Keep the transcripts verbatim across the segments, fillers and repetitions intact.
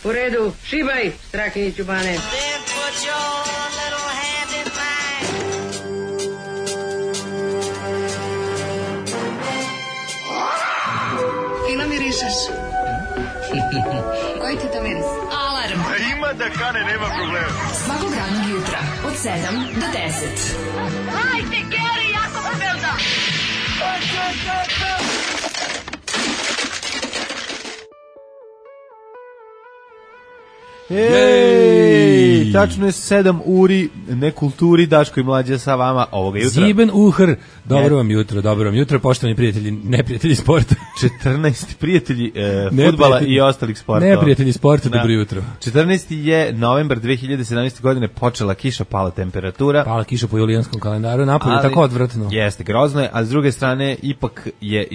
U redu, šibaj, Strakiniću Bane. Fino mirišeš. Koji ti to miris? Alarm. Ima da kane, nema problema. Svakog radnog jutra, od sedam do deset. Hajde, Geri, jako se velda. Ej, tačno je sedam uri nekulturi, Daško i Mlađa sa vama ovoga jutra. Ziben uhr, dobro vam jutro, dobro vam jutro, poštovani prijatelji, neprijatelji sporta. četrnaesti prijatelji e, fudbala i ostalih sportova. Neprijatelji sporta, dobro jutro. četrnaesti je novembar dve hiljade sedamnaeste. godine, počela kiša, pala temperatura. Pala kiša po julijanskom kalendaru, napolje tako odvratno. Jeste, grozno je, a s druge strane, ipak je,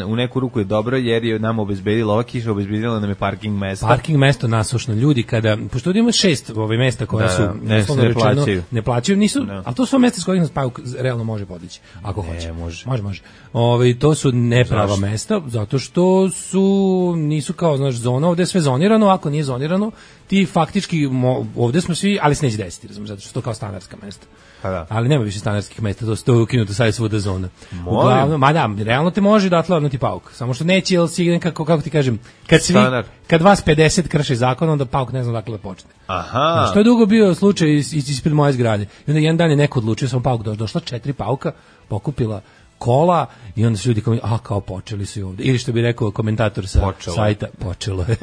u neku ruku je dobro, jer je nam obezbedila, ova kiša obezbedila nam je parking mesto. Parking mesto nasušno, ljudi, kada, pošto ovdje ima šest ove mesta koja da, su, ne, ne, ne plaćaju. Ne plaćaju, nisu, no. ali to su mesta s kojih nas Pauk realno može podići, ako ne, hoće. Može, može. može. Ove, to su neprava Zašto? mesta, zato što su, nisu kao, znaš, zona, ovdje je sve zonirano, ako nije zonirano, ti faktički, mo, ovdje smo svi, ali se neće desiti, razum, zato što to kao stanarska mesta. Da. Ali nema više stanarskih mesta, to sto ukinuto, sad je svuda zona. Uglavnom, ma da, realno te može da atlavnuti Pauk, samo što neće, jel si, kako, kako ti kažem, kad svi, Stanar. kad vas pedeset krše zakon, onda Pauk ne zna dakle da počne. Aha. Što je dugo bio slučaj is, is, ispred moje zgrade. I onda jedan dan je neko odlučio, sam Pauk došla, došla četiri Pauka, pokupila kola i onda su ljudi kao, a kao počeli su i ovdje. Ili što bi rekao komentator sa počelo. sajta, počelo je.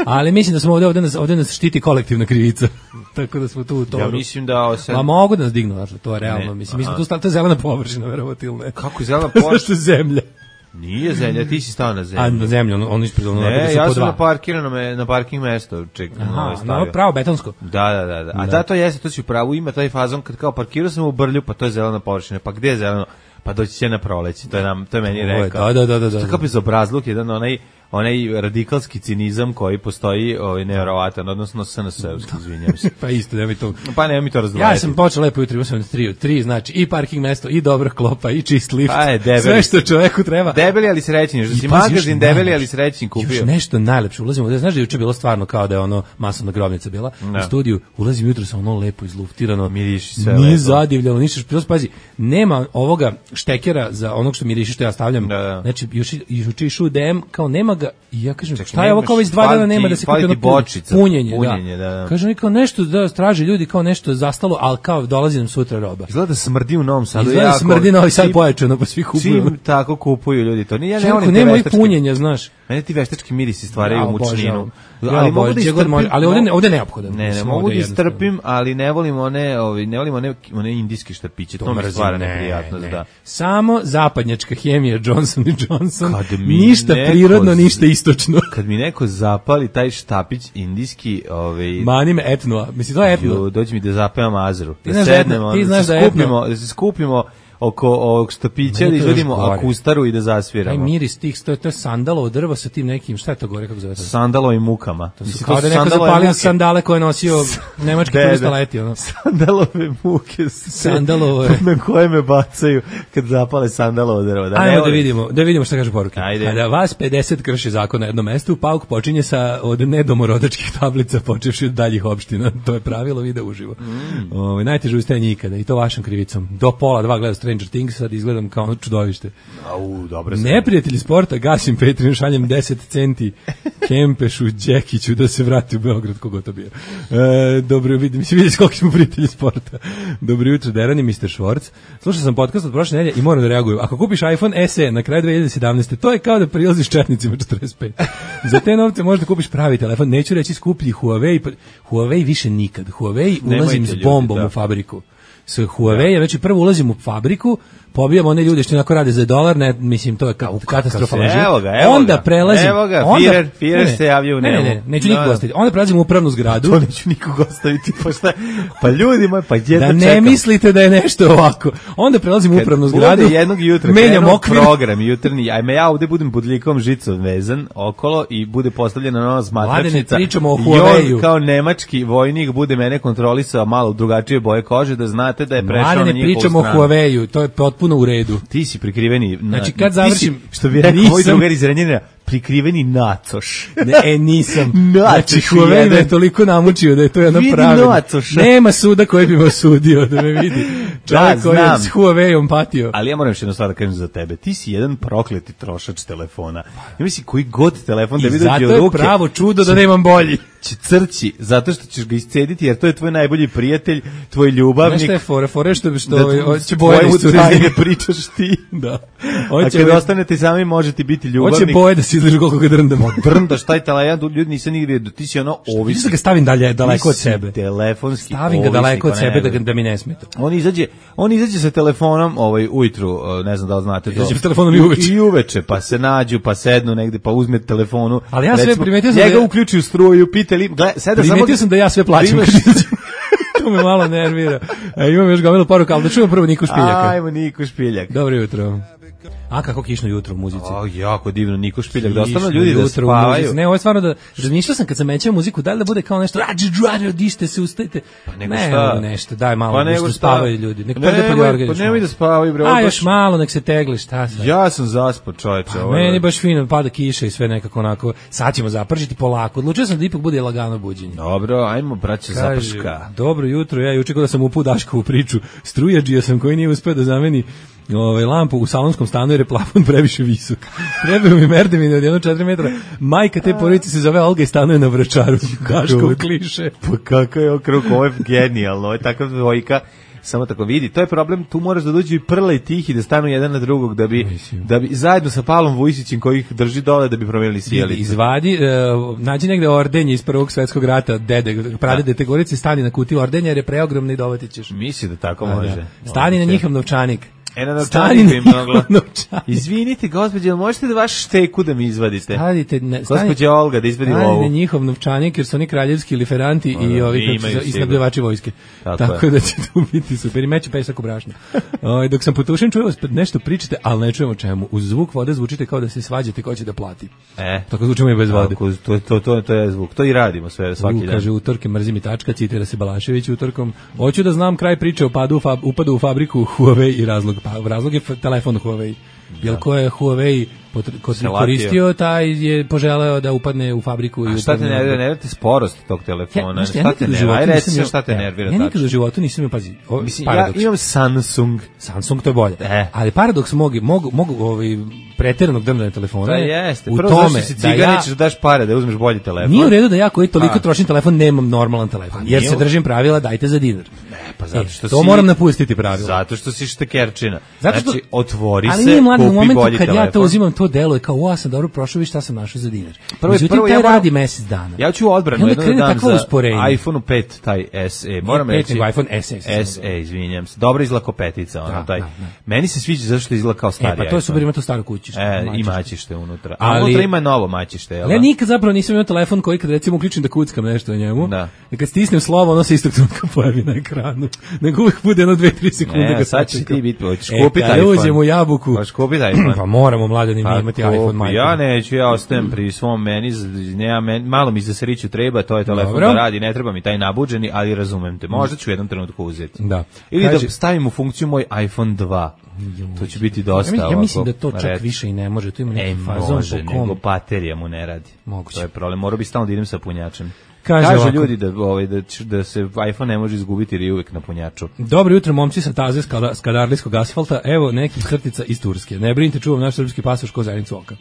Ali mislim da smo ovdje, ovdje nas, ovdje nas štiti kolektivna krivica. Tako da smo tu u toru. Ja mislim da osam... Ma mogu da nas dignu, znači, to je realno. Ne, mislim, mi smo tu stali, to je zelena površina, verovatno ili ne. Kako je zelena površina? Zašto je zemlja? Nije zemlja, ti si stao na zemlju. A na zemlju, on, on ispred ono. Ne, ja sam na parkirano me, na parking mesto, čekam. Aha, no, pravo betonsko. Da, da, da, da. A da, to jeste, to si u pravu, ima taj fazon kad kao parkirao sam u Brlju, pa to je zelena površina, pa gde je zeleno? Pa doći će na proleće, to je nam, to je meni rekao. Da, da, da, da. Što kao bezobrazluk, jedan onaj, onaj radikalski cinizam koji postoji, ovaj nevjerovatan, odnosno S N S-evski, izvinjam se. Pa isto, nemoj to. Pa nemoj mi to razdvajati. Ja sam počeo lepo jutro, imao sam tri, tri, znači i parking mesto, i dobra klopa, i čist lift. Pa je, debeli. Sve što čoveku treba. Debeli ali srećni, što si magazin debeli ali srećni kupio. Još nešto najlepše, ulazimo, da znaš da je juče bilo stvarno kao da je ono masovna grobnica bila, no. u studiju, ulazim jutro sa ono lepo izluftirano, miriši sve nije lepo. zadivljeno, ništa, plus pazi, nema ovoga štekera za onog što miriši što ja stavljam, da, da. znači još juče išao D M, kao nema ga, i ja kažem, Ček, šta je ovo kao već dva dana nema da se kupi ono bočica, punjenje, punjenje, da. da, da. Kažem, kao nešto da traže ljudi, kao nešto zastalo, ali kao dolazi nam sutra roba. Izgleda da smrdi u Novom Sadu. Izgleda da smrdi Novi Sad pojačano, pa svi kupuju. Čim tako kupuju ljudi to. Nije, ja ne Čekaj, volim te nema i veštačke. punjenja, znaš. Mene ti veštački mirisi stvaraju Ja, mučninu. Ja, ali mogu da istrpim, može, ali ovdje, ovdje neophodan. Ne, ne, mislim, mogu da ovdje istrpim, ali ne volim one, ovi, ne volim one, one indijske štapiće. To, to mi stvara neprijatnost, da. Samo zapadnjačka hemija Johnson and Johnson. Kad mi ništa neko, prirodno, ništa istočno. Kad mi neko zapali taj štapić indijski, ovaj Mani me etno, mislim to je etno. Jo, dođi mi da zapevam Azru. Ti Da sednemo, ti da, znaš se da skupimo, da se skupimo oko ovog štapića, da izvedimo akustaru i da zasviramo. Taj miris tih, to je, to je sandalovo drvo sa tim nekim, šta je to gore, kako zove to? Sandalovim mukama. To su kao da neko zapalio sandale koje je nosio nemački turista leti. Ono. Sandalove muke Sandalove. na koje me bacaju kad zapale sandalovo drvo. Da, ajmo da vidimo, da vidimo šta kaže poruke. Ajde. Kada vas pedeset krši zakon na jednom mestu, Pauk počinje sa od nedomorodačkih tablica, počevši od daljih opština. To je pravilo, vide uživo. Mm. Ovo, najteže ustajanje ikada, i to vašom krivicom. Do pola dva gledam Stranger Things, sad izgledam kao ono čudovište. Au, dobro. Neprijatelji sporta, gasim Patreon, šaljem deset centi Kempešu, Đekiću da se vrati u Beograd, kogo to bio. E, dobro, vidim, mislim, vidjeti koliko smo prijatelji sporta. Dobro jutro, Derani, mister Švorc. Slušao sam podcast od prošle nedelje i moram da reagujem. Ako kupiš iPhone S E na kraju dve hiljade sedamnaeste. to je kao da prilaziš četnicima četrdeset pet. Za te novce možda kupiš pravi telefon. Neću reći skuplji Huawei. Huawei više nikad. Huawei ulazim s bombom ljudi, u fabriku. S Huawei, već i prvo ulazim u fabriku, pobijamo one ljude što onako rade za dolar, ne, mislim, to je katastrofalno. Evo ga, evo onda ga. prelazim. Evo ga, onda, Firer, Firer se javio u ne, nemu. ne, ne, neću nikog ostaviti. Onda prelazim u upravnu zgradu. To neću nikog ostaviti, pa šta, pa ljudi moji, pa gdje da to ne čekam? Mislite da je nešto ovako. Onda prelazim u upravnu zgradu. Bude jednog jutra, menjam okvir. Program jutarnji, ajme ja ovde budem budlikom žicom vezan okolo i bude postavljena nova smatračnica. Pričamo o Huawei. I on kao nemački vojnik bude mene kontrolisao malo drugačije boje kože, da znate da je prešao na njihovu stranu. Pričamo o Huawei, to je potpuno u redu. Ti si prikriveni. Na, znači kad završim, si, što bi rekao moj drugar iz Renjanina, prikriveni nacoš. Ne, e, nisam. Znači, Nacoš Huawei me jedan. toliko namučio da je to jedna Vidi pravila. nacoša. Nema suda koji bi me osudio da me vidi. Čovjek koji je znam. s Huaweiom patio. Ali ja moram još jednu stvar da kažem za tebe. Ti si jedan prokleti trošač telefona. Ja mislim, koji god telefon da I mi zato dođe je u ruke, pravo čudo da nemam bolji. će crći, zato što ćeš ga iscediti, jer to je tvoj najbolji prijatelj, tvoj ljubavnik. Znaš šta je fora? Fora što, što Da ovaj, tu hoće boje da tvoje iscuraju. utrajne pričaš ti. Da. A Hoće, kad ovaj, ostanete sami, možete biti ljubavnik. hoće boje da se izležu koliko ga drndamo. Drndaš taj telefon, ljudi nisam nigdje vidio, ti si ono Vidiš ovisnik. da ga stavim dalje, daleko od Ti si sebe. telefonski Stavim ga ovisnik, daleko od pa sebe ne da, ga, verujem. da mi ne smeta. On izađe, on izađe sa telefonom ovaj ujutru, uh, ne znam da li znate to. Izađe s telefonom i uveče. I uveče, pa se nađu, pa sednu negde, pa uzme telefonu. Ali ja sve Recimo, primetio sam da njega je- uključi u struju, pitali, gle, sada samo Primetio sam da ja sve plaćam. Primaš- To me malo nervira. E, imam još gomilu poruka, ali da čujem prvo Niku Špiljaka. Ajmo Niko Špiljak. Dobro jutro. A kako kišno jutro u muzici. O, jako divno, Niko Špiljak, da ostanu Kišno ljudi da jutro u spavaju. muzici. Ne, ovo je stvarno da, razmišljao sam kad sam mećao muziku, da li da bude kao nešto, rađe, džuare, odište se, ustajte. Pa nego ne, šta? nešto, daj malo, Pa nešto nego šta? spavaju ljudi. Nek Nemoj, perde pod jorga pa još nemoj malo. da spavaju, bre, A, ovo još baš- malo, nek se tegli, šta sad? Ja sam zaspao, čoveče. ovo je- Meni baš fino, pada kiša i sve nekako onako, sad ćemo zapržiti polako. Odlučio sam da ipak bude lagano buđenje. Dobro, ajmo, braće, Kaže, zaprška. dobro jutro, ja juče da sam upao Daškovu priču, strujađija sam koji nije uspeo da zameni ovaj, lampu u salonskom stanu jer je plafon previše visok. Trebaju mi merdevine od jedno četiri metra. Majka te porodice se zove Olga i stanuje na Vračaru. Daškov kliše. Pa kako je okrug, ovo je genijalno, ovo je takav dvojka. Samo tako vidi, to je problem, tu moraš da dođu i Prla i Tihi da stanu jedan na drugog, da bi, da bi zajedno sa Pavlom Vujsićem koji ih drži dole da bi promijenili sjelicu. Izvadi, uh, nađi negde ordenje iz Prvog svetskog rata, dede, pradede te gorice, stani na kutiju ordenja jer je preogromno i dovati ćeš. Misli da tako A, može. da. Stani na njihov novčanik. E, na Stani novčaniku na im njihov mogla. novčanik. Izvinite, gospođe, jel možete da vaš šteku da mi izvadite? Stavite, ne, stani, Gospođa Olga da izvadi stani lovu. na njihov novčanik jer su oni kraljevski liferanti i da, ovi imaju kako se zove, i sigurno. snabdevači vojske. Tako Tako, je. da će tu biti super. I meće pesak u brašno. Ovaj, dok sam potušen čuo vas nešto pričate, ali ne čujemo čemu. Uz zvuk vode zvučite kao da se svađate ko će da plati. E, Tako zvučimo i bez vode. tako, to, to, to, to je zvuk. To i radimo sve, svaki U, dan. kaže utorke mrzim i tačka, citira se Balašević utorkom. Hoću da znam kraj priče o padu, u fab, upadu u fabriku Huawei i razlog. Pa, razlog je f- telefon Huawei. Jel ko je Huawei potr- ko Se koristio, taj je poželeo da upadne u fabriku. A i šta te upadne u- nervira? Nervira ti sporost tog Ja, telefona? znaš šta, ja šta nikad te u nervira? životu Aj, nisam reci imao- šta te ja, nervira. Ja nikad tačno. u životu nisam imao, pazi, ovo, Mislim, ja paradoks. imam Samsung. Samsung to je bolje. E. Ali paradoks mogu, mogu, mogu ovaj, pretjeranog drndanja telefona Da, je jeste. u Prvo tome zašto si da cigan, ja... nećeš da daš pare, da uzmeš bolji telefon. Nije u redu da ja koji toliko A. trošim telefon nemam normalan telefon, jer nije se u- držim pravila dajte za dinar. Pa zato što E, to si- moram napustiti pravila. Zato što si štekerčina. Zato što, Znači, otvori ali se, nije mladen, u kupi momentu bolji kad telefon. ja to uzimam, to deluje kao, o, ja sam dobro prošao, vi šta sam našao za dinar. Prvo- Međutim, prvo taj ja moram- radi mesec dana. Ja ću u I odbranu onda jedan krene dan takvo za usporenje. iPhone pet, taj S E. Moram pet, reći... nego iPhone S E. sam S E, izvinjam se. Dobra izlako petica, ono, Da, taj. da, da. Meni se sviđa zašto što izgleda kao stari E, pa to je super, iPhone. ima to staro kućište. E, i mačište. mačište unutra. A Ali- unutra ima novo mačište, jel? Ali ja da? nikad zapravo nisam imao telefon koji kad recimo uključim da kuckam nešto na njemu, Da. i kad stisnem slovo, ono se istog trenutka pojavi na ekranu. Nego uvijek bude jedno dve, tri sekunde. Ne, ga sad će sačekam. ti biti, hoćeš E, kupiti kad iPhone. uđem u jabuku, Hoćeš kupiti iPhone. pa moramo mladeni mi Pa imati kupi. iPhone, majko. Ja neću, ja ostajem pri svom meni, z- nema men, malo mi za sriću treba, to je telefon Dobro. da radi, ne treba mi taj nabuđeni, ali razumem te. Možda ću u jednom trenutku uzeti. Da. Ili Kaže- da stavim u funkciju moj iPhone dva. To će biti dosta Ja, mi- ja mislim ovako, da to čak red. više i ne može, tu ima E, neki fazon može, po kom. nego baterija mu ne radi. Moguće. To je problem, morao bi stalno da idem sa punjačem. Kaže Kažu ovako. ljudi da, ovaj, da, će- da se iPhone ne može izgubiti jer je uvijek na punjaču. Dobro jutro, momci sa taze skala- skadarlijskog asfalta. Evo nekih crtica iz Turske. Ne brinite, čuvam naš srpski pasoš ko zenicu oka.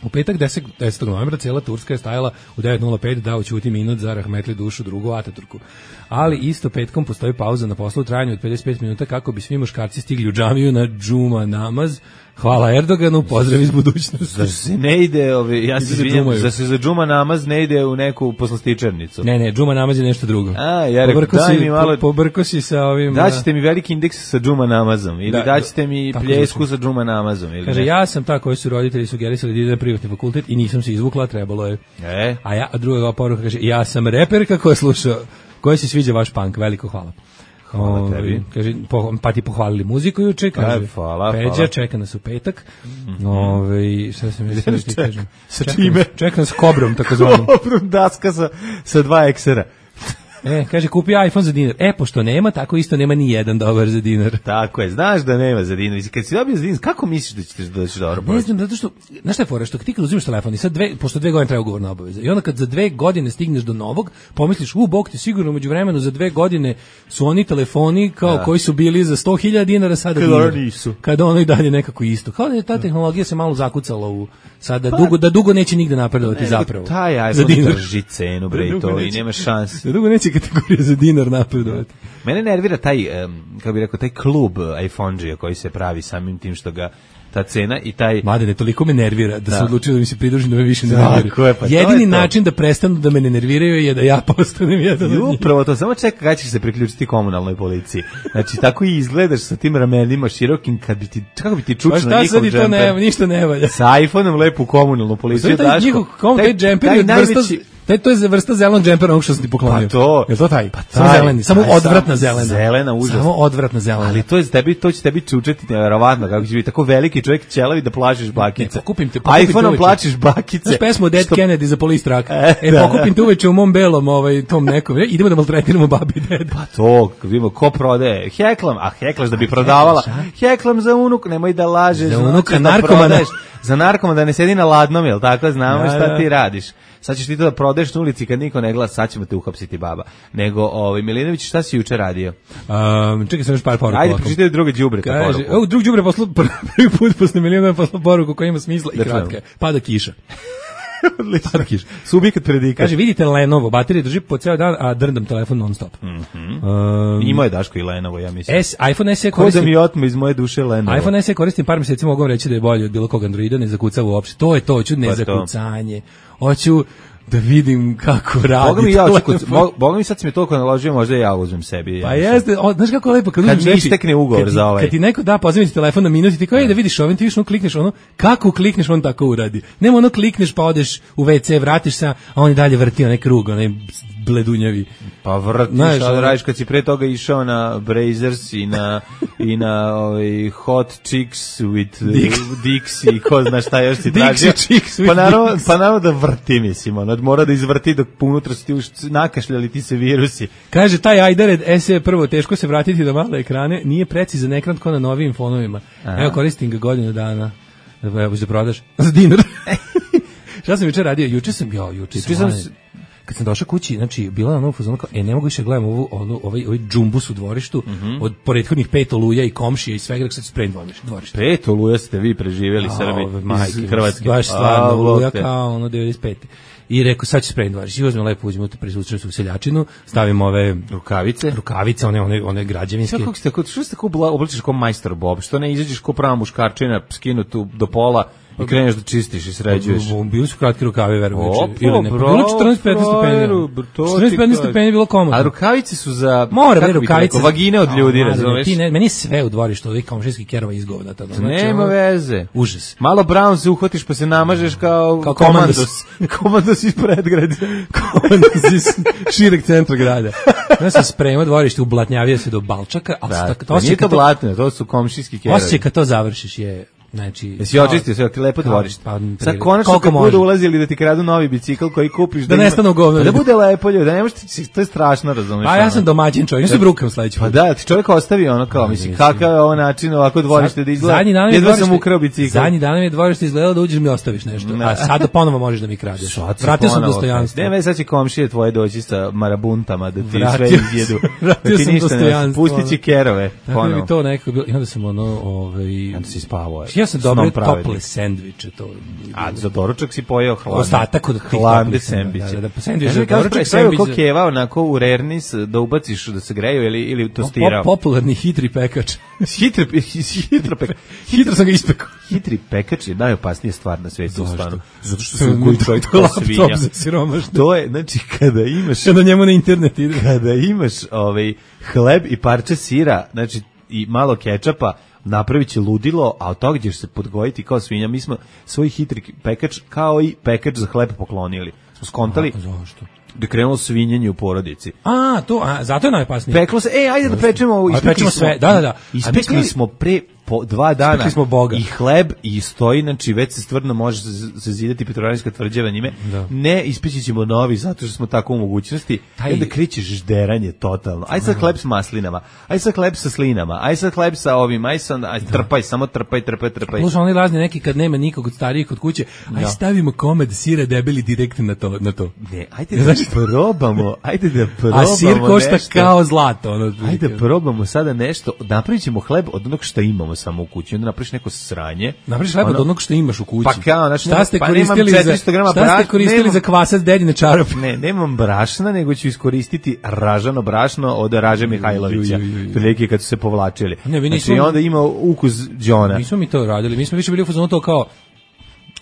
U petak desetog novembra cijela Turska je stajala u devet nula pet da ućuti minut za rahmetli dušu drugu Ataturku. Ali isto petkom postoji pauza na poslu u trajanju od pedeset pet minuta kako bi svi muškarci stigli u džamiju na džuma namaz. Hvala Erdoganu, pozdrav iz budućnosti. Zar se ne ide, ovaj, ja se Ide za izvinjam, džumaju. zar se za džuma namaz ne ide u neku poslastičarnicu? Ne, ne, džuma namaz je nešto drugo. A, ja rekao, Pobrko daj si- mi malo- po- Pobrko si sa ovim... Daćete mi veliki indeks sa džuma namazom ili Da, daćete mi tako pljesku zvuči. sa džuma namazom ili Kaže, ne? ja sam ta koji su roditelji sugerisali da ide na privatni fakultet i nisam se izvukla, trebalo je. E, A ja, a druga poruka kaže, ja sam reperka koja sluša, koja se sviđa vaš punk, veliko hvala. Hvala Ovaj, tebi. Kaže, po, pa ti pohvalili muziku juče, kaže, E, hvala, Peđa, hvala. čeka nas u petak. Ovaj, šta sam mi da ti Čeka. kažem? Sa Čeka čime? nas- Čeka nas kobrom, takozvanom. Dobro, daska sa, sa dva eksera. E, kaže, kupi iPhone za dinar. E, pošto nema, tako isto nema ni jedan dobar za dinar. Tako je, znaš da nema za dinar. Kad si dobio za dinar, kako misliš da ćeš doći dobro proći? Ne znam, zato što, znaš šta je fora, što ti kad uzimaš telefon i sad dve, pošto dve godine treba ugovorna obaveza, i onda kad za dve godine stigneš do novog, pomisliš, u, bog ti sigurno među vremenu za dve godine su oni telefoni kao da. koji su bili za sto hiljada dinara sada Kad dinar. ono nisu. Kada ono i dalje nekako isto. Kao da je ta tehnologija se malo zakucala u, sada pa, dugo, da dugo neće nigde napredovati zapravo. Taj iPhone drži cenu, bre, i to, i nema šanse. Da dugo neće kategorija za dinar napredovati. Mene nervira taj, um, kako bih rekao, taj klub iPhone-đija koji se pravi samim tim što ga ta cena i taj... Mladene, toliko me nervira da, da. sam odlučio da mi se pridružim da me više ne nerviraju. Pa jedini način da prestanu da me ne nerviraju je da ja postanem jedan od njih. Upravo to, samo čeka kada ćeš se priključiti komunalnoj policiji. Znači, tako i izgledaš sa tim ramenima širokim, kad bi ti, kako bi ti čučno njihov džemper. Pa šta sad i to ne, ništa ne valja. Sa iPhone-om lepo u komunalnu policiju daš. Taj njihov, kom, taj, taj džemper je od vrsta... Taj to je vrsta zelenog džempera onog što sam ti poklonio. Pa to. Je to taj? Pa taj, samo zeleni, samo taj, odvratna zelena. Zelena, užasna. Samo odvratna zelena. Ali to je tebi, to će tebi čučeti neverovatno, kako će biti tako veliki čovjek ćelavi da plašiš bakice. Ne, pokupim te, pokupim iPhone-om plašiš bakice. Znaš pesmu Dead što... Kennedy za Police Truck. E, e da, pokupim te uveče u mom belom, ovaj, tom nekom. Idemo da maltretiramo babi dede. Pa to, vidimo, ko prodaje? Heklam, a heklaš da bi prodavala. Heklam za unuk, nemoj da lažeš. Za unuka narkomana. Za narkomana da ne sedi na ladnom, jel tako? Znamo šta ti radiš. Sad ćeš ti to da prodaješ na ulici kad niko ne glasa, sad ćemo te uhapsiti baba. Nego, ovaj, Milinović, šta si juče radio? Um, čekaj sam još par poruka. Ajde, pročitaj druge đubreta poruku. Ovo, drug đubre poslao, prvi put posle Milinovića poslao poruku koja ima smisla i kratka. Pada kiša. Pada kiša. Subjekat predika. Kaže, vidite Lenovo, baterije drži po ceo dan, a drndam telefon non stop. Mm -hmm. um, Imao je Daško i Lenovo, ja mislim. S, iPhone S E koristim. Ko da mi otme iz moje duše Lenovo. iPhone S E koristim par mjeseci, mogu reći da je bolje od bilo kog Androida, ne zakucava uopšte. To je to, hoću ne zakucanje. Hoću da vidim kako radi. Boga mi, ja, čekaj, Boga mi sad si mi toliko naložio, možda ja uzmem sebi. Ja pa jeste, o, znaš kako je lepo kad, kad mi istekne ugovor za ovaj. Kad ti neko da poziviti telefon na minut i ti kao, ej da vidiš ovim, ti viš ono klikneš ono, kako klikneš on tako uradi. Nema ono klikneš pa odeš u ve ce, vratiš se, a on i dalje vrti onaj krug, onaj bledunjavi. Pa vrtiš, znaš, ali radiš kad si pre toga išao na Brazers i na, i na ovaj, Hot Chicks with Dix. Dix i ko zna šta još si tražio. Pa naravno, pa naravno da vrti, mislim, ono, mora da izvrti dok unutra su ti už nakašljali ti se virusi. Kaže, taj Ajdared S E prvo, teško se vratiti do male ekrane, nije precizan ekran kao na novijim fonovima. Aha. Evo, koristim ga godinu dana. Evo, da prodaš za dinar. Šta sam juče radio? Juče sam, jo, juče sam... Kad sam došao kući, znači bila na novu fazonu kao, e ne mogu više gledam ovu onu ovaj ovaj džumbus u dvorištu, mm -hmm. od prethodnih pet oluja i komšija i svega, sad sprem dvorište, dvorište. Pet oluja ste vi preživjeli Srbi iz Hrvatske. Baš stvarno oluja kao ono devedeset pete. I rekao, sad ću sprem dvorište. I uzmem lepo, uzmem tu preslučenu seljačinu, stavim ove rukavice, rukavice, one one one građevinske. Kako ste, kako što ste kako oblačiš kao majstor Bob, što ne izađeš kao prava muškarčina, skinutu do pola. I kreneš da čistiš i sređuješ. Bili su kratki rukavi, verujem. Ili ne, bilo četrnaest petnaest stepeni. četrnaest petnaest stepeni bilo komotno. A rukavice su za... Mora, bre, rukavice. Vagine od ljudi, razumeš? Ti ne, meni sve u dvorištu, ovih komšijskih kerova izgovna. Znači, nema veze. Užas. Malo Brown se uhvatiš pa se namažeš kao, kao komandos. Komandos iz predgrada. Komandos iz šireg centra grada. Ja sam spremao dvorište, ublatnjavio se do balčaka. Da, to nije to blatno, to su komšijski kerovi. Osjećaj kad to završiš je... Znači, jesi očistio sve, ti lepo dvorište. Pa, sad konačno kad budu ulazili da ti kradu novi bicikl koji kupiš. Da, da nestane u govno. Da bude lepo ljudi, da ne možeš, to je strašno, razumiješ. Pa ja sam domaćin čovjek, ja se brukam sledeći put. Pa da, ti čovjek ostavi ono kao, mislim, kakav je ovo način, ovako dvorište da izgleda. Zadnji dan jedva sam ukrao bicikl. Zadnji dan mi je dvorište izgledalo da uđeš mi ostaviš nešto. A sada ponovo možeš da mi kradeš. Vratio sam dostojanstvo. Ne, već sad će komšije tvoje doći sa marabuntama da ti sve izjedu. Vratio sam dostojanstvo. Pusti će kerove. Tako bi to neko bilo. I onda sam ono, ovaj, onda si spavao. Ja sam dobro tople sendviče to. A za doručak si pojeo hladne. Ostatak od hladne sendviče. Da, da, da, sendvič za doručak sendvič. Kako keva onako u rernis da ubaciš da se greju ili ili tostirao. Popularni hitri pekač. hitri hitro pekač. Hitro sam ga ispekao. Hitri pekač je najopasnija stvar na svetu, stvarno. Zato što se koji čovjek kao svinja. To je, znači kada imaš kada njemu na internet ide. Kada imaš ovaj hleb i parče sira, znači i malo kečapa, napravit će ludilo, a od toga ćeš se podgojiti kao svinja. Mi smo svoj hitri pekač kao i pekač za hleb poklonili. Smo skontali. A, zašto? Da krenulo svinjenje u porodici. A, to, a, zato je najopasnije. Peklo se, ej, ajde da pečemo ovo. Pečemo sve, da, da, da. Ispekli smo pre po dva dana Stekli smo Boga. i hleb i stoji, znači već se stvarno može zazidati Petrovaradinska tvrđava njime. Da. Ne, ispeći ćemo novi zato što smo tako u mogućnosti. Taj- I onda krećeš žderanje totalno. Aj sad hleb s maslinama, aj sad hleb sa slinama, aj sad hleb sa ovim, aj sad, aj trpaj, samo trpaj, trpaj, trpaj. Slušaj, oni razni neki kad nema nikog od starijih kod kuće, aj Da. stavimo komad sira debeli direktno na to. Na to. Ne, ajde da probamo, ajde da probamo A sir košta nešto. kao zlato. Ono, Ajde da probamo sada nešto, napravit ćemo hleb od onog što imamo samo u kući, onda napraviš neko sranje. Napraviš hleb od Ono- onog što imaš u kući. Pa kao, znači, šta ste pa nemam koristili za četiristo grama šta ste brašna, koristili nemam- za kvasac dedine čarape? Ne, nemam brašna, nego ću iskoristiti ražano brašno od Raže Mihajlovića. ju, ju, ju. Prilike kad su se povlačili. Ne, mi znači, nismo- onda ima ukus Đona. Nismo mi to radili, mi smo više bili u fazonu to kao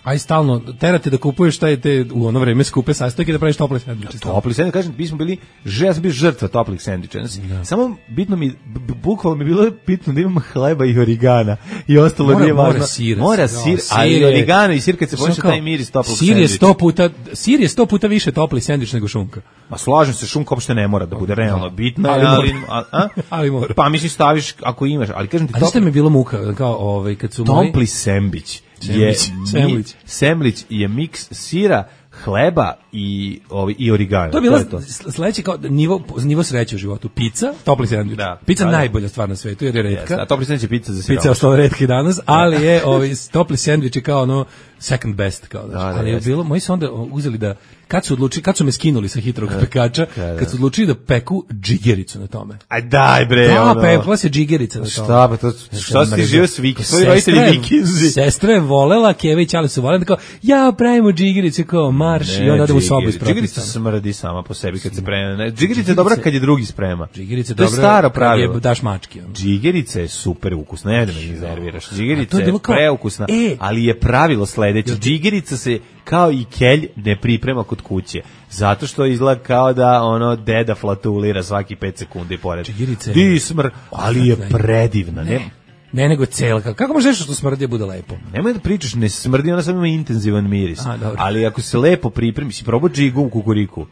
aj stalno terate da kupuješ taj te u ono vreme skupe sastojke da praviš tople sendviče. Topli sendvič, kažem, mi smo bili, že, ja sam bio žrtva toplih sendviča. Znači, samo bitno mi, b- b- bukvalno mi je bilo bitno da imam hleba i origana i ostalo Mora- nije mora važno. sir. Mora Ja, sir, sir ali je- origano i sir kad se Znaš pomiša kao, taj miris toplog Sir je sendviča. sto puta sir je sto puta više topli sendvič nego šunka. Ma slažem se, šunka uopšte ne mora da bude realno bitna, Ali ali, mora. a, a? Ali mora. Pa mislim staviš ako imaš, ali kažem ti A znaš šta mi topli, je bilo muka, kao ovaj kad su moji topli sendvič je Semlić, semlić. semlić je miks sira, hleba i ovaj i origana. To je bila to. sledeće kao nivo nivo sreće u životu. Pizza, topli sendvič. Da. Pizza Da, da. najbolja stvar na svetu jer je retka. A topli sendvič je pizza za Pizza je siromašne. ostala retka i danas, ali je ovaj topli sendvič je kao ono second best kao da. Da, da, ali je jeste. bilo, moji su onda uzeli da kad su odlučili, kad su me skinuli sa hitrog pekača, da. kad su odlučili da peku džigericu na tome. Aj daj bre, Da, ono. pekla se džigerica na tome. Šta pa to, šta si ti živio s Viki, svoji roditelji Sestra je- Vikinzi. Sestra je volela, Keva i Ćale su volela, da kao, ja pravimo džigerice kao marš i onda odemo u sobu iz Džigerica propisa. smrdi sama po sebi kad se preme. Džigerica je dobra kad je drugi sprema. Džigerica je To je dobra staro kad pravilo. je daš mački. Ono. Džigerica je super ukusna, ne da me iznerviraš. Džigerica to je je bilo kao- preukusna, E. ali je pravilo sledeće. Džigerica se kao i kelj ne priprema kod kuće. Zato što izgleda kao da ono deda flatulira svaki pet sekundi pored. Džigerica je- Dismr, ali je Odvratna je. predivna, ne? Ne, nego celka. Kako možeš nešto što smrdi da bude lepo? Nemoj da pričaš, ne smrdi, ona samo ima intenzivan miris. A, dobro. Ali ako se lepo pripremi, si probao džigu u kukuriku.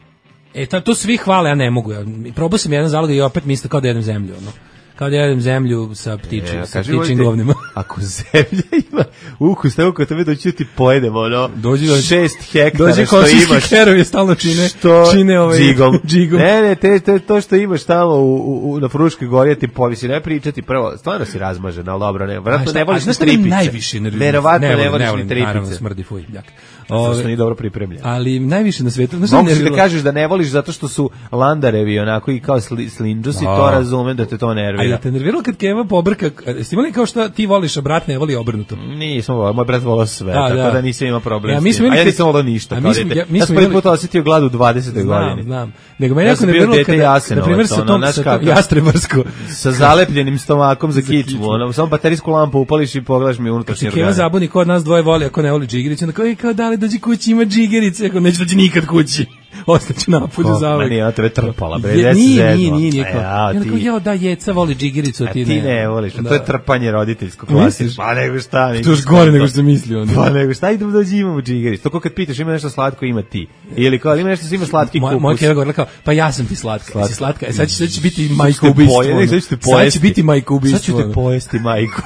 E, ta, to svi hvale, ja ne mogu. Ja, probao sam jedan zalog i opet mi isto kao da jedem zemlju. Ono. Kao da jedem zemlju sa ptičim, E, sa kaži, ptičim volite, govnima. ako zemlja ima ukus, tako kad tebe doći ti pojedemo, ono, Dođi da- šest hektara Dođe što komšijski imaš. kerovi stalno čine, Što čine ovaj, džigom. džigom. Ne, ne, te, te, to što imaš tamo u, u, u, na Fruškoj gori, ja ti povisi, ne pričati prvo, stvarno si razmažen, ali dobro, ne, A vratno šta- ne a voliš ni znaš šta me tripice. najviše nervira? Verovatno ne, volim, voliš volim, ni Naravno, tripice. smrdi, fuj, ljak. Zato Ove, što nije dobro pripremljen. ali najviše na svetu, znaš šta me Mogu si da nerviralo? kažeš da ne voliš zato što su landarevi onako i kao sli, slinđusi, A. to razumem da te to A nervira. je te nerviralo kad Keva pobrka, jeste imali kao što ti voliš, a brat ne voli obrnuto? Nisam volao, moj brat volao sve, Da, tako da. da, nisam imao problem Ja, s mi tim. smo imali A ja te- nisam volao ništa, a mi kao smo- dete. ja- mi Ja smo sam prvi imali- put osjetio glad u dvadesetoj Znam, godini. znam. Nego me Ja jako sam bio nerviralo dete kada, Jasenovac, na primjer, sa ono, tom, znaš sa tom kako- jastrebarsko, Sa zalepljenim stomakom za kičmu, kičmu. ono, samo baterijsku lampu upališ i pogledaš mi unutrašnje Keva organe. zabuni ko od nas dvoje voli, ako ne voli džigericu, onda kao, e, kao da li dođi kući, ima džigerice, ako neće dođi nikad kući. Ostaću napolju Kako, za ma uvek. nije, ona tebe trpala, bre, Je, gde si nije, zeznuo? nije, nije, nije. A Kao, ja, I onda kao, ti- jao, da, jeca voli džigericu, a A ti ti ne. ne voliš, a Da. to je trpanje roditeljsko Misliš? klasično. Pa nego šta, To je nego još gore nego što sam mislio. onda. Pa nego šta, idemo dođi imamo džigerić. To kao kad pitaš ima nešto slatko, ima ti. Ili kao ima nešto što ima slatki Moja, kupus. moja keva govorila kao, pa ja sam ti slatka, Slatka. si slatka, e sad će, sad će biti Sad majko ću te ubistvo. poje- ne, ono. sad ću te Sad će pojesti. biti majko ubistvo. Sad ću te ono. pojesti, majku.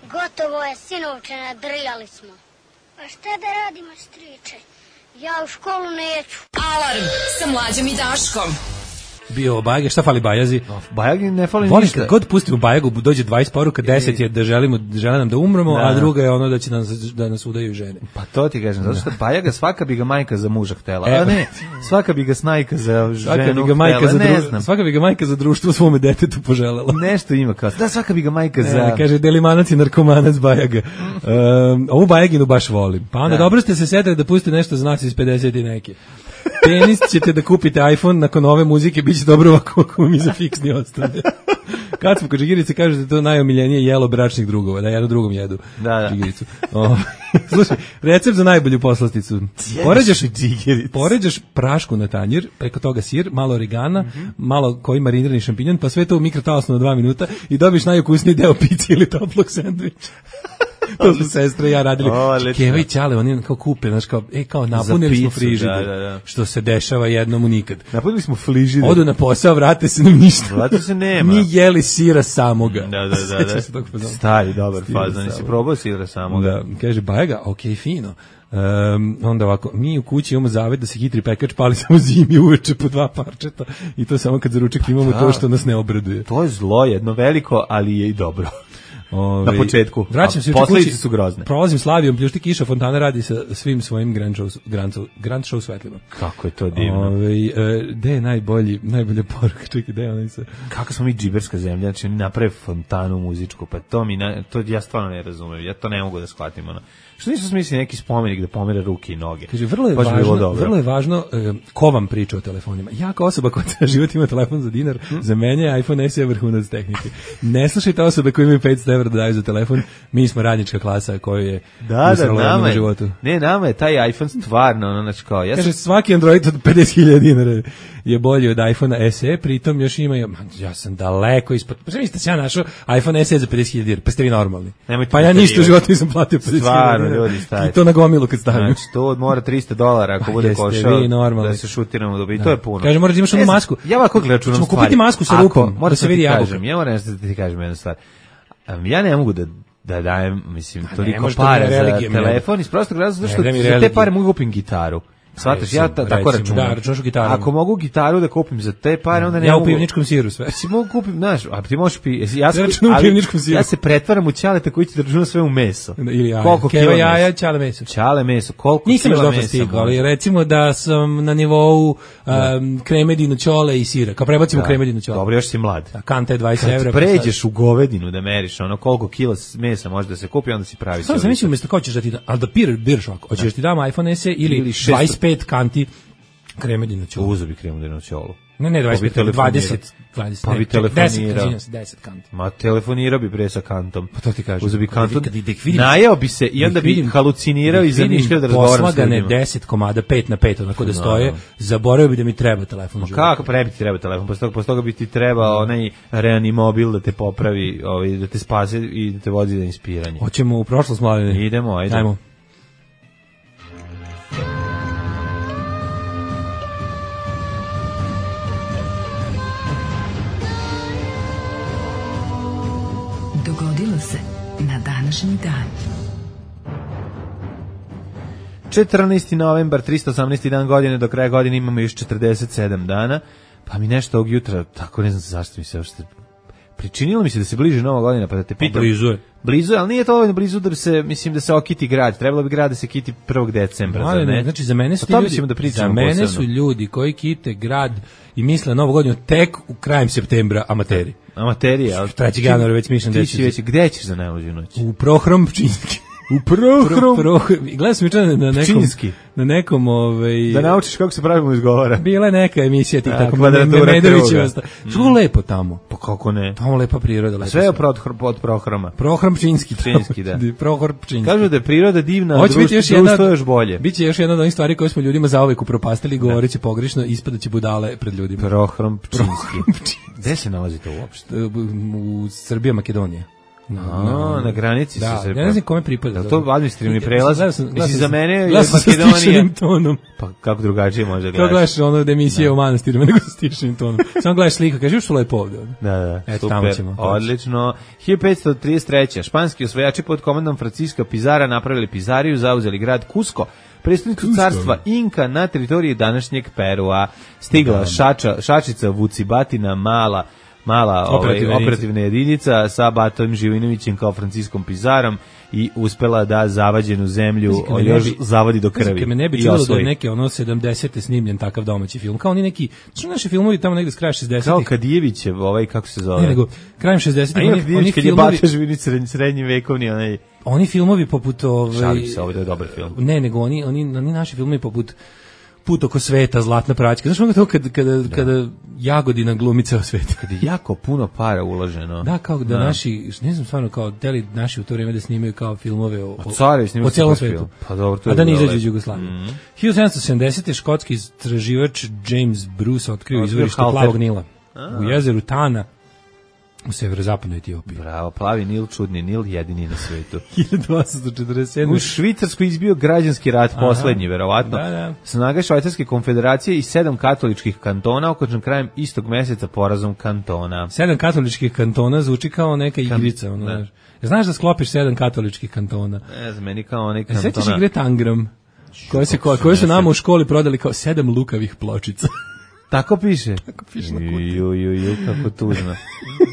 Gotovo je, sinovče, nadrljali smo. Pa šta da radimo, striče? Ja u školu neću. Alarm sa Mlađom i Daškom. Bio Bajage, šta fali Bajazi? Bajagi ne fali Volim ništa. kad god pustimo Bajagu, dođe dvadeset poruka, deset je da želimo, da žele nam da umremo, Da. a druga je ono da će nas, da nas udaju žene. Pa to ti kažem, zato što Bajaga svaka bi ga majka za muža htela, E, a ne, svaka bi ga snajka za Svaka ženu bi ga majka htela, za ne društvo, znam. svaka bi ga majka za društvo svome detetu poželela. Nešto ima kao, da svaka bi ga majka za... E, kaže, delimanac i narkomanac Bajaga. Um, ovu Bajaginu baš volim. Pa onda Da. dobro ste se setili da pustite nešto za nas iz pedeset i neke. Tenis ćete da kupite iPhone nakon ove muzike, bit će dobro ovako ako mi za fiksni ostane. Kad smo kod džigirice, kažu da je to najomiljenije jelo bračnih drugova, da jedno drugom jedu Da, da. džigiricu. O, slušaj, recept za najbolju poslasticu. Poređaš, džigiricu. poređaš prašku na tanjir, preko toga sir, malo origana, malo koji marinirani šampinjon, pa sve to u mikrotalasno na dva minuta i dobiš najukusniji deo pice ili toplog sendviča. To su sestre i ja radili. Odlično. Keva i Ćale, oni kao kupe, znaš, kao, e, kao napunili smo picu, frižider, da, da, da. što se dešava jednomu nikad. Napunili smo frižider. Odu na posao, vrate se, nam ništa. Vrate se nema. Mi jeli sira samoga. Da, da, da. da. Se tog fazona. Stari, dobar Sira fazon. Nisi samoga. probao sira samoga? Da, kaže, Bajega, okej, fino. Um, onda ovako, mi u kući imamo zavet da se hitri pekač pali samo zimi uveče po dva parčeta i to samo kad za ručak imamo da. to što nas ne obraduje. To je zlo jedno veliko, ali je i dobro. Ove, Na početku. Vraćam se A u posledice kući, su grozne. Prolazim Slavijom, pljušti kiša, fontana radi sa svim svojim grand show, grand show, grand show svetlima. Kako je to divno. Ove, e, gde je najbolji, najbolja poruka? Čekaj, gde je onaj se... Kako smo mi džiberska zemlja, znači oni naprave fontanu muzičku, pa to mi, na, to ja stvarno ne razumem, ja to ne mogu da shvatim, ono. Što nisu smislili neki spomenik da pomere ruke i noge? Kaže, vrlo je Baš bi bilo važno, dobro. vrlo je važno e, ko vam priča o telefonima. Ja kao osoba koja ceo život ima telefon za dinar, hmm? za mene je iPhone S E vrhunac tehnike. Ne slušajte osobe koje imaju petsto evra da daju za telefon, mi smo radnička klasa koju je Da, da, usrala nama u je, životu. ne, nama je taj iPhone stvarno, ono, znači kao, ja sam... Kaže, svaki Android od pedeset hiljada dinara je bolji od iPhone S E, pritom još imaju, man, ja sam daleko ispod, pa mislite se ja našao iPhone S E za pedeset hiljada dinara, pa ste vi normalni. Nemojte Pa ja ništa u preterivati. životu nisam platio pedeset hiljada Stvarno, dinara. ljudi, stavite. I to na gomilu kad stavim. Znači, to mora trista dolara ako Pa bude jeste košao vi normalni. da se šutiramo dobi. To je puno. Kaže, moraš da imaš onu Ne znam, masku. Ja ovako računam Ćemo stvari. kupiti masku sa Ako- rupom, moram da se ti vidi jabuka. kažem, ja moram da ti kažem jednu stvar. Um, ja ne mogu da da dajem, mislim, ne toliko može to para mi je za religija, mi je. telefon iz prostog razloga zato Ne, što mi je za te religija. pare mogu kupim gitaru. Shvataš, ja ta, tako recimo, računam. da, računaš u gitaru. Ako mogu gitaru da kupim za te pare, onda ne Ja mogu... u pivničkom siru sve. Si mogu kupim, znaš, a ti možeš pi... jesi- Ja, Ja sam- računam u ali pivničkom siru. ja se pretvaram u ćaleta koji će da računa sve u meso. Ili jaja. Koliko Keva kila jaja, mesa? ćale meso. Ćale meso, koliko Nisam još kila dobro mesa stigao, ali može? recimo da sam na nivou um, kremedinu ćole i sira. Kao prebacimo Da. kremedinu ćole. Dobro, još si mlad. A kanta je dvadeset evra. Kad pređeš u govedinu da meriš ono koliko kila mesa može da se kupi, onda si pravi. Samo sam mislio umjesto kao ćeš da ti da, ali da pir, biraš ovako, hoćeš da ti dam iPhone S E ili, Ili šesto- dvadeset pet kanti kremedinu ćole. Uzo bi kremudinu ćolu. Ne, ne, dvadeset pet, Pa bi telefonirao. dvadeset, dvadeset, Pa ne, bi čekaj, deset, telefonirao. izvinjam se, deset kanti. Ma telefonirao bi pre sa kantom. Pa to ti kažem. Uzo bi Kad kantom. ih- kad ih vidim- Najeo bi se i Da onda ih bi vidim- halucinirao da i ih vidim zamišljao da razgovaram s poslagane ljudima. deset komada, pet na pet, onako da stoje, zaboravio bi da mi treba telefon u životu. Kako prebi ti treba telefon? Posle toga, posle toga bi ti trebao onaj reanimobil da te popravi, ovaj, da te spase i da te vozi za inspiranje. Hoćemo u prošlost, mladine. Idemo, ajde. Ajmo. Dogodilo se na današnji dan. četrnaesti novembar, tristo osamnaesti dan godine, do kraja godine imamo još četrdeset sedam dana, pa mi nešto ovog jutra, tako ne znam zašto mi se uopšte pričinilo mi se da se bliže nova godina, pa da te pitam. Blizu je. Blizu je, ali nije to dovoljno blizu da se, mislim, da se okiti grad. Trebalo bi grad da se kiti prvog decembra, Ali zar ne, ne? znači za mene su O ti tome ljudi, ćemo da pričamo za mene posebno. su ljudi koji kite grad i misle na novu godinu tek u krajem septembra amateri. Amaterija. ali- trećeg januara već mišljam Ti da si će- već, gde ćeš za najluđu noć? U Prohrom Pčinjski. U Prohrom. Prohrom. Gledao sam juče na nekom Pčinjski. na nekom ovaj Da naučiš kako se pravilno izgovara. bila je neka emisija tih A, tako kvadratura Medovićeva. kruga. Što lepo tamo. Pa kako ne? Tamo lepa priroda, lepo. Sve je od, od Prohroma. Prohrom Pčinjski. Pčinjski, da. Prohrom Pčinjski. Kažu da je priroda divna, a Hoće biti društvo, još jedna, društvo je još bolje. Biće još jedna od onih stvari koje smo ljudima zauvek upropastili, govoreći pogrešno, ispadaće budale pred ljudima. Prohrom Pčinjski. Gde se nalazi to uopšte? U Srbija, Makedonija. A, na granici da, su se... ja ne znam kome pripada. Je li to administrativni prelaz? Gledao sam- gledao Mislim, sam- za mene je gledao sam sa Makedonija... stišenim tonom. Pa kako drugačije može Kao gledaš? gledaš ono da emisije u manastirima, nego sa stišenim tonom. Samo gledaš sliku, kažeš što lepo ovde. ovde. Da, da, Eto, tamo super, ćemo. odlično. hiljadu petsto trideset treće. Španski osvajači pod komandom Francisca Pizara napravili Pizariju, zauzeli grad Cusco, prestonicu carstva Inka na teritoriji današnjeg Perua. Stigla šača, šačica Vucibatina, mala mala Operativna ovaj, jedinica. operativna jedinica sa Batom Živinovićem kao Franciskom Pizarom i uspela da zavađenu zemlju Pazi, kad me ne još bi- zavadi do Pazi, krvi. kad me ne bi i čudilo da osvoji. je neke ono sedamdesete snimljen takav domaći film. Kao oni neki, što naši filmovi tamo negde s kraja Kao šezdesetih. Kadijevićev, ovaj, kako se zove? Ne, nego krajem A šezdesetih ima oni, oni Kadijević kad je filmovi, Bata Živinić srednji, srednji vekovni, onaj... oni filmovi poput ovaj Šalim se, ovo je dobar film. Ne, nego oni oni oni naši filmovi poput Put oko sveta, Zlatna praćka. Znaš ono to kad, kada, kada Jagodina glumi ceo svet. Kad je jako puno para uloženo. Da, kao da, naši, ne znam stvarno, kao deli naši u to vrijeme da snimaju kao filmove o, o, Carevi snimaju o celom super svetu. film. Pa dobro, to A je da ne bilo izađe lepo. iz Jugoslavije. hiljadu sedamsto sedamdesete škotski istraživač James Bruce otkrio Otkrio izvorište halter. Plavog Nila u jezeru Tana. U severozapadnoj Etiopiji. Bravo, plavi Nil, čudni Nil, jedini na svetu. hiljadu osamsto četrdeset sedme. U Švicarskoj izbio građanski rat, Aha. poslednji, verovatno. Da, da. Snage Švajcarske konfederacije i sedam katoličkih kantona okončan krajem istog meseca porazom kantona. Sedam katoličkih kantona zvuči kao neka igrica. Ono, da. znaš. Znaš da sklopiš sedam katoličkih kantona? Ne znam, meni kao onaj E, sećaš kantona. igre Tangram? Koje, se, koje, koje su nama u školi prodali kao sedam lukavih pločica. Tako piše? Tako piše na kutiji. Ju, ju, ju, kako tužno.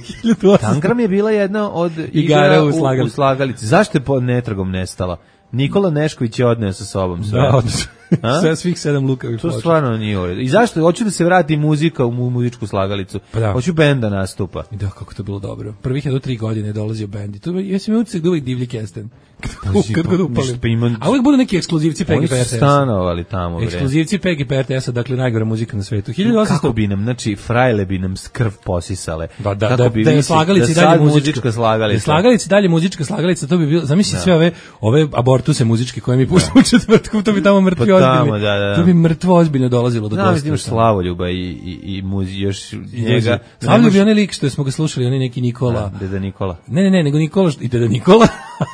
hiljadu osamsto Tangram je bila jedna od Igara igara u u, slagalici. u slagalici. Zašto je pod netragom nestala? Nikola Nešković je odneo sa sobom sve. Da, odnosno. A? Sve svih sedam lukavih To pločica. stvarno nije u redu. I zašto? Hoću da se vrati muzika u mu- muzičku slagalicu. Pa da. Hoću bend da nastupa. I da, kako to bilo dobro. Prvih je do tri godine je dolazio bend. I to ja sam imao utisak da uvijek divlji kesten. Kad, Pazi, kad pa, god upalim. ništa, pa ima- A uvijek budu neki ekskluzivci P G Oni P R su T S. stanovali tamo, bre. Ekskluzivci P G P R T S-a, dakle najgora muzika na svetu. hiljadu osamsto Kako bi nam, znači, frajle bi nam krv posisale. Da, da, Kako da, bi da je vi- slagalici da dalje sad muzička, muzička slagalica. Da je slagalici dalje muzička slagalica, to bi bilo, zamisli sve ove, ove abortuse muzičke koje mi puštamo u četvrtku, to bi tamo mrtvi Pa tamo, ozbiljni. da, da. To bi mrtvo ozbiljno dolazilo do Znam, gosta. da imaš Slavoljuba i, i, i muzi, još njega. Slavljub je onaj lik što smo ga slušali, onaj neki Nikola. Da, Deda Nikola. Ne, ne, ne, nego Nikola što- i Deda Nikola,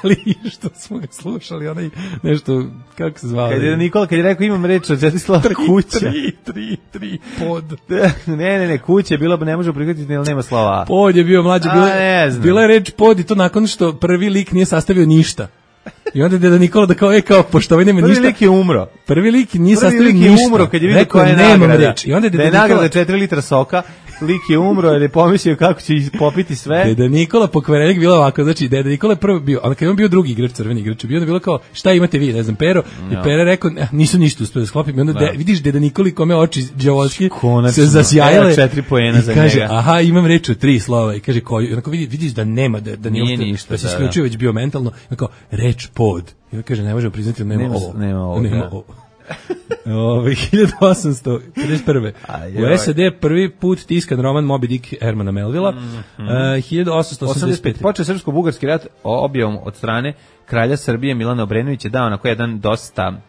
ali što smo ga slušali, onaj nešto, kako se zvao? Kad je Nikola, kad je rekao imam reč od četiri slova kuća. Tri, tri, tri, pod. ne, ne, ne, kuća je bilo, ne možemo prihvatiti, jer nema slova A. Pod je bio mlađi, A, bila, ne znam. bila je reč pod i to nakon što prvi lik nije sastavio ništa. I onda je Deda Nikola da kao, e, kao, pošto ovaj nema Prvi ništa. lik je umro. Prvi lik nije Prvi sastavio lik je ništa. umro kad je vidio Rekao koja je nemam nagrada. reč. I onda je Da Deda je Nikola, nagrada četiri litra soka, lik je umro jer je pomislio kako će popiti sve. Deda Nikola pokvarenik bilo ovako, znači Deda Nikola je prvo bio, a kad je on bio drugi igrač, crveni igrač, bio onda bilo kao šta imate vi, ne znam, Pero, i Ja. Pera rekao "Eh, nisu ništa uspeli da sklopim, i onda Da. de, vidiš Deda Nikoli kome oči đavoski Konačno. se zasjajale, Evo četiri poena i za kaže, njega. aha, imam reč od tri slova, i kaže koju, i onako vidi, vidiš da nema, da, da nije, Nije uopšte- ništa, da se da, isključio već bio mentalno, i onako, reč pod, i on kaže, ne možemo priznati, nema, Nema- ovo, nema ovo, nema da. ovo. Ove, hiljadu osamsto pedeset prve. Aj, U joj. S A D prvi put tiskan roman Moby Dick Hermana Melvilla. E, hiljadu osamsto osamdeset osamdeset pet. pet. Počeo srpsko-bugarski rat o- objavom od strane kralja Srbije Milana Obrenovića, dao onako jedan dosta,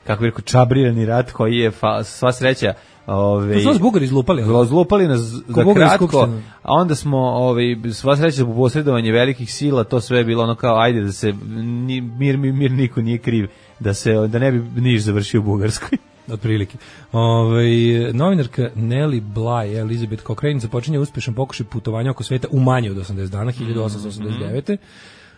kako bih rekao, čabrirani rat koji je fa, sva sreća ove, To su nas Bugari izlupali. ali? zlupali nas za Bugarska kratko, skupština. a onda smo ovaj sva sreća po posredovanje velikih sila, to sve je bilo ono kao ajde da se ni, mir, mir, mir niko nije kriv, da se da ne bi Niš završio u Bugarskoj. Otprilike. Ovaj novinarka Nelly Bly, Elizabeth Cochrane započinje uspešan pokušaj putovanja oko sveta u manje od osamdeset dana, hiljadu osamsto osamdeset devete.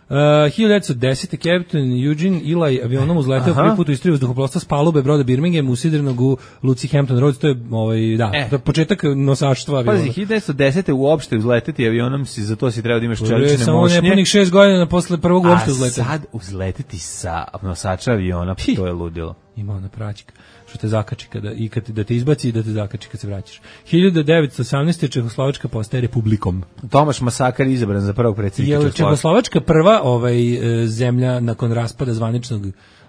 Uh, hiljadu devetsto desete. Captain Eugene Eli avionom uzleteo Aha. prvi put u istoriji vazduhoplovstva s palube broda Birmingham usidrenog u luci Hampton Roads, to je ovaj da, E. to je početak nosaštva aviona. Pazi, hiljadu devetsto desete uopšte uzleteti avionom si, za to si treba da imaš To je čelične samo mošnje. nepunih šest godina posle prvog uopšte A uzleta. sad uzleteti sa nosača aviona, pa Pi. to je ludilo. Ima ona praćika što te zakači kada i kad te, da te izbaci i da te zakači kad se vraćaš. hiljadu devetsto osamnaeste. Čehoslovačka postaje republikom. Tomaš Masakar izabran za prvog predsjednika Je li Čehoslovačke. Čehoslovačka prva ovaj e, zemlja nakon raspada zvaničnog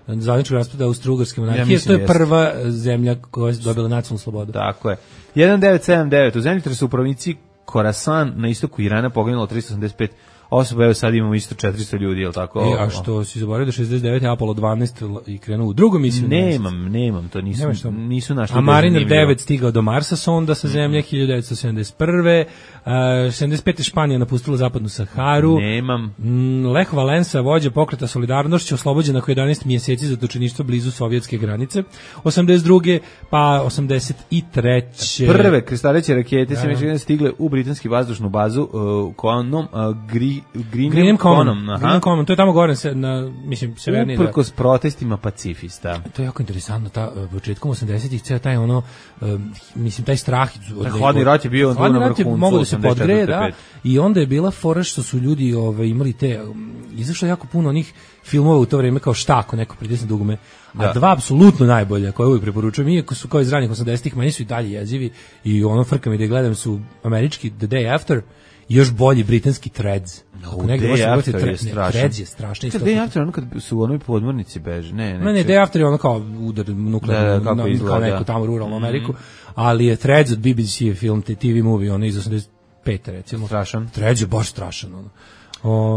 zvaničnog raspada Austro-Ugarske monarhije, mislim to je jeste. prva e, zemlja koja je dobila nacionalnu slobodu. Tako je. hiljadu devetsto sedamdeset devet. U zemljotresu u provinciji Khorasan na istoku Irana poginulo tristo osamdeset pet osoba, evo sad imamo isto četiristo ljudi, je li tako? E, a što si zaboravio da šezdeset devete. Apollo dvanaest i krenuo u drugu misiju. na mesec. Nemam, nemam, to nisu, Nemaš to? nisu našli. A Mariner zanimljivo. devet stigao do Marsa sonda sa zemlje hiljadu devetsto sedamdeset prve. Uh, sedamdeset pete. Španija napustila zapadnu Saharu. Nemam. Mm, Lech Valensa, vođa pokreta Solidarnošću, oslobođen nakon jedanaest mjeseci za točeništvo blizu sovjetske granice. osamdeset druge. pa osamdeset treće. Prve krstareće rakete se Da. međutim stigle u britansku vazdušnu bazu uh, Konom, uh, Gri, Greenham Greenham Common. Common, aha. Greenham Common, to je tamo gore se- na mislim severnije. da. Uprkos protestima pacifista. To je jako interesantno, ta uh, početkom osamdesetih ceo taj ono um, mislim taj strah od Taj hladni rat je bio tu hladni na rat je vrhuncu mogao da se osamdeset podgreje, četvrte, da, pet. i onda je bila fora što su ljudi ovaj imali te um, izašlo je jako puno onih filmova u to vrijeme kao Šta ako neko pritisne dugme, a Da. dva apsolutno najbolja koje uvijek preporučujem, iako su kao iz ranih osamdesetih, meni su i dalje jezivi i ono frka mi da ih gledam su američki The Day After i još bolji britanski Threads. Ako negdje Day možete pogledati After je Thre- ne, strašan. Threads je strašno isto. Kad Day After, ono kad su u onoj podmornici beže, ne, ne. Ne, ne, čekaj. Day After je ono kao udar nuklearno, Da, da, kako na- kao izgleda. neku tamo ruralnu Ameriku, ali je Threads od B B C je film, te T V movie, ono iz osamdeset pete recimo. Strašan. Threads je baš strašan, ono.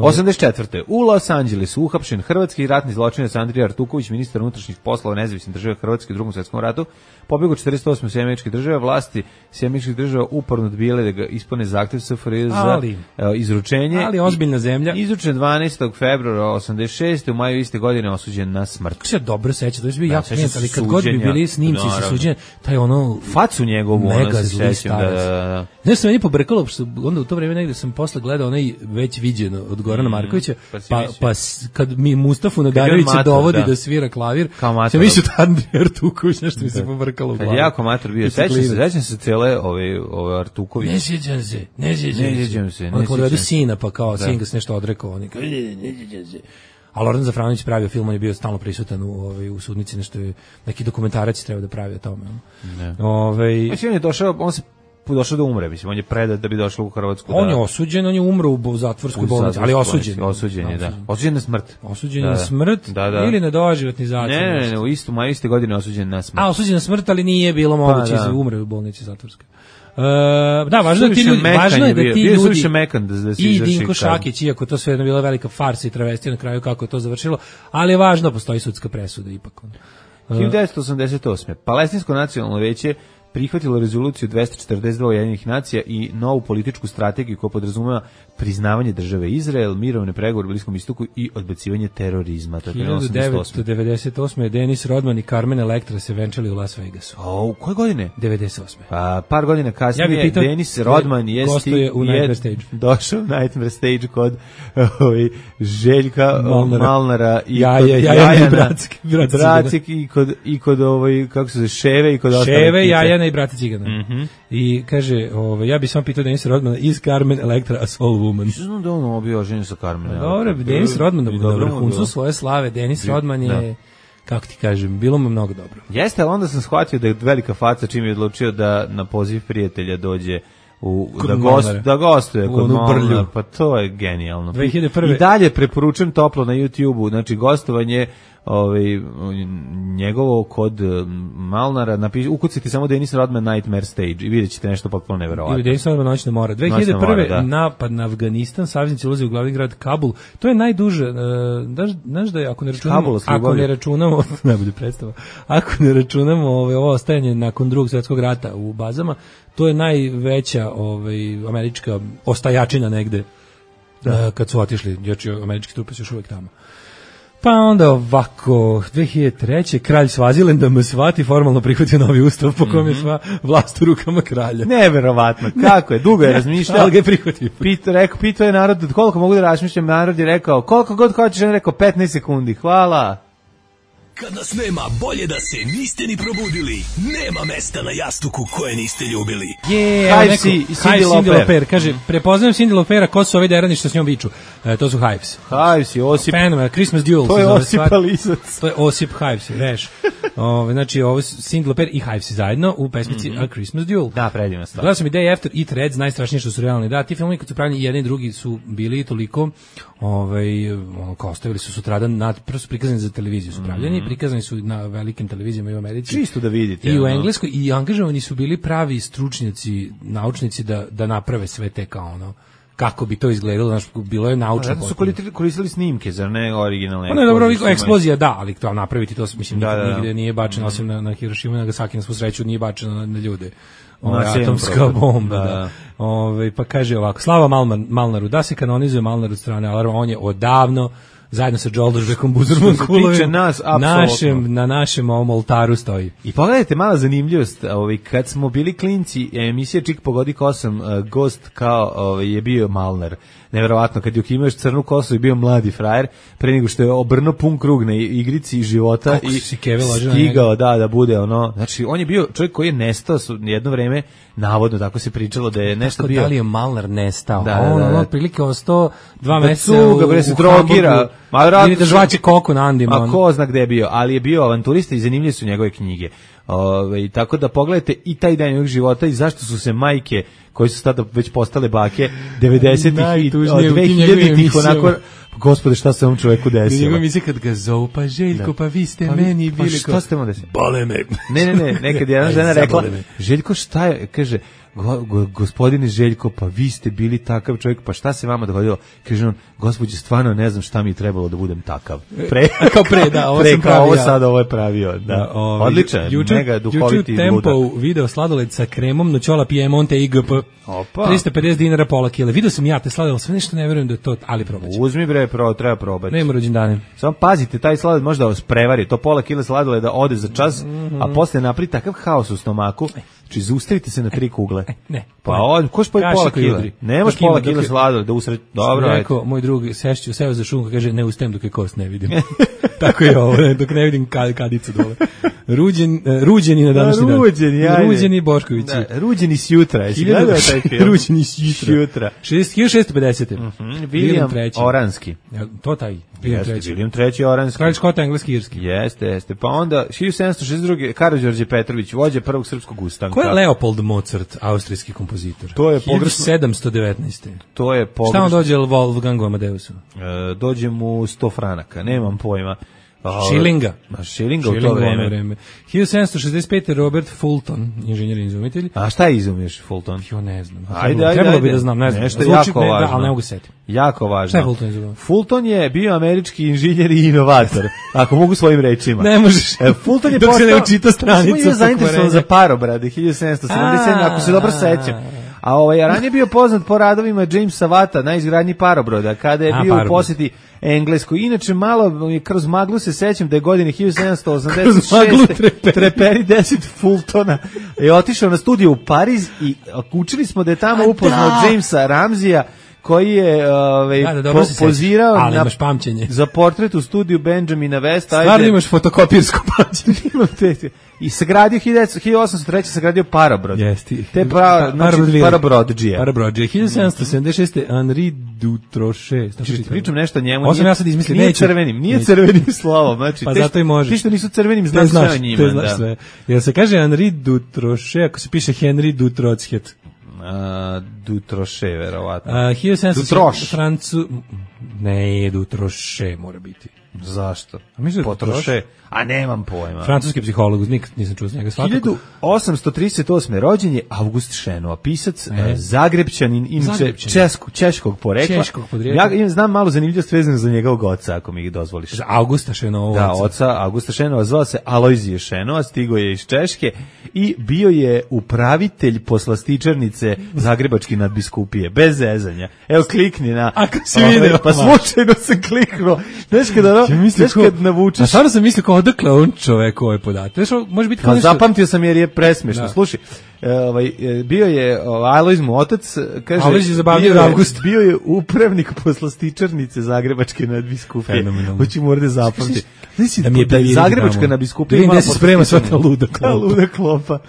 osamdeset četvrte U Los Angelesu uhapšen hrvatski ratni zločinac Andrija Artuković, ministar unutrašnjih poslova nezavisne države Hrvatske u Drugom svetskom ratu, pobegao četrdeset osme u Sjedinjene Američke Države. Vlasti Sjedinjenih Američkih Država uporno odbijale da ga ispune zahtev S F R J za ali, izručenje. Ali ozbiljna zemlja. Izručen dvanaestog februara osamdeset šeste U maju iste godine osuđen na smrt. Kako se dobro seća, to je bio jako klinac, ali kad god bi bili snimci sa suđenja, taj ono facu njegovu, ono se sećam. Da, da, da. Znaš, sam meni pobrkalo, što onda u to vreme negde sam posle gledao onaj već viđeno od Gorana Markovića, mm, pa, pa, pa kad mi Mustafu Nadarevića dovodi da. da svira klavir, sam mislio da Andrija Artuković, nešto mi se pobrkalo u glavu. Kad jako mator bio, sećam se, sećam se cele ove, ove Artuković. Ne sjećam se, ne sjećam se. Onda kad dovedu sina, pa kao sin ga se nešto odrekao, oni kao, ne sjećam se. A Loran Zafranović pravio film, on je bio stalno prisutan u, ovaj, u sudnici, nešto je, neki dokumentarac treba da pravi o tome. Ne. Ovaj Mislim, on je došao, on se došao da umre, mislim, on je predat da bi došao u Hrvatsku. On da... je osuđen, on je umro u zatvorskoj bolnici, ali osuđen. Osuđen je, da. Osuđen na smrt. Osuđen da, na smrt da, da. Ili na doživotni zatvor. Ne, ne, ne, u istu maju iste godine osuđen na smrt. A, osuđen na smrt, ali nije bilo moguće, pa, da. umre u bolnici zatvorskoj. Uh, da, važno je da ti ljudi, važno je da ti ljudi mekan da, da i Dinko Šakić, iako to sve je bila velika farsa i travestija na kraju kako je to završilo, ali je važno, postoji sudska presuda ipak. Uh, hiljadu devetsto osamdeset osme Palestinsko nacionalno veće prihvatilo rezoluciju dvesta četrdeset dva Ujedinjenih nacija i novu političku strategiju koja podrazumeva priznavanje države Izrael, mirovne pregovore u Bliskom istoku i odbacivanje terorizma. To je hiljadu devetsto devedeset osme Denis Rodman i Carmen Electra se venčali u Las Vegasu. O, u koje godine? devedeset osme Pa, par godina kasnije ja pitao, Denis Rodman je, gostuje u Nightmare Stage. Došao u Nightmare Stage kod ovaj, Željka Malnara, Malnara i ja, kod ja, ja, Jajana, Bracik, Bracik, Bracik i kod, i kod ovaj, kako se zove, Ševe i kod Ševe, Jajana i Brate Cigana. Mm-hmm. I kaže, ovaj, ja bih samo pitao Denis Rodmana, is Carmen Electra a soul woman? Što znam da ono bio ženio sa Carmen? Dobro, Denis Rodman na vrhuncu svoje slave. Denis Rodman je, da. kako ti kažem, bilo mu mnogo dobro. Jeste, ali onda sam shvatio da je velika faca čim je odlučio da na poziv prijatelja dođe u, da, gost, da gostuje kod Malnara, pa to je genijalno. dve hiljade prve. I dalje preporučujem toplo na YouTube-u, znači gostovanje ovaj njegovo kod Malnara, napiši, ukucite samo Denis Rodman Nightmare Stage i vidjet ćete nešto potpuno neverovatno. Ili Denis Rodman Noćna mora. dve hiljade prve. Da. Napad na Afganistan, saveznici ulaze u glavni grad Kabul. To je najduže, znaš, znaš da je, ako ne računamo, ako ne računamo, najbolje predstava, ako ne računamo ovaj, ovo ostajanje nakon Drugog svjetskog rata u bazama, to je najveća ovaj, američka ostajačina negde, da. kad su otišli, znači američki trupe su još uvijek tamo. Pa onda ovako, dve hiljade treće kralj Svazilenda Msvati formalno prihvatio novi ustav po kojem je sva vlast u rukama kralja. Neverovatno, kako je, dugo je razmišljao. Ali ga je prihvatio. Pito, rekao, pito je narod, koliko mogu da razmišljam, narod je rekao, koliko god hoćeš, on je rekao petnaest sekundi, hvala. Kad nas nema, bolje da se niste ni probudili. Nema mesta na jastuku koje niste ljubili. Je, yeah, Hives i Cindy Lauper. Kaže, prepoznajem Cindy Laupera, ko su ovi derani što s njom viču. E, to su Hives. Hives i Osip. Fenomenal, Christmas Duel. To je Osip Alisac. To je Osip Hives, reš. Ove, znači, ovo Cindy Lauper i Hives zajedno u pesmici mm-hmm. A Christmas Duel. Da, predivna stvar. Gledao sam i Day After i Threads, najstrašnije što su realni. Da, ti filmovi kad su pravljeni jedni i drugi su bili toliko, ovaj, ono, kao ostavili su sutradan, nad, prosto prikazani za televiziju su pravljeni, mm-hmm. prikazani su na velikim televizijama i u Americi. Čisto da vidite. I u Engleskoj, i angažovani su bili pravi stručnjaci, naučnici da, da naprave sve te kao ono, kako bi to izgledalo, znači bilo je naučno. Da su koristili snimke, zar ne originalne? Pa ne, dobro, eksplozija, da, ali to napraviti to, mislim, da, da, nigde nije bačeno, osim na, na Hirošimu i Nagasaki, na svu sreću nije bačeno na, na ljude. Ove, atomska bomba, da. da. Ove, pa kaže ovako, slava Malman, Malnaru, da se kanonizuje Malnar od strane alarma, on je odavno zajedno sa Đoldožbekom Buzurman Kulovim nas, našem, na našem ovom oltaru stoji. I pogledajte mala zanimljivost, ovaj, kad smo bili klinci, emisija Čik pogodi kosam, uh, gost kao ovaj, je bio Malnar. Neverovatno, kad je imaš crnu kosu i bio mladi frajer, pre nego što je obrnuo pun krug na igrici života Kako i stigao da, da bude ono, znači on je bio čovjek koji je nestao jedno vreme, navodno, tako se pričalo da je nešto tako bio. Da li je Malnar nestao? Da, on, da, da. on otprilike o sto dva da meseca cuga, bre, se u, u drogira, Hamburgu, ili da žvaće koku na Andima. A ko zna gde je bio, ali je bio avanturista i zanimljive su njegove knjige. Ove, tako da pogledajte i taj dan njegovog života i zašto su se majke koji su tada već postale bake devedesetih i dve hiljaditih onako, gospode, šta se ovom čoveku desilo? Njegove misli kad ga zovu, pa Željko, pa vi ste pa, meni pa bili. Šta ste mu desili? Bole me. Ne, ne, ne, nekad jedna žena rekla, Željko, šta je, kaže, go, go, gospodine Željko, pa vi ste bili takav čovjek, pa šta se vama dogodilo? Kaže on, gospođe, stvarno ne znam šta mi je trebalo da budem takav. Pre, kao pre, da, ovo pre, sam kao pravio. ovo sad, ovo je pravio, da. Da, ovaj, odličan, juče, mega duhoviti juče ludak. Tempo video sladoled sa kremom, noćola Piemonte I G P. Opa. trista pedeset dinara pola kile. Video sam ja te sladoled, sve nešto ne verujem da je to, ali probaću. Uzmi bre, pro, treba probati. Nema rođendane. Samo pazite, taj sladoled može da vas prevari, to pola kila sladoleda ode za čas, mm-hmm. a posle napravi takav haos u stomaku. Znači, zaustavite se na tri kugle. E, ne. Pa on, ko spoji pola kila? Nemaš pola kila sladoleda, da usred... Dobro, ajde. Rekao, moj drug, sešću, seo za šunku, kaže, ne ustajem dok je kost ne vidim. Tako je ovo, ne, dok ne vidim kad, kadicu dole. Ruđen, uh, ruđeni na današnji dan. Ruđeni, ajde. Ruđeni Boškovići. Da, ruđeni s jutra, jesi gledao taj film? Ruđeni s jutra. hiljadu šessto pedeset. Mm-hmm. William Oranski. Ja, to taj. Jeste, William treći Oranski. Kralj Škota, engleski, irski. Jeste, jeste. Pa onda, hiljadu sedamsto šezdeset druge. Karađorđe Petrović, vođa prvog srpskog ustanka. Ko je Leopold Mozart, austrijski kompozitor? To je pogrešno. hiljadu sedamsto devetnaeste. To je pogrešno. Šta on dođe Wolfgangu Amadeusu? E, dođe mu sto franaka, nemam pojma. Šilinga. Ma šilinga u to vreme. vreme. hiljadu sedamsto šezdeset pete. Robert Fulton, inženjer i izumitelj. A šta je izumiješ Fulton? Jo, ne znam. Ajde, ajde, Trebalo ajde. bi da znam, ne znam. Nešto Zvuči, jako ne, važno. Da, ali ne mogu se setiti. Jako važno. Šta je Fulton izumio? Fulton je bio američki inženjer i inovator, ako mogu svojim rečima. Ne možeš. E, Fulton je dok postao... se ne učita stranicu. Fulton je zainteresovan za parobrade, hiljadu sedamsto sedamdeset. ako se dobro sećam. A ovaj, ranije bio poznat po radovima Jamesa Watta na izgradnji parobroda, kada je A, bio parobrod. u posjeti Engleskoj. Inače, malo kroz maglu se sećam da je godine hiljadu sedamsto osamdeset šeste treperi deset Fultona je otišao na studiju u Pariz i učili smo da je tamo A, upoznao da. Jamesa Ramsija, koji je ovaj, Da, da, dobro po, se sećam. pozirao Ali na, imaš pamćenje. za portret u studiju Benjamina Westa. Stvarno imaš fotokopirsko pamćenje. Imam te, i sagradio hiljadu osamsto treće. sagradio parobrod. Jesti. Te pra, Pa- znači, Parobrodville. parobrodžije. Parobrodžije. hiljadu sedamsto sedamdeset šeste. Henri Dutrochet. Šta Znači, čitam? pričam nešto o njemu. Ovo sam nije- ja sad izmislio, Nije neću. crvenim, nije Neću. crvenim slovom. Znači, Pa te, zato i možeš. Ti što nisu crvenim, Te znaš sve znaš, o njima. te znaš da. sve. Jel se kaže Henri Dutrochet, ako se piše Henri Dutrochet? A, Dutrochet, verovatno. A, hiljadu sedamsto Dutroš. Francu... Ne, Dutrochet mora biti. Zašto? A mislim da je Potroše. A nemam pojma. Francuski psiholog, nikad nisam čuo s njega. Svakako. hiljadu osamsto trideset osme. rođen je August Šenoa, pisac, E. e. Zagrebčanin, inače Zagrebčanin. českog, češkog porekla. Češkog podrijetla. Ja znam malo zanimljivost vezano za njegovog oca, ako mi ih dozvoliš. Za Augusta Šenova. Da, oca Augusta Šenova, zvao se Alojzije Šenova, stigo je iz Češke i bio je upravitelj poslastičarnice Zagrebačke nadbiskupije, bez zezanja. Evo, klikni na... Ako si Ove, video. Pa slučajno sam kliknuo. Znaš kada, no, Ja mislim znaš ko- kad navučeš... A stvarno sam mislio kao odakle on čovek ovaj podatak. Znaš, može biti kao Pa nešto... zapamtio sam jer je presmešno. Da. Slušaj, e, ovaj, e, bio je ovaj, Alojz mu otac, kaže, Alojz je zabavniji bio od je- Augusta. bio je upravnik poslastičarnice Zagrebačke nadbiskupije. Fenomenalno. Hoću mu ovde zapamtiti. Znači, Da mi je da je previriti Zagrebačka tamo. nadbiskupija Da vidim imala gde se sprema sva ta poslastičarnicu. luda Ta klopa. luda klopa.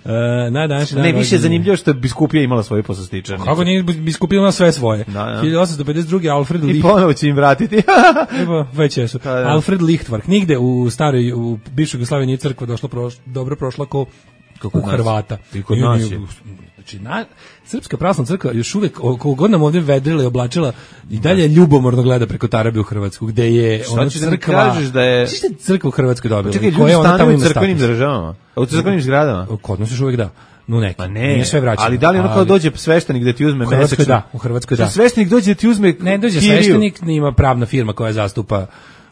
Uh, na današnji dan Ne, više je rođendan. zanimljivo što je biskupija imala svoju poslastičarnicu. Kako nije biskupila sve svoje. Da, da. hiljadu osamsto pedeset druge. Alfred I Licht. ponovo će im vratiti. Evo, već jesu. Da, da. Alfred Lichtvark. Nigde u staroj, u bivšoj Jugoslaviji nije crkva došla proš, dobro prošla ko Kako u kod nas. Hrvata. I kod Nije- nas nije- je. Znači, na, Srpska pravoslavna crkva još uvek, koliko god nam ovdje vedrila i oblačila, i dalje ljubomorno gleda preko Tarabe u Hrvatsku, gde je Šta ona ćeš da mi crkva... kažeš da je- Šta je crkva u Hrvatskoj dobila? Čekaj, I ljudi koja ona tamo stanuju u ima crkvenim status? državama. U crkvenim zgradama. Kod nas još uvek da. No neki. Pa ne, Nije sve vraćeno. ali da li ono kao Ali- dođe sveštenik da ti uzme U Hrvatskoj mesečno? da, u Hrvatskoj da. Šta sveštenik dođe da ti uzme Ne dođe kiriju? sveštenik, ima pravna firma koja zastupa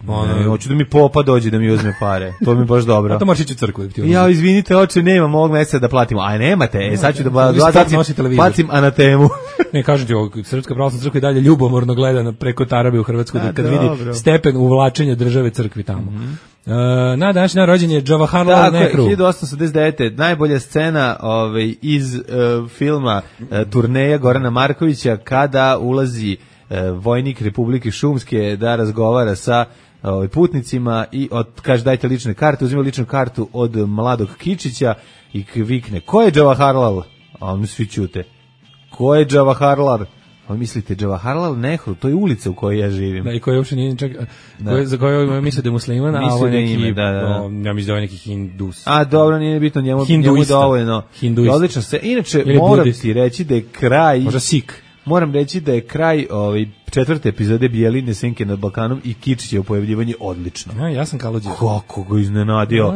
ono, Ne, hoću da mi popa dođe da mi uzme pare. To mi je baš dobro. a to možeš ići u crkvu. da ti Ja, uzme. izvinite, oče, nemam ovog meseca da platimo. A nemate, e, sad ću da ba- Vi sport bacim, nosi televizor. bacim anatemu. Ne, kažem ti, ovo, Srpska pravoslavna crkva i dalje ljubomorno gleda na preko Tarabe u Hrvatskoj, A, da kad dobro. vidi stepen uvlačenja države crkvi tamo. Mhm. E, na današnji dan rođen je Jawaharlal Tako je, Nehru. hiljadu osamsto sedamdeset devete. najbolja scena ovaj, iz uh, filma uh, Turneja Gorana Markovića, kada ulazi uh, vojnik Republike Šumske da razgovara sa ovaj, putnicima i od, kaže dajte lične karte, uzima ličnu kartu od mladog Kičića i k- vikne, ko je Jawaharlal? A oni svi ćute. Ko je Jawaharlal? A mislite, Jawaharlal Nehru, to je ulica u kojoj ja živim. Da, i koji uopšte nije čak, koji, za koju misle da je musliman, a Misle ovo je da je neki, ime, da, da, da. o, ja mislim da je neki hindus. A dobro, nije bitno, njemu, njemu Hinduista. dovoljno. Hinduista. Odlično se. Inače, Ili moram budista. ti reći da je kraj... Možda Sik. Moram reći da je kraj ovaj, četvrte epizode Bijeline Senke nad Balkanom i Kičićevo pojavljivanje odlično. Ja, ja sam Kalođer. Kako ga iznenadio.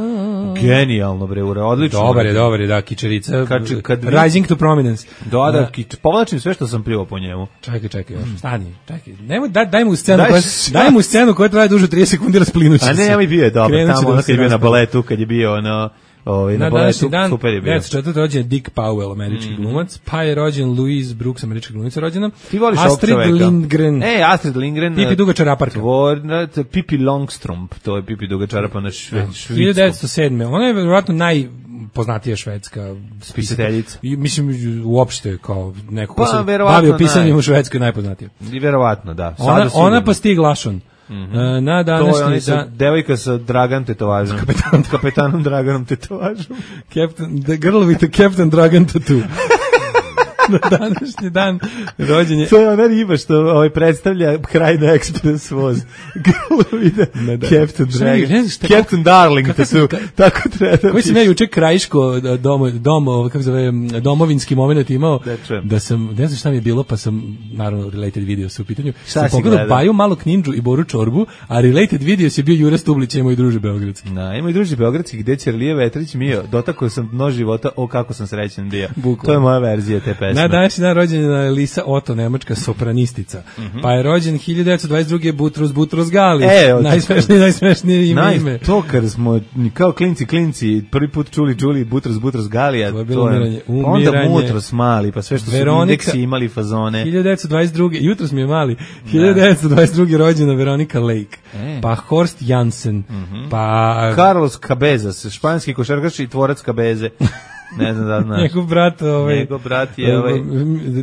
Genijalno, bre, ura, odlično. Dobar je, dobar je, da, Kičerica. Kad, kad, Rising to prominence. Da, da, kič, povlačim sve što sam plivao po njemu. Čekaj, čekaj, još, stani, čekaj. Nemoj, daj, daj mu scenu, Daj koja, s- daj mu scenu koja traje duže trideset sekundi, rasplinući se. A ne, ja mi bio je dobro, Krenut će tamo da ono se kad je bio na raspada. baletu, kad je bio ono, ovaj, na Na baletu, današnji dan, super je bio. devetsto četvrte rođen je Dick Powell, američki Mhm. glumac, pa je rođen Louise Brooks, američka glumica rođena. Ti voliš ovog Astrid čoveka? Lindgren. E, Astrid Lindgren. Pipi duga čaraparka. Tvorna, to je Pipi Longstrump, to je Pipi duga čarapa na šve, švidskom. hiljadu devetsto sedme. Ona je vjerojatno najpoznatija švedska Pisateljica. I mislim uopšte kao neko ko Pa, se verovatno bavio pisanjem naj. u Švedskoj najpoznatija. I verovatno, da. Ona, Sada sigurno. ona pa Stig Larsson. E, na To je današnji onaj sa dan devojka sa Dragan tetovažom. Kapetanom. Kapetanom Draganom tetovažom. Captain, the girl with the Captain Dragon tattoo. Na današnji dan rođen je To je ona riba što ovaj predstavlja kraj na ekspres voz. Grlo vide Captain Šta mi- Dragon. ne znaš šta- Captain Darling, Kako to su, sam- ka- tako treba da koji sam ja juče krajiško dom, dom, ovo, kako se zove, domovinski moment imao, Da čujem. da sam, ne znam šta mi je bilo, pa sam, naravno, related video su u pitanju, Šta sam si pogledao gledao? Baju, Malo Knindžu i Boru Čorbu, a related video je bio Jure Stublić i moj druže Beogradski. Na, ima i druži Beogradski gde Ćerlije Vetrić Mio, dotakao sam dno života, o kako sam srećan bio. Bukvalno. To je moja verzija te pesme. Na današnji dan rođena je Lisa Otto, nemačka sopranistica. Pa je rođen hiljadu devetsto dvadeset druge. Butros Butros Gali. E, od- najsmešnije, najsmešnije ime. Naj, ime. to kad smo kao klinci klinci prvi put čuli čuli Butros Butros Galija, To je bilo umiranje, pa onda umiranje. Mutros mali, pa sve što su Veronika- indeksi imali fazone. hiljadu devetsto dvadeset druge. Jutros mi je mali. hiljadu devetsto dvadeset druge. rođena Veronika Lake. E. Pa Horst Jansen. Pa Carlos Cabezas, španski košarkaš i tvorac Cabeze. Ne znam da znaš. njegov brat, ovaj, Njegov brat je ovaj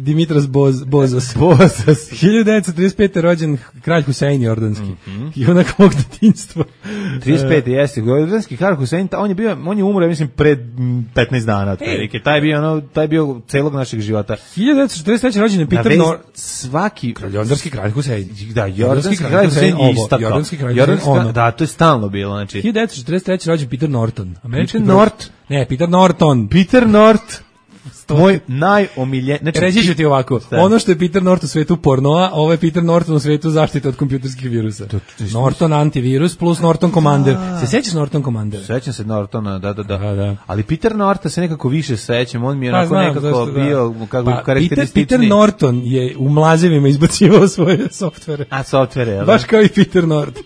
Dimitras Boz, Bozas. Bozas. hiljadu devetsto trideset pete. rođen kralj Husein Jordanski. I onak mog detinjstva. trideset pet jeste. Jordanski Kar Husein, ta- on je bio, on je umro, ja mislim, pred mm, petnaest dana otprilike. Taj je bio ono, taj je bio celog našeg života. hiljadu devetsto četrdeset treće. rođen je Na Peter vest Nor... svaki Jordanski kralj Husein. da, jordanski kralj Husein je istakao. Jordanski kralj Jordanski Husein, kralj- ono. da, to je stalno bilo, znači. hiljadu devetsto četrdeset treće. rođen Peter Norton. Američki Peter pro- Nort? Ne, Peter Norton. Peter Nort, moj najomiljen, znači Reći ću ti ovako, Šta? ono što je Peter Norton u svetu pornoa, ovo je Peter Norton u svetu zaštite od kompjuterskih virusa. Norton antivirus plus Norton Commander. Se sećaš Norton Commander? Sećam se Nortona, da, da, da. Da, da. Ali Peter Norta se nekako više sećam, on mi je Pa, onako znam, nekako zašto, da. bio kako Pa, Peter, karakteristični. Peter Norton je u mlazevima izbacivao svoje softvere. A softvere, jel da? Baš kao i Peter Norton.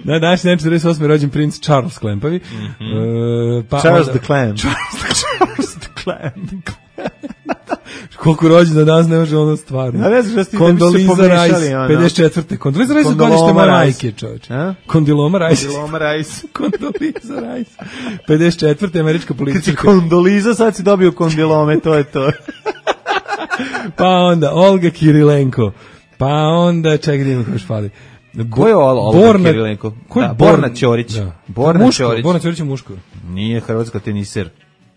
Na današnji dan četrdeset osme. rođen princ Charles Klempavi. E, pa Charles onda- the Clam. Charles the Clam. Koliko rođena danas ne može ono stvarno. A ne znaš da ste- da bi se Kondoliza pomešali, Rice, ono. pedeset četvrte. Kondoliza Rice je Kondoloma godište moje Rice. majke, čovječe. A? Kondiloma Rice. Kondiloma Rice. Kondoliza Rice. pedeset četvrte. američka Kad si politička. kondoliza, sad si dobio kondilome, to je to. Pa onda Olga Kirilenko. Pa onda, čekaj da imam još fali. Ko je Ol- Olga Kirilenko? Ko je Da, Borna Borna Ćorić. Da. Borna muško, Ćorić. Borna Ćorić je muško. Nije hrvatska teniser.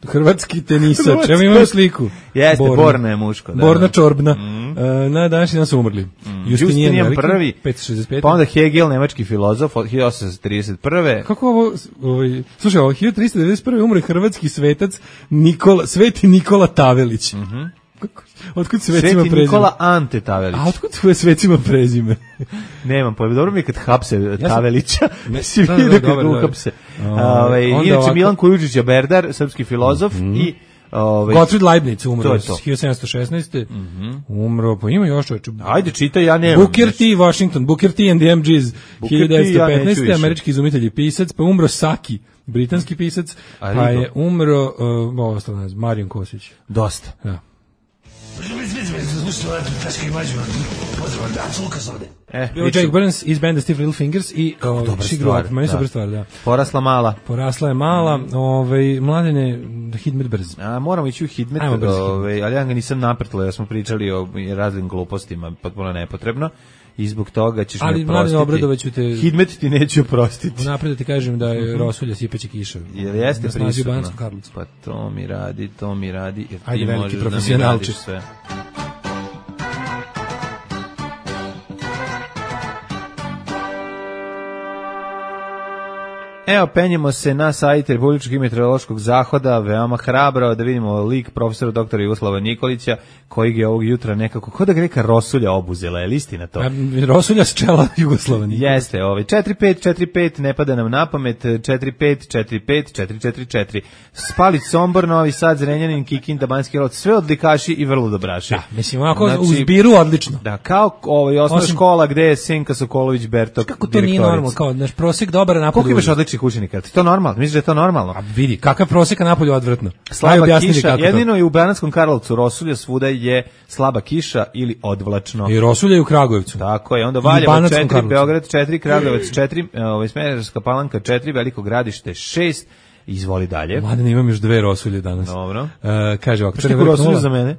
Hrvatski tenisač. Hrvatski- Evo imamo sliku. Jeste, Borna je muško. Da, Borna da. Čorbna. E, na današnji dan su umrli. Justinijan Veliki, prvi. petsto šezdeset pete. Pa onda Hegel, nemački filozof, od hiljadu osamsto trideset prve. Kako ovo, ovaj, slušaj, ovo, hiljadu tristo devedeset prve. umre hrvatski svetac Nikola, Sveti Nikola Tavelić. Kako, otkud svecima Sveti prezime? Nikola Ante Tavelić. A otkud svoje svecima prezime? Nemam pojma, dobro mi je kad hapse sam- Tavelića. Ne, Si da, da, vidio dobro, kad ga dobro. uhapse. Ovaj, Ovaj, onda inače ovako- Milan Kujučić je Berdar, srpski filozof i ovaj, Gottfried Leibniz umro To je to. hiljadu sedamsto šesnaeste. Umro, pa ima još čovječe. Ajde, čitaj, ja nemam. Booker T. Washington, Booker T. and the M Gs, Booker T, hiljadu devetsto ja neću petnaeste. više. američki izumitelj i pisac, pa umro Saki, britanski pisac, A pa Rigo? je umro, uh, ovo ostalo ne znam, Marijan Kosić. Dosta. Da. E, Bio priču. Jake Burns iz benda Stiff Little Fingers i uh, dobra She Grew stvar, Up, meni da. super stvar, da. Porasla mala. Porasla je mala, ovaj, mladene, Hidmet brz. A, moramo ići u Hidmet, Ajmo brzo. ovaj, ali ja ga nisam naprtila, ja smo pričali o raznim glupostima, potpuno nepotrebno. I zbog toga ćeš Ali, me Mladene oprostiti. Obradova ću te- Hidmet ti neću oprostiti. Unapred da ti kažem da je Rosulja sipeće kiša. Jer jeste Na snazi u prisutno. Banatskom Karlovcu. Pa to mi radi, to mi radi, jer ti Ajde, veliki možeš da mi profesionalči. radiš sve. Evo, penjemo se na sajt Republičkog meteorološkog zahoda, veoma hrabro, da vidimo lik profesora doktora Jugoslava Nikolića, kojeg je ovog jutra nekako, kod da ga neka rosulja obuzela, je li istina to? A, rosulja s čela Jugoslava Nikolića. Jeste, ovaj, četiri pet četiri pet, ne pada nam na pamet, četiri pet četiri pet četiri četiri četiri. Spalić, Sombor, Novi Sad, Zrenjanin, Kikinda, Banjski Karlovac, sve odlikaši i vrlo dobraši. Da, mislim, ovako znači, u zbiru odlično. Da, kao ovaj, osnovna Osim, škola gde je Senka Sokolović Bertok. Kako to nije normalno, kao naš prosek dobar, a napolju. Koliko imaš odličnih učenika? Ti to normalno? Misliš da je to normalno? A vidi, kakav prosek, a napolju odvratno. Slaba kiša, jedino je u Banatskom Karlovcu rosulja, svuda je slaba kiša ili odvlačno. I rosulja i u Kragujevcu. Tako je, onda Valjevo četiri, Beograd četiri, Kragujevac četiri, ovaj, Smederevska Palanka četiri, Veliko Gradište šest. Izvoli dalje. Mladen, imam još dve rosulje danas. Dobro. Uh, kaže ovako, Crni vrh rosulju za mene?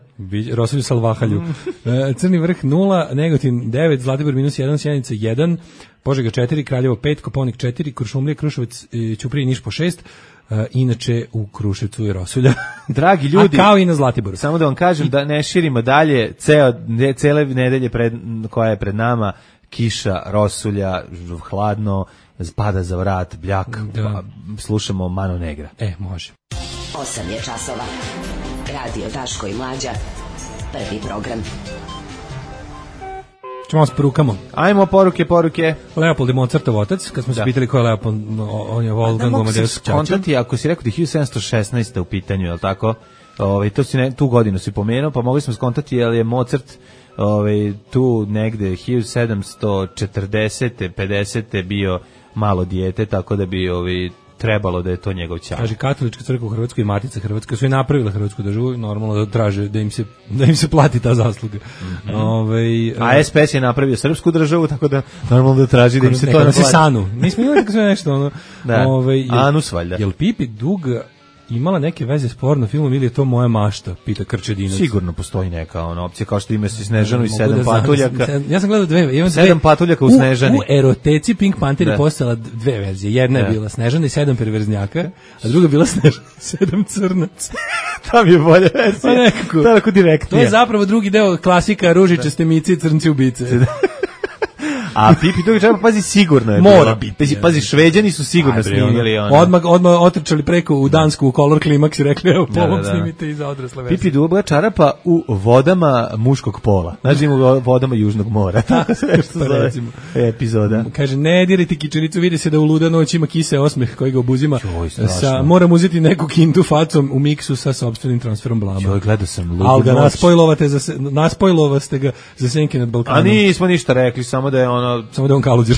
Rosulju salvahalju. Mm. uh, Crni vrh nula, Negotin devet, Zlatibor minus jedan, Sjenica jedan, Požega četiri, Kraljevo pet, Koponik četiri, Kuršumlija, Kruševac, Ćuprija i Niš po šest. Uh, inače u Kruševcu je rosulja. Dragi ljudi, a kao i na Zlatiboru. Samo da vam kažem da ne širimo dalje, ceo, ne, cele nedelje pred, koja je pred nama, kiša, rosulja, hladno, pada za vrat, bljak, da. Slušamo Mano Negra. E, može. osam je časova. Radio Daško i Mlađa. Prvi program. Čemo s porukamo. Ajmo, poruke, poruke. Leopold je Mozartov otac, kad smo se pitali ko je Leopold, on je Wolfgang Amadeus Čačan. Ako si rekao da je hiljadu sedamsto šesnaeste u pitanju, je li tako? Ove, to si ne, tu godinu si pomenuo, pa mogli smo skontati, jer je Mozart ove, tu negde hiljadu sedamsto četrdesete pedesete bio malo dijete, tako da bi ovi trebalo da je to njegov ćao. Kaže, katolička crkva u Hrvatskoj i Matica Hrvatska su i napravila Hrvatsku državu, normalno da traže da im se, da im se plati ta zasluga. Mm-hmm. Ove, a S P S je napravio srpsku državu, tako da normalno da traži da im se to naplati. Se Sanu. Mi smo imali tako sve nešto. Ono, da, ove, jel, Anus valjda. Jel Pipi Dug imala neke veze s porno filmom ili je to moja mašta, pita Krčedinac. Sigurno postoji neka ona opcija, kao što ima si Snežanu i sedam da patuljaka. Znam, ja sam gledao dve, imam sedam patuljaka u Snežani. U, u eroteci Pink Panther je postala dve verzije. Jedna da. je bila Snežana i sedam perverznjaka, a druga bila Snežana i sedam crnaca. Tam je bolje verzija. Pa nekako. To je tako direktnije. To je zapravo drugi deo klasika Ružičaste mice i crnci ubice. A Pipi Dug treba, pazi, sigurno je mora biti. Pazi, pazi, Šveđani su sigurno snimili ono. Odmah, odmah otrčali preko u Dansku u Color Climax i rekli, evo, po ovom snimite i za odrasle verzije. Pipi Dug čarapa u vodama muškog pola. Znači u vodama Južnog mora. Tako sve što zove epizoda. Kaže, ne dirite kičericu, vidi se da u luda noć ima kise osmeh koji ga obuzima. Sa, moram uzeti neku kintu facom u miksu sa sopstvenim transferom blama. Joj, gledao sam ludu Al ga naspojlovate za, naspojlovaste ga za senke nad Balkanom. A nismo ništa rekli, samo da je ono samo da on kaluđer.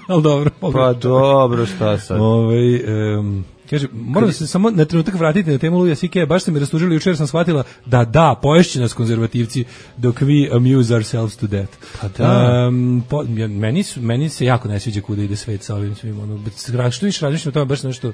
Al dobro. Pa dobro, šta sad? Ovaj um, kaže, moram se samo na trenutak vratiti na temu Louisa C K. Baš ste me rastužili, jučer sam shvatila da da, poješće nas konzervativci dok we amuse ourselves to death. Pa da. Um, po, meni, su, meni se jako ne sviđa kuda ide svet sa ovim svim. Ono, što više razmišljam o tome, baš nešto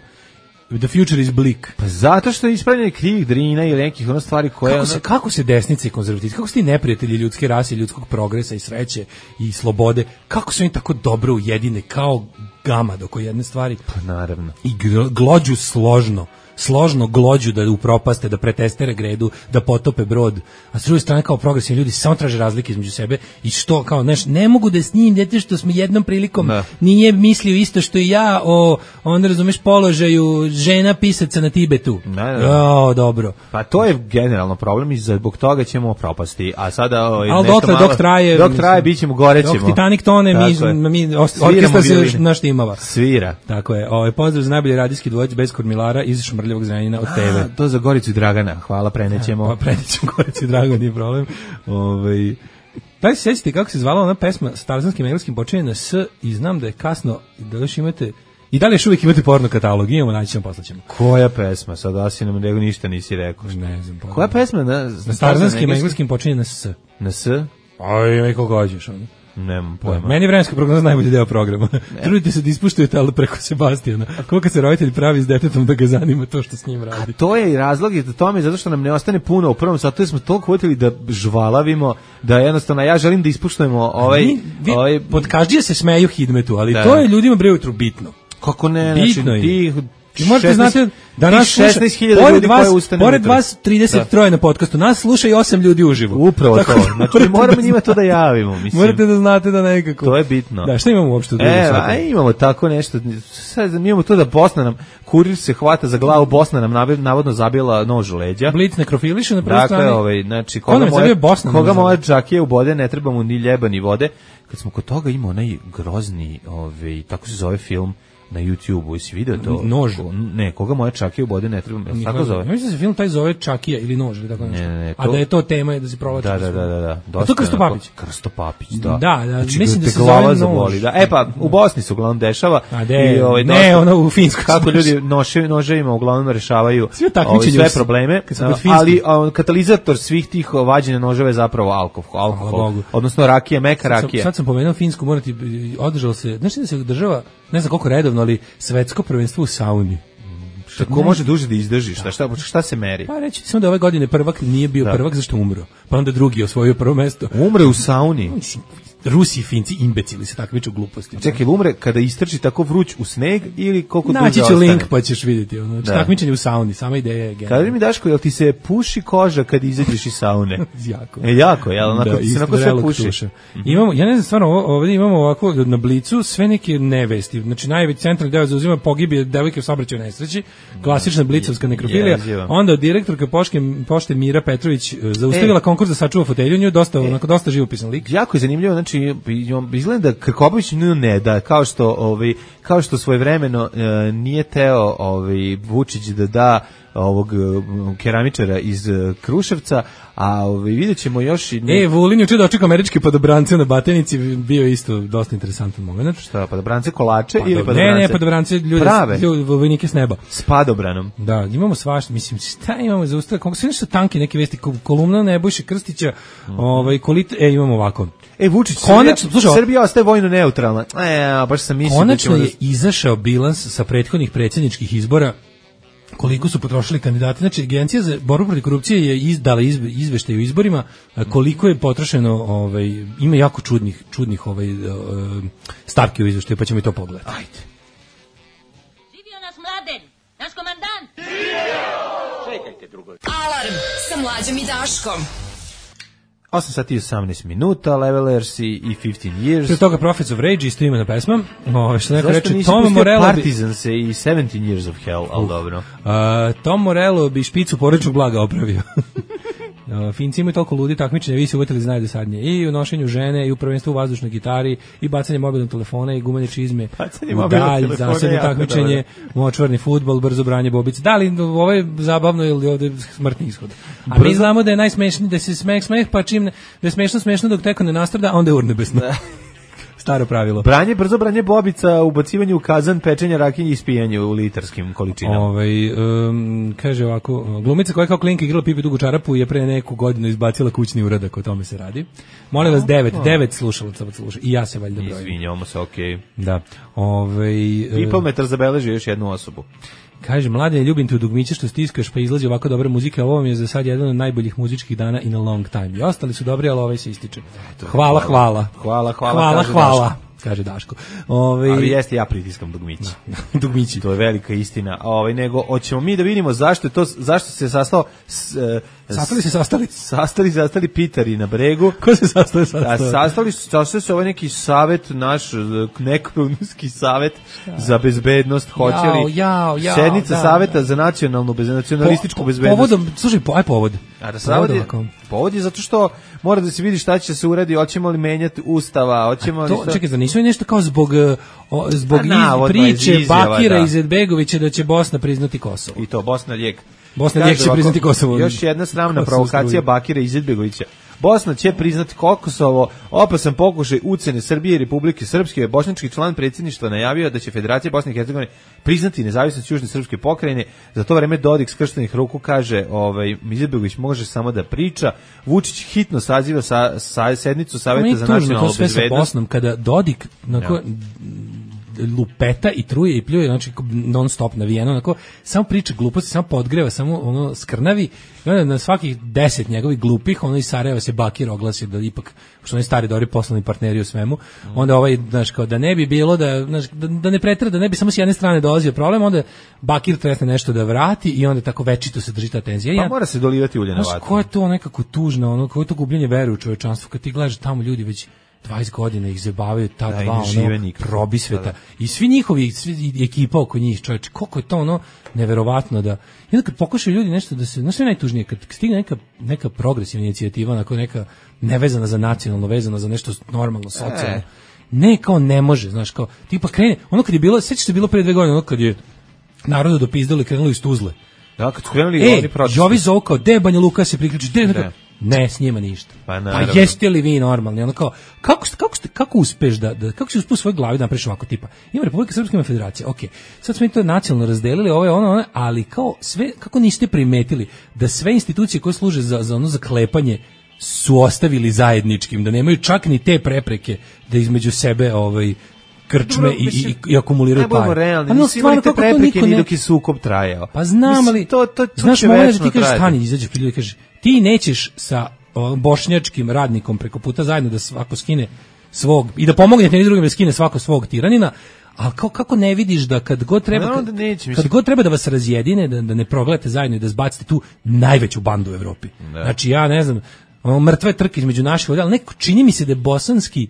the future is bleak. Pa zato što je ispravljanje krivih drina ili nekih ono stvari koje... Kako se, ono... kako se desnice i konzervativci, kako su ti neprijatelji ljudske rase, ljudskog progresa i sreće i slobode, kako su oni tako dobro ujedine kao gama dok jedne stvari... Pa naravno. I glođu složno. složno glođu da upropaste, da pretestere gredu, da potope brod, a s druge strane kao progresivni ljudi samo traže razlike između sebe i što kao neš, ne mogu da s njim dete što smo jednom prilikom da. Nije mislio isto što i ja o on razumeš položaju žena pisaca na Tibetu. Da, da. O, dobro. Pa to je generalno problem i zbog toga ćemo propasti. A sada ovaj al dokle dok traje dok traje bićemo gorećemo. Dok Titanic tone mi mi orkestar se naštimava. Svira. Tako je. Ovaj pozdrav za najbolji radijski dvojac bez kormilara iz Šmrljevog Zrenjanina od T V. To za Goricu i Dragana. Hvala, prenećemo. Pa prenećemo Goricu i Dragana, nije problem. Ovaj daj se sjetite kako se zvala ona pesma s tarzanskim engleskim počinje na S i znam da je kasno da još imate i da li još uvijek imate porno katalog, imamo, naći ćemo, poslaćemo. Koja pesma? Sad da si nam nego ništa nisi rekao. Ne znam. Koja pesma? Na, na tarzanskim engleskim počinje na S. Na S? Aj, neko gođeš ono. Nemam pojma. Meni vremenska prognoza najbolji deo programa. Trudite se da ispuštujete, ali preko Sebastijana. Koliko se roditelj pravi s detetom da ga zanima to što s njim radi. A to je i razlog i to mi zato što nam ne ostane puno u prvom satu, smo toliko vodili da žvalavimo, da jednostavno ja želim da ispuštujemo ovaj... Mi, vi, ovaj... Podkaždije se smeju Hidmetu, ali da. To je ljudima bre ujutru bitno. Kako ne? Bitno znači, ti I morate znati da nas šesnaest hiljada pored ljudi vas, koje ustane pored ujutro. vas trideset tri na podcastu, nas sluša i osam ljudi uživo. Upravo Tako to. da Znači, morate moramo da njima to da javimo, mislim. Morate da znate da nekako. To je bitno. Da, šta imamo uopšte u drugom E, satu? a imamo tako nešto. Sad mi imamo to da Bosna nam, kurir se hvata za glavu, Bosna nam nav- navodno zabila nož u leđa. Blic nekrofiliše na prvoj Dakle, strani. ovaj, znači, Ko koga nam je moja, zabio Bosna? koga nam je moja zabio? džakija ubode, ne treba mu ni ljeba ni vode. Kad smo kod toga imao onaj grozni, ovaj, tako se zove film, na YouTubeu, jesi video to? Nož. Ne, koga moja čakija ubode, ne treba, jel se tako zove? Ja mislim da se film taj zove Čakija ili Nož ili tako nešto. Ne, ne, ne, A to- da je to tema je da se provlači. Da, kroz da, da, film. da, da. A Dosta to Krsto onako- Papić? Krsto Papić, da. Da, da, Znači, mislim da te se glava zove zaboli, Nož. da. E pa, u Bosni se uglavnom dešava. A de, I, ovaj, ne, dosta- ono u Finskoj Kako smo ljudi noše, noževima uglavnom rešavaju Svi takmičenje ovaj, sve u- probleme, kad smo kod Finske. ali a, katalizator svih tih vađenja noževa je zapravo alkohol, alkohol Bogu. odnosno rakija, meka Sad sam- rakija. Sad sam pomenuo Finsku, morati održalo se, znači da se održava, ne znam koliko redovno, ali svetsko prvenstvo u sauni. Ko može duže da izdrži, šta, šta, šta se meri? Pa reći samo da ove godine prvak nije bio Da. prvak zašto je umro. Pa onda drugi osvojio prvo mesto. Umre u sauni. Mislim, Rusi i Finci imbecili se takmiče u gluposti. Čekaj, umre kada istrči tako vruć u sneg ili koliko duže Naći ću ostane? link pa ćeš vidjeti. Ono, Da. takmičenje u sauni, sama ideja je genijalna. Kaži mi, Daško, jel ti se puši koža kad izađeš iz saune? Jako. E, jako, jel? Onako, Da, ti se isto onako sve vrelog puši. tuša. Imamo, ja ne znam stvarno, ovo- ovdje imamo ovako na Blicu sve neke nevesti. Znači najveći centralni deo zauzima pogibije devojke u saobraćajnoj nesreći, klasična blicovska nekrofilija. Jezivo. Onda direktorka pošte, pošte Mira Petrović e, zaustavila E. konkurs da sačuva fotelju, nju je dosta, onako, dosta živopisan lik. Jako je zanimljivo, znači izgleda da Krkobabić nju ne da, kao što ovaj kao što svojevremeno e, nije teo ovaj Vučić da da ovog e, keramičara iz e, Kruševca, a ovaj videćemo još i ne, E, Vulin juče dočekao američke podobrance na Batenici, bio je isto dosta interesantan moment. šta, padobrance kolače ili Ne, padobrance? ne, podobrance ljude, Prave. ljude, vojnike s neba. S padobranom. Da, imamo svašta, mislim, šta imamo za ustav, kako sve nešto tanke neke vesti, ko- kolumna Nebojše Krstića, ovaj, kolit, e, imamo ovako. E, Vučić, Konačno, Srbija, slušaj, Srbija ostaje vojno neutralna. E, baš sam mislio Konačno da ćemo je izašao bilans sa prethodnih predsjedničkih izbora koliko su potrošili kandidati. Znači, Agencija za borbu protiv korupcije je izdala izve, izveštaj o izborima, a koliko je potrošeno, ovaj, ima jako čudnih, čudnih ovaj, eh, stavki u izveštaju, pa ćemo i to pogledati. Ajde. Živio nas Mladen, naš komandant. Alarm sa Mlađom i Daškom. osam sati i osamnaest minuta, Levelers i i fifteen years. Pre toga Prophets of Rage, isto imena pesma. O, što neko Zašto reče, nisi Tom pustio Morello bi, Partizans i seventeen years of hell, ali dobro. a, Tom Morello bi špicu porečnog blaga opravio. A, Finci imaju toliko ludi takmičenja, vi se uvjetili znaju dosadnije. I u nošenju žene, i u prvenstvu u vazdušnoj gitari, i bacanje mobilnog telefona, i gumene čizme, Bacanje u mobilnog dalj, telefona je zasebno jako takmičenje, močvarni fudbal, brzo branje bobice. Da li ovo je zabavno ili ovde smrtni ishod? A mi Brzo- znamo da je najsmešniji, da se smeh smeh, pa čim ne, da je smešno smešno dok teko ne nastrada, a onda je urnebesno. Staro pravilo. Branje, brzo branje bobica, ubacivanje u kazan, pečenje rakinje i ispijanje u litarskim količinama. Ovaj um, kaže ovako, glumica koja je kao klinka igrala Pipi dugu čarapu je pre neku godinu izbacila kućni uradak, o tome se radi. Molim vas, devet, devet slušalaca vas sluša. I ja se valjda brojim. Izvinjavamo se, okej. Da. Ovaj e, People metar zabeleži još jednu osobu. kaže, mlade, ljubim te u dugmiće što stiskaš pa izlazi ovako dobra muzika, a ovo vam je za sad jedan od najboljih muzičkih dana in a long time. I ostali su dobri, ali ovaj se ističe. Hvala, hvala. Hvala, hvala, Hvala, kaže hvala, Daško. kaže Daško. Ovaj Ali jeste, ja pritiskam dugmići. dugmići. To je velika istina. Ovaj, nego, hoćemo mi da vidimo zašto je to, zašto se sastao s, e, Sastali se sastali. sastali, sastali Pitari na bregu. Ko se sastao A sastao? sastali su, sastali su ovaj neki savet, naš e, nekrunski savet za bezbednost, hoće li Jao, jao, jao, sednica da, saveta za nacionalnu, bez, nacionalističku Po- bezbednost. Povodom, slušaj, po, aj povod. A da savod je, ovako. povod je zato što mora da se vidi šta će se uradi, hoćemo li menjati ustava, hoćemo li To, šta... čekaj, da nisu nešto kao zbog, uh, o, zbog Pa iz, navodno iz priče izjava, Bakira da. Izetbegovića da će Bosna priznati Kosovo. I to, Bosna lijek. Bosna Kaže lijek će ovako, priznati Kosovo. Još jedna sramna Kosovo provokacija struju. Bakira Izetbegovića. Bosna će priznati Kosovo, opasan pokušaj ucene Srbije i Republike Srpske. Bošnjački član predsjedništva najavio da će Federacija Bosne i Hercegovine priznati nezavisnost Južne Srpske pokrajine. Za to vreme Dodik skrštenih ruku kaže, ovaj, Izetbegović može samo da priča. Vučić hitno saziva sa, sa sednicu Meni Saveta je za tužno nacionalnu to sve sa bezbednost. Bosnom, kada Dodik, nako, lupeta i truje i pljuje, znači non stop navijeno, onako, samo priča gluposti, samo podgreva, samo ono skrnavi, i onda na svakih deset njegovih glupih, ono iz Sarajeva se Bakir oglasi da ipak, što oni stari dobri poslovni partneri u svemu, onda ovaj, znaš, kao da ne bi bilo, da, znaš, da, da ne pretra, da ne bi samo s jedne strane dolazio problem, onda Bakir tresne nešto da vrati i onda tako večito se drži ta tenzija. Pa ja, mora se dolivati ulje na vatru. Ko je to nekako tužno, ono, ko je to gubljenje vere u čovečanstvo, kad ti gledaš tamo ljudi već dvadeset godina ih zabavaju ta da, dva ono probisveta da, da. I svi njihovi svi ekipa oko njih, čoveče, koliko je to ono neverovatno da i onda kad pokušaju ljudi nešto da se, no sve najtužnije kad stigne neka neka progresivna inicijativa, onako neka nevezana za nacionalno, vezana za nešto normalno, socijalno. E. Ne, kao ne može, znaš, kao tipa krene, ono kad je bilo, sećaš se bilo pre dve godine, ono kad je narodu dopizdali, krenuli iz Tuzle. Da, kad su krenuli e, oni protesti. Jovi zov kao, de Banja Luka se priključi, de, ne. Ne, s njima ništa. Pa, pa jeste li vi normalni? Ono kao, kako, kako, ste, kako uspeš da, da kako si uspio u svojoj glavi da napraviš ovako tipa? Ima Republika Srpska, ima Federacija, ok. Sad smo i to nacionalno razdelili, ovo je ono, ono, ali kao sve, kako niste primetili da sve institucije koje služe za, za ono zaklepanje su ostavili zajedničkim, da nemaju čak ni te prepreke da između sebe ovaj krčme dobro, mislim, i, i, i akumuliraju pare. Ne budemo realni, nisi imali te prepreke ni dok je sukob trajao. Pa znam, mislim, ali, to, to, to znaš, moment da ti kažeš, stani, izađeš pred ljudi i kažeš, ti nećeš sa o, bošnjačkim radnikom preko puta zajedno da svako skine svog, i da pomognete jedni drugim da skine svako svog tiranina, ali kao, kako ne vidiš da kad god treba, no, kad, neće, kad god treba da vas razjedine, da, da ne progledate zajedno i da zbacite tu najveću bandu u Evropi. Ne. Znači, ja ne znam, ono, mrtve trke između naših, ali neko čini mi se da je bosanski,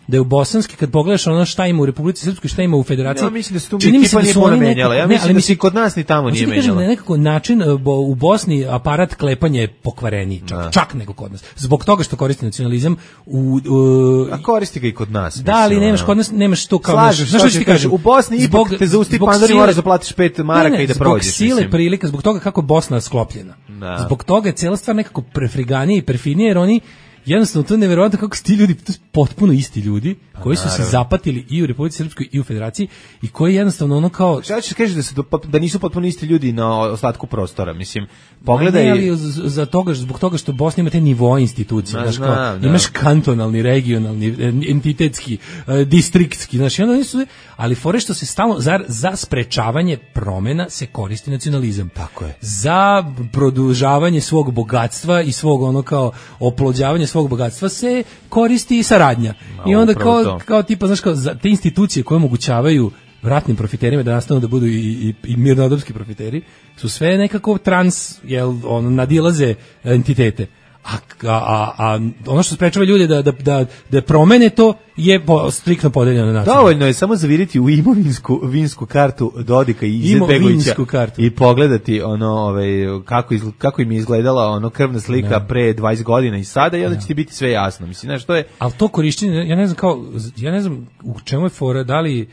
da je u bosanski, kad pogledaš ono šta ima u Republici Srpskoj, šta ima u Federaciji. Ja mislim da se tu mi ekipa nije puno menjala. Ja mislim da se kod nas ni tamo nije menjala. Da nekako način bo, u Bosni aparat klepanja je pokvareniji, čak, da. čak nego kod nas. Zbog toga što koristi nacionalizam u... u a koristi ga i kod nas. Da, ali nemaš kod nas, nemaš to kao... Slažeš, znaš što ti kažem? U Bosni zbog, ipak te zausti pandari moraš da platiš pet maraka ne, ne, i da prođeš. Zbog sile mislim. Prilika, zbog toga kako je Bosna sklopljena. Da. Zbog toga je cijela stvar nekako prefriganije i perfinije, jer oni jednostavno to je neverovatno kako su ti ljudi, to su potpuno isti ljudi koji su se zapatili i u Republici Srpskoj i u Federaciji i koji jednostavno ono kao... Šta ćeš kažeš da, se, da nisu potpuno isti ljudi na ostatku prostora, mislim, pogledaj... Ne, ali za toga, zbog toga što Bosna ima te nivoe institucije, znaš, kao, da. Imaš kantonalni, regionalni, entitetski, distriktski, znaš, i onda nisu... Ali fore što se stalno, za, za sprečavanje promena se koristi nacionalizam. Tako je. Za produžavanje svog bogatstva i svog ono kao oplođavanje svog bogatstva se koristi i saradnja. I onda kao, kao tipa, znaš, kao za te institucije koje omogućavaju ratnim profiterima da nastanu da budu i, i, i mirnodopski profiteri, su sve nekako trans, jel, on, nadilaze entitete. A, a, a ono što sprečava ljude da, da, da, da promene to je po, striktno podeljeno na način. Dovoljno je samo zaviriti u imovinsku vinsku kartu Dodika i Izetbegovića i pogledati ono, ovaj, kako, izgled, kako im je izgledala ono krvna slika no. pre dvadeset godina i sada i onda no. će ti biti sve jasno. Mislim, znaš, to je... Ali to korištenje, ja ne znam kao, ja ne znam u čemu je fora, da li...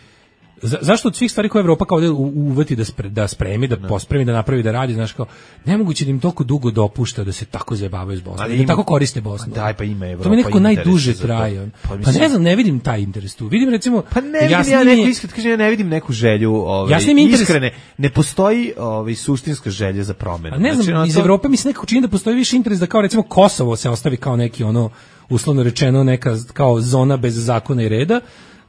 Za, zašto od svih stvari koje Evropa kao u, uveti da, spre, da spremi, da no. pospremi, da napravi, da radi, znaš kao, nemoguće da im toliko dugo dopušta da se tako zajebavaju s Bosnom, da ima, tako koriste Bosnu. Daj, pa ima Evropa. To mi nekako najduže traje. Pa, pa ne znam, ne vidim taj interes tu. Vidim recimo... Pa ne vidim, ja, ja neku iskreno, kažem, ja ne vidim neku želju, ovaj, ja interes... iskrene, ne postoji ovaj, suštinska želja za promenu. A ne znam, znači, iz to... Evrope mi se nekako čini da postoji više interes da kao recimo Kosovo se ostavi kao neki ono, uslovno rečeno, neka kao zona bez zakona i reda,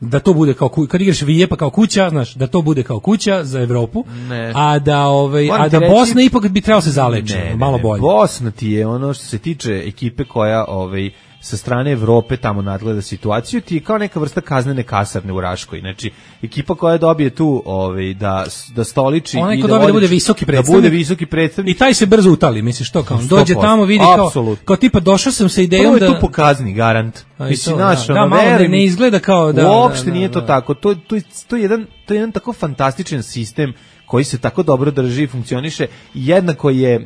da to bude kao kad igraš vije pa kao kuća, znaš, da to bude kao kuća za Evropu, ne. a da ovaj a da reći, Bosna ipak bi trebalo se zaleči, ne, ne, malo bolje. Bosna ti je ono što se tiče ekipe koja ovaj sa strane Evrope tamo nadgleda situaciju, ti je kao neka vrsta kaznene kasarne u Raškoj. Znači, ekipa koja dobije tu ovaj, da, da stoliči onaj i ko da, dobije da bude visoki predstavnik. Da bude visoki predstavnik. I taj se brzo utali, misliš to kao, dođe tamo, vidi kao, kao tipa došao sam sa idejom Prvo da... je tu pokazni, garant. Mislim, naš, da, ono, da, malo ne, ne izgleda kao da... Uopšte da, da, nije to da. tako. To, to, to, je jedan, to je jedan tako fantastičan sistem koji se tako dobro drži i funkcioniše i jednako je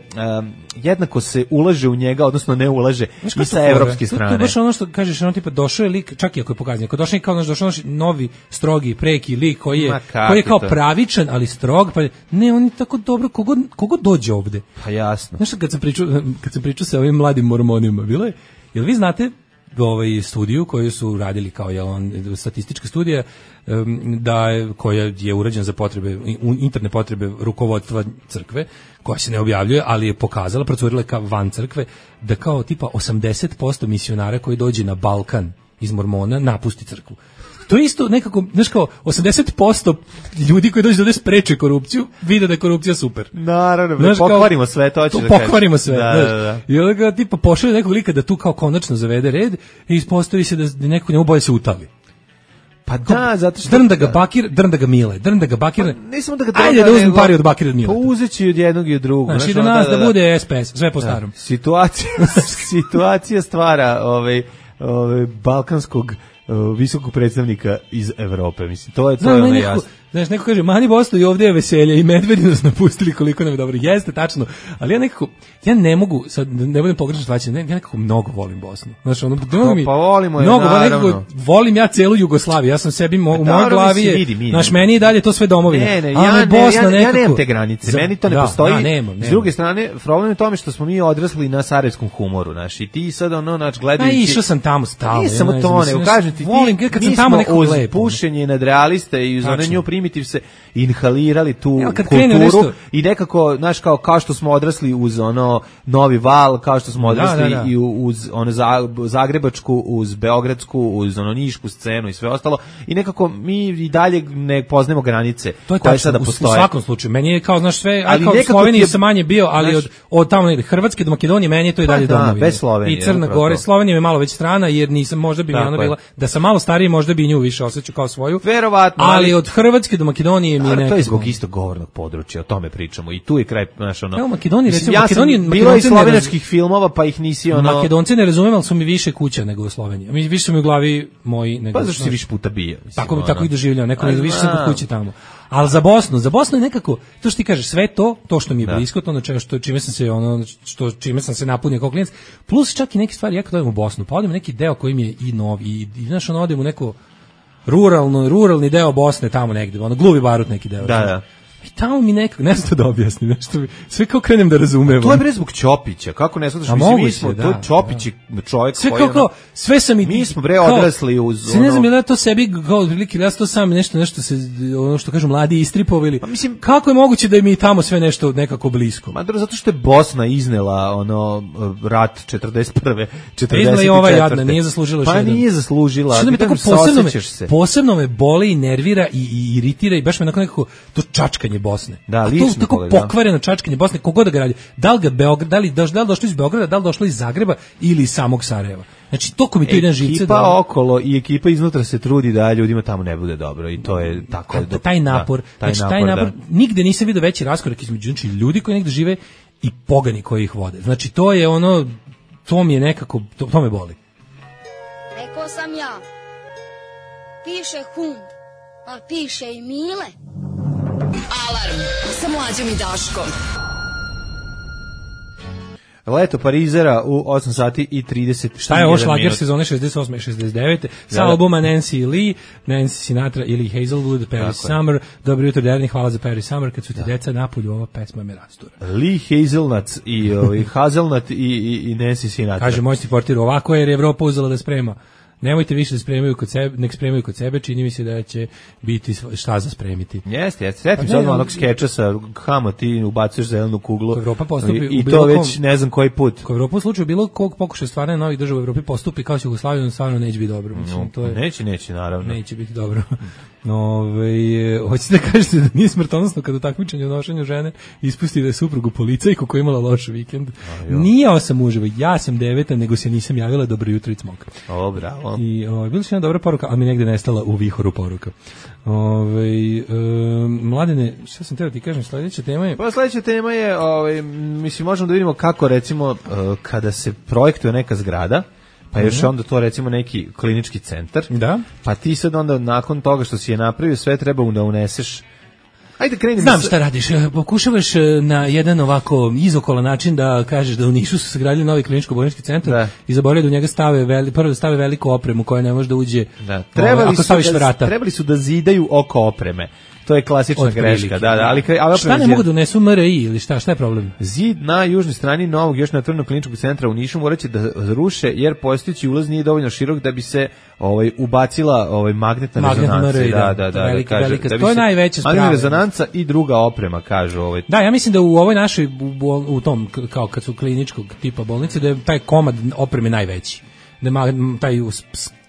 um, jednako se ulaže u njega, odnosno ne ulaže i sa evropske strane. To je baš ono što kažeš, ono tipa došao je lik, čak i ako je pokazan, ako došao je kao naš došao naš novi, strogi, preki lik koji je, koji je kao to? pravičan, ali strog, pa ne, on je tako dobro, kogo, kogo dođe ovde. Pa jasno. Znaš, kad sam pričao, kad sam pričao sa ovim mladim mormonima, bilo je, jel vi znate ovaj studiju koju su radili kao je on statistička studija da je, koja je urađena za potrebe interne potrebe rukovodstva crkve, koja se ne objavljuje, ali je pokazala, procurila kao van crkve, da kao tipa osamdeset posto misionara koji dođe na Balkan iz mormona napusti crkvu. to je isto nekako, znaš kao, osamdeset posto ljudi koji dođu da ovde spreče korupciju, vide da je korupcija super. Naravno, Znaš, kao, pokvarimo sve, to ćeš da kažeš. Pokvarimo sve, da, znaš. da, da. I onda ga tipa pošalje nekog lika da tu kao konačno zavede red i ispostavi se da neko njemu bolje se utali. Pa da, zato što... Drn da ga bakir, drn da ga mile, drn da ga bakir. Pa, nisam da ga ajde drn da uzmem nego, pari od bakira od mile. Pa uzeći od jednog i od drugog. Znači da nas da, da, da bude S P S, sve po starom. Situacija, situacija stvara ovaj, ovaj, balkanskog uh, visokog predstavnika iz Evrope, mislim, to je to je ono jasno. Znaš, neko kaže, mani Bosno i ovdje je veselje i medvedi nas napustili koliko nam je dobro. Jeste, tačno, ali ja nekako, ja ne mogu, sad ne budem pogrešno shvaćen, ja nekako mnogo volim Bosnu. Znaš, ono, pa, mi, pa volimo je, mnogo, naravno. Nekako, volim ja celu Jugoslaviju, ja sam sebi, mo, u mojoj glavi je, vidi, znaš, meni i dalje to sve domovina. Ne, ne, ja, ne, Bosna ja, nekako, ja nemam te granice, za, meni to ne da, postoji. Ja, nemam, nemam. S druge strane, problem je u tome što smo mi odrasli na sarajevskom humoru, znaš, i ti sad ono, naš, gledajući... A išao sam tamo stalno. Nije samo ja, to, nego kažem ti, volim, ti, kad mi sam tamo smo nekako uz lepo. pušenje nadrealiste i uz one nju primitiv se inhalirali tu ja, kulturu nešto... i nekako, znaš, kao, kao što smo odrasli uz ono Novi Val, kao što smo odrasli da, da, da. i uz ono zagrebačku, uz beogradsku, uz ono nišku scenu i sve ostalo i nekako mi i dalje ne poznajemo granice to je koje tačno, sada u, postoje. U svakom slučaju, meni je kao, znaš, sve, ali kao u Sloveniji je, sam manje bio, ali znaš, od, od tamo negde Hrvatske do Makedonije, meni je to i dalje pa, da, domovina. bez Slovenije. I Crna Gora, Slovenija je malo već strana, jer nisam, možda bi mi ona bila, da sam malo stariji, možda bi nju više osjećao kao svoju. Verovatno. Ali, ali od Hrvatske do Makedonije mi je nekako. To je zbog istog govornog područja, o tome pričamo. I tu je kraj, znaš, ono. Evo Makedoniji, recimo, ja Makedoniji, sam bilo i slovenačkih filmova, pa ih nisi ono. Makedonci ne razumem, ali su mi više kuća nego u Sloveniji. Mi više su mi u glavi moji nego. Pa zašto si više puta bio? Mislim, tako ono. Tako ih doživljam, neko ne više sam kod kuće tamo. Ali za Bosnu, za Bosnu je nekako, to što ti kažeš, sve to, to što mi je da. blisko, to na čemu što čime sam se ono što čime sam se napunio kao klijent, plus čak i neke stvari ja kad odem u Bosnu, pa odem neki deo koji mi je i novi i, i znaš, ono odem u neko ruralno, ruralni deo Bosne tamo negde, ono Gluvi Barut neki deo. Da, da. I tamo mi nekako, ne znam da objasnim, nešto mi, sve kao krenem da razumem. To je bre zbog Ćopića, kako ne znaš, mislim, mi smo, da, to Ćopić da. čovjek sve koji... Sve kao, sve sam i... Mi smo bre odrasli uz ono... Se ne znam, ja to sebi, kao otprilike, ja to sam nešto, nešto se, ono što kažu, mladi istripovili. Pa mislim, kako je moguće da je mi tamo sve nešto nekako blisko? Ma zato što je Bosna iznela, ono, rat četrdeset prve, četrdeset četvrte. Iznela i ova jadna, nije zaslužila Pa šedam. nije zaslužila. Što da mi tako posebno me, posebno me boli i nervira i, i iritira i baš me onako nekako to čačkanje Bosne. Da, to tako pogled, pokvareno čačkanje Bosne, kogod da ga radi. Da li ga Beograd, da li, da li došlo iz Beograda, da li došlo iz Zagreba ili iz samog Sarajeva. Znači, to ko mi to ide na živce. Ekipa da... okolo i ekipa iznutra se trudi da ljudima tamo ne bude dobro i to je tako. Da, taj napor, da, taj, znači, taj napor, da. Nigde nisam vidio veći raskorak između znači, ljudi koji negde žive i pogani koji ih vode. Znači, to je ono, to mi je nekako, to, to me boli. Rekao sam ja, piše hum, a piše i Mile. Alarm sa Mlađom i Daškom. Leto Parizera u osam sati i trideset. Šta je ovo šlager sezone šezdeset osme i šezdeset devete sa da, albuma Nancy Lee, Nancy Sinatra ili Hazelwood, Paris Summer. Dobro jutro, Derni, hvala za Paris Summer. Kad su ti da. deca napolju, ova pesma me rastura. Lee Hazelnuts i, i Hazelnut i, i, i Nancy Sinatra. Kaže moj stiportir, ovako jer je Evropa uzela da sprema. Nemojte više da spremaju kod sebe, nek spremaju kod sebe, čini mi se da će biti šta za spremiti. Jeste, jeste. Setim se odmah onog skeča sa Hamo, ti ubacuješ zelenu kuglu. Evropa postupi i, i to već ne znam koji put. Ko Evropa u slučaju bilo kog pokušaja stvaranja novih država u Evropi postupi kao se Jugoslavija, stvarno neće biti dobro. Mislim, no, to je, neće, neće, naravno. Neće biti dobro. Ove, hoćete da kažete da nije smrtonosno kada u takmičenju u nošenju žene ispusti da je suprugu policajku koja je imala loš vikend. Nije osam uživo, ja sam deveta, nego se nisam javila, dobro jutro i cmok. O, bravo. I ovaj bila je jedna dobra poruka, ali mi negde nestala u vihoru poruka. Ovaj e, mladene, šta sam teo ti kažem, sledeća tema je. Pa sledeća tema je, ovaj mislim možemo da vidimo kako recimo kada se projektuje neka zgrada, pa još onda to recimo neki klinički centar. Da. Pa ti sad onda nakon toga što si je napravio sve treba da uneseš. Ajde krenimo. Znam šta radiš, pokušavaš na jedan ovako izokolan način da kažeš da u Nišu su sagradili novi kliničko-bolnički centar da. I zaboravili da u njega stave veli, prvo da stave veliku opremu koja ne može da uđe. Da. Trebali, ako staviš su da, vrata. Trebali su da zidaju oko opreme. To je klasična od greška, prilike, da, da, ali, ali šta ne mogu da unesu M R I ili šta, šta je problem? Zid na južnoj strani novog još natvornog kliničkog centra u Nišu moraće da ruše jer postojeći ulaz nije dovoljno širok da bi se ovaj ubacila ovaj magnetna rezonanca, da, da, da, velika, kaže, velika, da to je najveća sprava. Magnetna rezonanca i druga oprema, kažu ovaj. Da, ja mislim da u ovoj našoj u, u tom kao kad su kliničkog tipa bolnice da je taj komad opreme najveći. Da taj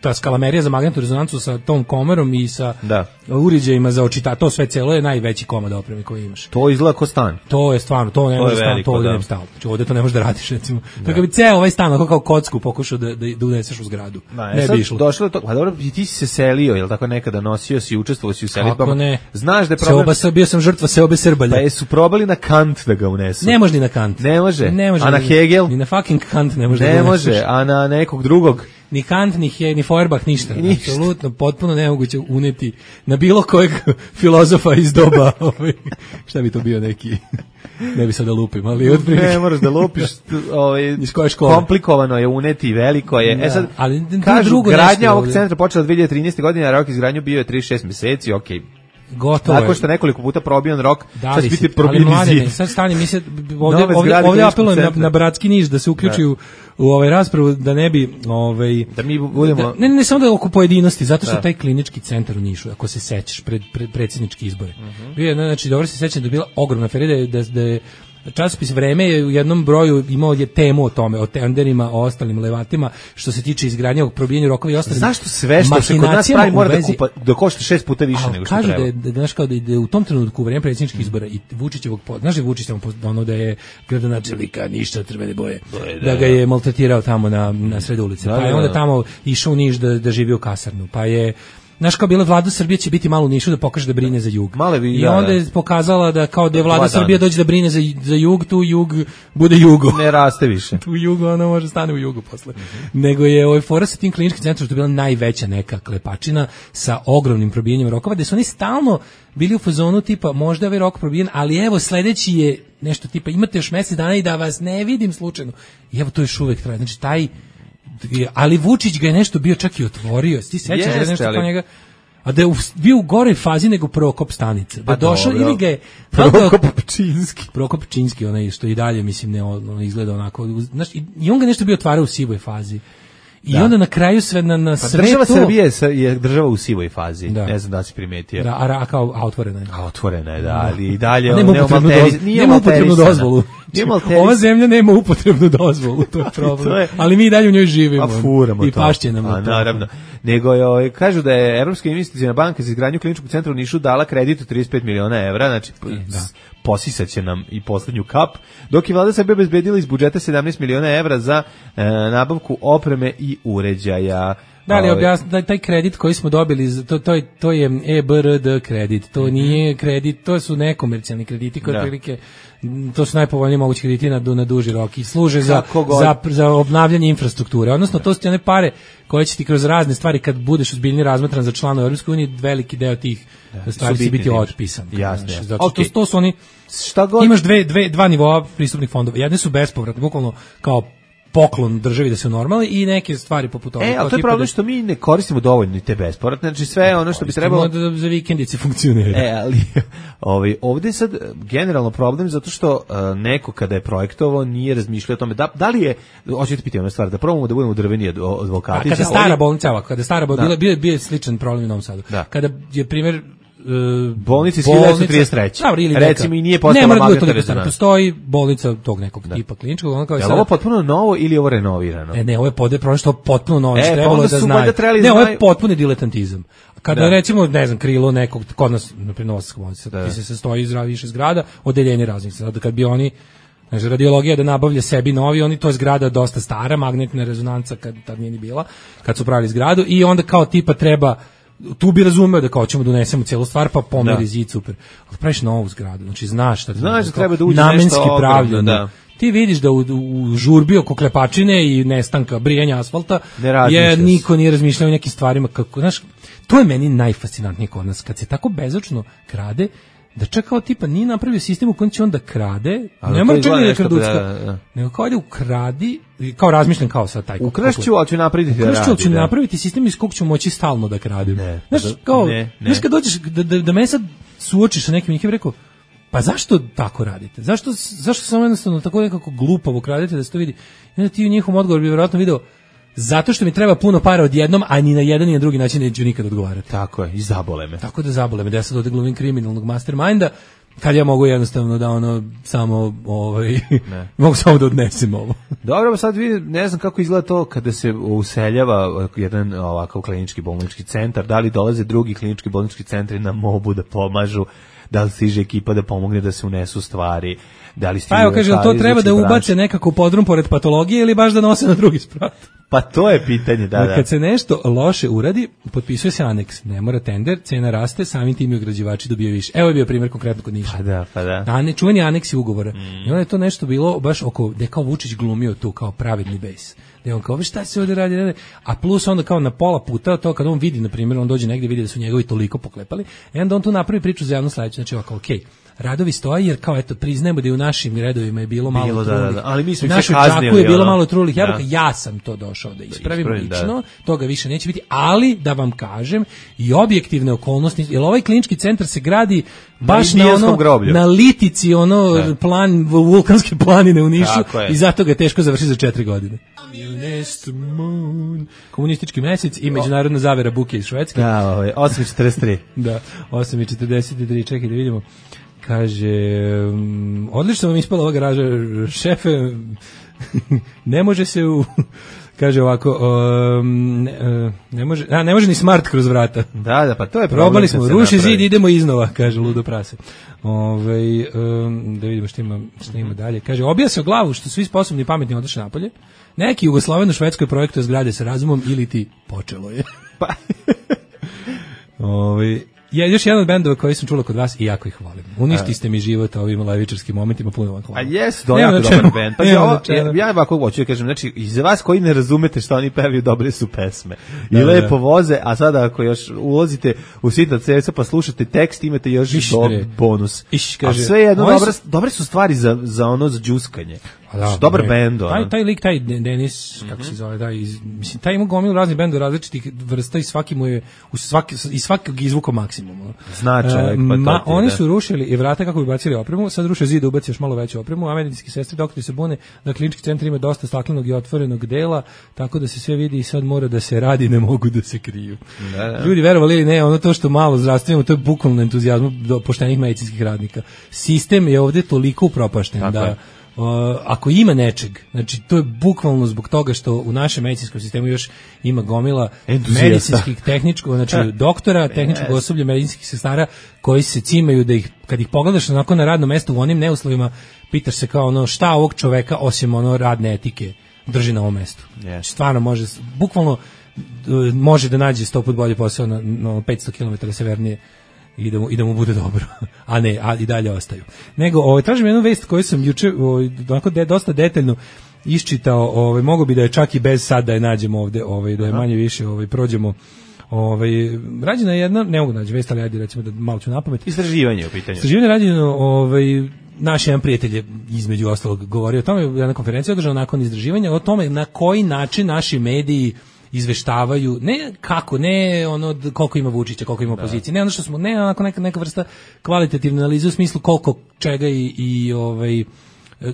ta skalamerija za magnetnu rezonancu sa tom komorom i sa da. uređajima za očita, to sve celo je najveći komad opreme koji imaš. To izgleda kao stan. To je stvarno, to ne to može stan, to ovdje da. ne bi stalo. Znači ovdje to ne možeš da radiš, recimo. Da. Kako bi ceo ovaj stan, ako kao kocku pokušao da, da, da uneseš u zgradu. Da, ne sad bi išlo. Došlo to, pa dobro, ti si se selio, jel tako nekada nosio si, učestvovao si u selitbama. Kako ne? Znaš da je problem... Seoba sam, bio sam žrtva seobe Srbalja. Pa jesu probali na Kant da ga unesu. Ne može ni na Kant. Ne može. Ne može a na ni, Hegel? Ni na fucking Kant ne može ne da ga može, a na nekog drugog? Ni Kant, ni, He, ni Feuerbach, ništa. ništa. Apsolutno, potpuno nemoguće uneti na bilo kojeg filozofa iz doba. Ovaj, šta bi to bio neki... Ne bi sad da lupim, ali otprilike. Ne, moraš da lupiš, ovaj, iz koje škole? Komplikovano je uneti, veliko je. Da, e sad, ali kažu, drugo gradnja ovog ovdje. centra počela dve hiljade trinaeste. godine, a rok izgradnju bio je trideset šest meseci, okej. Okay. Gotovo je. Tako što nekoliko puta probijan rok, da sad li biti ali probijeni mladine, zid. sad stani mi se ovdje, Nove ovdje, zgrade ovdje kliničkog apelujem na, centra. na Bratski Niš da se uključi u, u ovaj raspravu da ne bi ovaj da mi budemo da, ne, ne samo da oko pojedinosti, zato što da. taj klinički centar u Nišu, ako se sećaš pred, pred predsjednički izbore. Uh-huh. Bio je, znači dobro se sećam da je bila ogromna afera da je, da, da je časopis Vreme je u jednom broju imao je temu o tome, o tenderima, o ostalim levatima, što se tiče izgradnje ovog probijanja rokova i ostalim. Zašto sve što se kod nas pravi mora da, kupa, da košta šest puta više a, nego što kažu treba? Da je, da, znaš, kao da, je, da je u tom trenutku u vreme predsjedničkih izbora i Vučićevog, znaš da je Vučić tamo ono da je gradonačelnika ništa crvene boje, boje da, da ga je maltretirao tamo na, na sred ulice, da, pa je da, onda da. tamo išao u Niš da, da živi u kasarnu, pa je znaš kao bila vlada Srbije će biti malo u Nišu da pokaže da brine za jug. Bi, I da, onda je pokazala da kao da je vlada Srbije dođe da brine za, za jug, tu jug bude jugo. Ne raste više. Tu jugo, ono može stane u jugu posle. Mm-hmm. Nego je ovaj fora sa tim kliničkim centrom što je bila najveća neka klepačina sa ogromnim probijanjem rokova, gde su oni stalno bili u fazonu tipa možda je ovaj rok probijen, ali evo sledeći je nešto tipa imate još mesec dana i da vas ne vidim slučajno. I evo to još uvek traje. Znači taj ali Vučić ga je nešto bio čak i otvorio. Ti sećaš da je nešto kao njega, a da je bio u goroj fazi nego Prokop Stanice. Da došao ili ga je Prokop Pčinski. Prokop Pčinski, onaj što i dalje mislim ne on izgleda onako, znaš, i, i on ga nešto bio otvarao u sivoj fazi. I da. Onda na kraju sve na na pa sve država to Srbije je država u sivoj fazi. Da. Ne znam da si primetio. Da, a, a kao a otvorena je. A otvorena je, da, ali i dalje nema upotrebnu, doz, nema upotrebnu dozvolu. Ova zemlja nema upotrebnu dozvolu, to je problem. to je, ali mi i dalje u njoj živimo. A furamo i to. pašće nam a, naravno. Nego je, ovaj, kažu da je Evropska investiciona banka za izgradnju kliničkog centra u Nišu dala kredit od trideset pet miliona evra, znači da. Posisaće nam i poslednju kap, dok je vlada Srbije obezbedila iz budžeta sedamnaest miliona evra za e, nabavku opreme i uređaja. Da li objasni taj kredit koji smo dobili, to to je to je E B R D kredit, to nije kredit, to su nekomercijalni krediti koji otprilike to su najpovoljniji mogući krediti na, na duži rok i služe za, za, za obnavljanje infrastrukture. Odnosno, da. To su ti one pare koje će ti kroz razne stvari, kad budeš ozbiljnije razmatran za članove Europske unije, veliki deo tih da. Stvari će biti otpisan. Jasno. Zato okay. to, to su oni, šta god... imaš dve, dve, dva nivoa pristupnih fondova. Jedne su bespovratne, bukvalno kao poklon državi da se normali i neke stvari poput toga. E, ali to je problem da... što mi ne koristimo dovoljno te bespovratne, znači sve ono što bi trebalo... Da za vikendice funkcionira. E, ali ovaj, ovdje je sad generalno problem zato što uh, neko kada je projektovao nije razmišljao o tome, da, da li je, hoćete pitati ono stvar, da probamo da budemo drveni advokati. A kada stara ovdje... bolnica, kada stara bolnica, da. bio, bio je sličan problem u Novom Sadu. Da. Kada je primjer Uh, bolnici iz hiljadu devetsto trideset treće. Recimo neka, i nije postala magnetna rezonanca. Postoji bolnica tog nekog da. Tipa kliničkog, on kao je. Je ovo potpuno novo ili je ovo renovirano? E, ne, ovo je pod prosto potpuno novo, e, trebalo da znaju. Ne, ovo je potpuni diletantizam. Kada da. Recimo, ne znam, krilo nekog kod nas na Novosadskoj bolnici, da. Ti se sastoji iz više zgrada, odeljenje raznih. Sad kad bi oni znači, radiologija da nabavlja sebi novi, oni to je zgrada dosta stara, magnetna rezonanca kad tad nije ni bila, kad su pravili zgradu i onda kao tipa treba tu bi razumeo da kao ćemo donesemo cijelu stvar pa pomeri zid super. Ali praviš novu zgradu, znači znaš šta znaš da treba da uđe namenski pravljeno. Da. Ti vidiš da u, u žurbi oko klepačine i nestanka brijanja asfalta je niko nije razmišljao o nekim stvarima kako, znaš, to je meni najfascinantnije kod nas kad se tako bezočno krade da čak kao tipa nije napravio sistem u kojem će on da krade, ne mora čak ni da kraducka, da, da. Nego kao da ukradi, kao razmišljam kao sad taj. Ukrašću, ali ću napraviti da radi. Ukrašću, ali ću napraviti sistem iz kog ću moći stalno da kradim. Ne, znaš, kao, ne, ne. Znaš kad dođeš, da, da, da me sad suočiš sa nekim, nekim rekao, pa zašto tako radite? Zašto, zašto samo jednostavno tako nekako glupavo kradete da se to vidi? I onda ti u njihovom odgovoru bi vjerojatno video, zato što mi treba puno para odjednom, a ni na jedan ni na drugi način neću nikad odgovarati. Tako je, i zabole me. Tako da zabole me, da ja sad ovdje glumim kriminalnog masterminda, kad ja mogu jednostavno da ono samo ovaj mogu samo da odnesem ovo. Dobro, sad vidi, ne znam kako izgleda to kada se useljava jedan ovakav klinički bolnički centar, da li dolaze drugi klinički bolnički centri na mobu da pomažu, da li stiže ekipa da pomogne da se unesu stvari, da li stiže... Pa evo, kaže, to treba da ubace nekako u podrum pored patologije ili baš da nose na drugi sprat? Pa to je pitanje, da, da. Kad se nešto loše uradi, potpisuje se aneks. Ne mora tender, cena raste, samim tim i ugrađivači dobijaju više. Evo je bio primjer konkretno kod Niša. Pa da, pa da. A ne, čuveni aneksi ugovora. Mm. I onda je to nešto bilo baš oko, gde kao Vučić glumio tu kao pravedni bejs. Gde on kao, vi šta se ovdje radi, radi? A plus onda kao na pola puta, to kad on vidi, na primjer, on dođe negdje, vidi da su njegovi toliko poklepali, i onda on tu napravi priču za javno sledeće. Znači ovako, okej, okay, radovi stoji jer kao eto priznajemo da i u našim redovima je bilo malo bilo, trulih. Da, da, ali mi smo našu čaku je bilo malo trulih jabuka. Da. Ja sam to došao da ispravim da lično, da. Toga više neće biti, ali da vam kažem i objektivne okolnosti, jer ovaj klinički centar se gradi baš na, na ono groblju. Na litici ono da. Plan vulkanske planine u Nišu i zato ga je teško završiti za četiri godine. Komunistički mesec i međunarodna zavera buke iz Švedske. Da, ovaj osam četrdeset tri. Da, osam četrdeset tri, čekaj da vidimo. Kaže, um, odlično vam ispala ova garaža, šefe, ne može se u, kaže ovako, um, ne, ne, može, a, ne može ni smart kroz vrata. Da, da, pa to je problem. Probali smo, ruši zid, idemo iznova, kaže ludo prase. Ove, um, da vidimo što ima, što ima dalje. Kaže, obija se o glavu što svi sposobni i pametni odošli napolje. Neki jugosloveno-švedskoj projektuje zgrade sa razumom ili ti počelo je. Pa. Ove, je još jedan od bendova koji sam čula kod vas i jako ih volim. Uništi ste mi život ovim levičarskim momentima, puno vam hvala. A jes, do jako dobar bend. Pa ja, ja ovako hoću da kažem, znači, iz vas koji ne razumete što oni pevaju, dobre su pesme. I da, lepo da. Voze, a sada ako još ulazite u sita ceca pa slušate tekst, imate još Iš, do, bonus. Iš, kaže, a sve jedno, dobre, su, dobre su stvari za, za ono, za džuskanje. Da, dobar bend. Taj, taj lik, taj Denis, kako mm-hmm. se zove, taj, iz, mislim, taj ima gomilu raznih bendova različitih vrsta i svaki mu je, u svaki, iz svakog izvuka maksimum. Znači, uh, ma, oni da. Su rušili i vrata kako bi bacili opremu, sad ruše zid, ubaci još malo veću opremu, a medicinski sestre, doktori se bune da klinički centar ima dosta staklenog i otvorenog dela, tako da se sve vidi i sad mora da se radi, ne mogu da se kriju. Da, da. Ljudi, verovali ili ne, ono to što malo zdravstveno, to je bukvalno entuzijazmu do poštenih medicinskih radnika. Sistem je ovde toliko upropašten tako da... Je. Uh, ako ima nečeg, znači to je bukvalno zbog toga što u našem medicinskom sistemu još ima gomila medicinskih tehničkog, znači doktora, tehničkog yes. osoblja, medicinskih sestara koji se cimaju da ih, kad ih pogledaš onako na radnom mestu u onim neuslovima, pitaš se kao ono šta ovog čoveka osim ono radne etike drži na ovom mestu. Yes. Stvarno može, bukvalno može da nađe sto put bolji posao na, na petsto kilometara severnije i da mu, i da mu bude dobro, a ne, a i dalje ostaju. Nego, ovaj, tražim jednu vest koju sam juče ovaj, onako de, dosta detaljno iščitao, ovaj, mogo bi da je čak i bez sad da je nađemo ovde, ovaj, da je manje više ovaj, prođemo. Ovaj, rađena je jedna, ne mogu naći vest, ali ajde recimo da malo ću napamet. Istraživanje u pitanju. Istraživanje rađeno, ovaj, naš jedan prijatelj je između ostalog govorio o tome, jedna konferencija održana nakon istraživanja, o tome na koji način naši mediji izveštavaju, ne kako, ne ono koliko ima Vučića, koliko ima opozicije, ne ono što smo, ne onako neka, neka vrsta kvalitativne analize u smislu koliko čega i, i ovaj,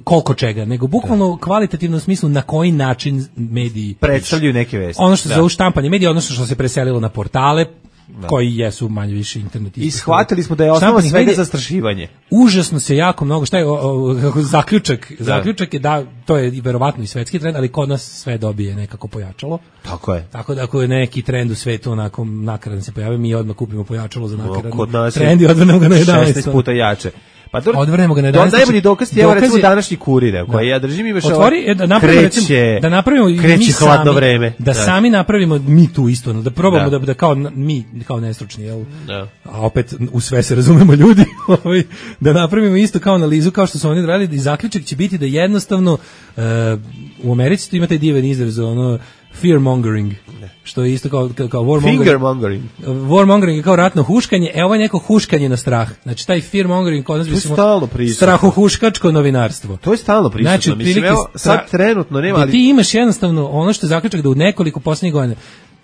koliko čega, nego bukvalno da. Kvalitativno u smislu na koji način mediji predstavljaju neke vesti. Ono što se zove štampanje medija, odnosno što se preselilo na portale, da. Koji jesu manje više internet. I shvatili smo da je osnova svega zastrašivanje. Užasno se jako mnogo, šta je o, o, zaključak, da. Zaključak je da, to je verovatno i svetski trend, ali kod nas sve dobije nekako pojačalo. Tako je. Tako da ako je neki trend u svetu onako nakaran se pojavi, mi odmah kupimo pojačalo za nakaran trend i odvrnemo ga na jedanaest. šesnaest puta jače. Pa do, odvrnemo ga na jedanaest. To najbolji dokaz je evo recimo današnji Kurir, koji ja držim i već otvori da napravimo recimo, da napravimo kreće hladno vreme. Da, da sami napravimo mi tu isto, da probamo da, da, da kao mi kao nestručni, jel? Da. A opet u sve se razumemo ljudi, ovaj da napravimo isto kao analizu kao što su oni radili i zaključak će biti da jednostavno uh, u Americi tu imate divan izraz ono fear mongering, što je isto kao kao warmongering. Finger mongering. Warmongering je kao ratno huškanje, e ovo je neko huškanje na strah. Znači taj fear mongering kod nas bismo strahohuškačko novinarstvo. To je stalno prisutno. Znači, mislim, evo, sad trenutno nema, ali ti imaš jednostavno ono što je zaključak da u nekoliko poslednjih godina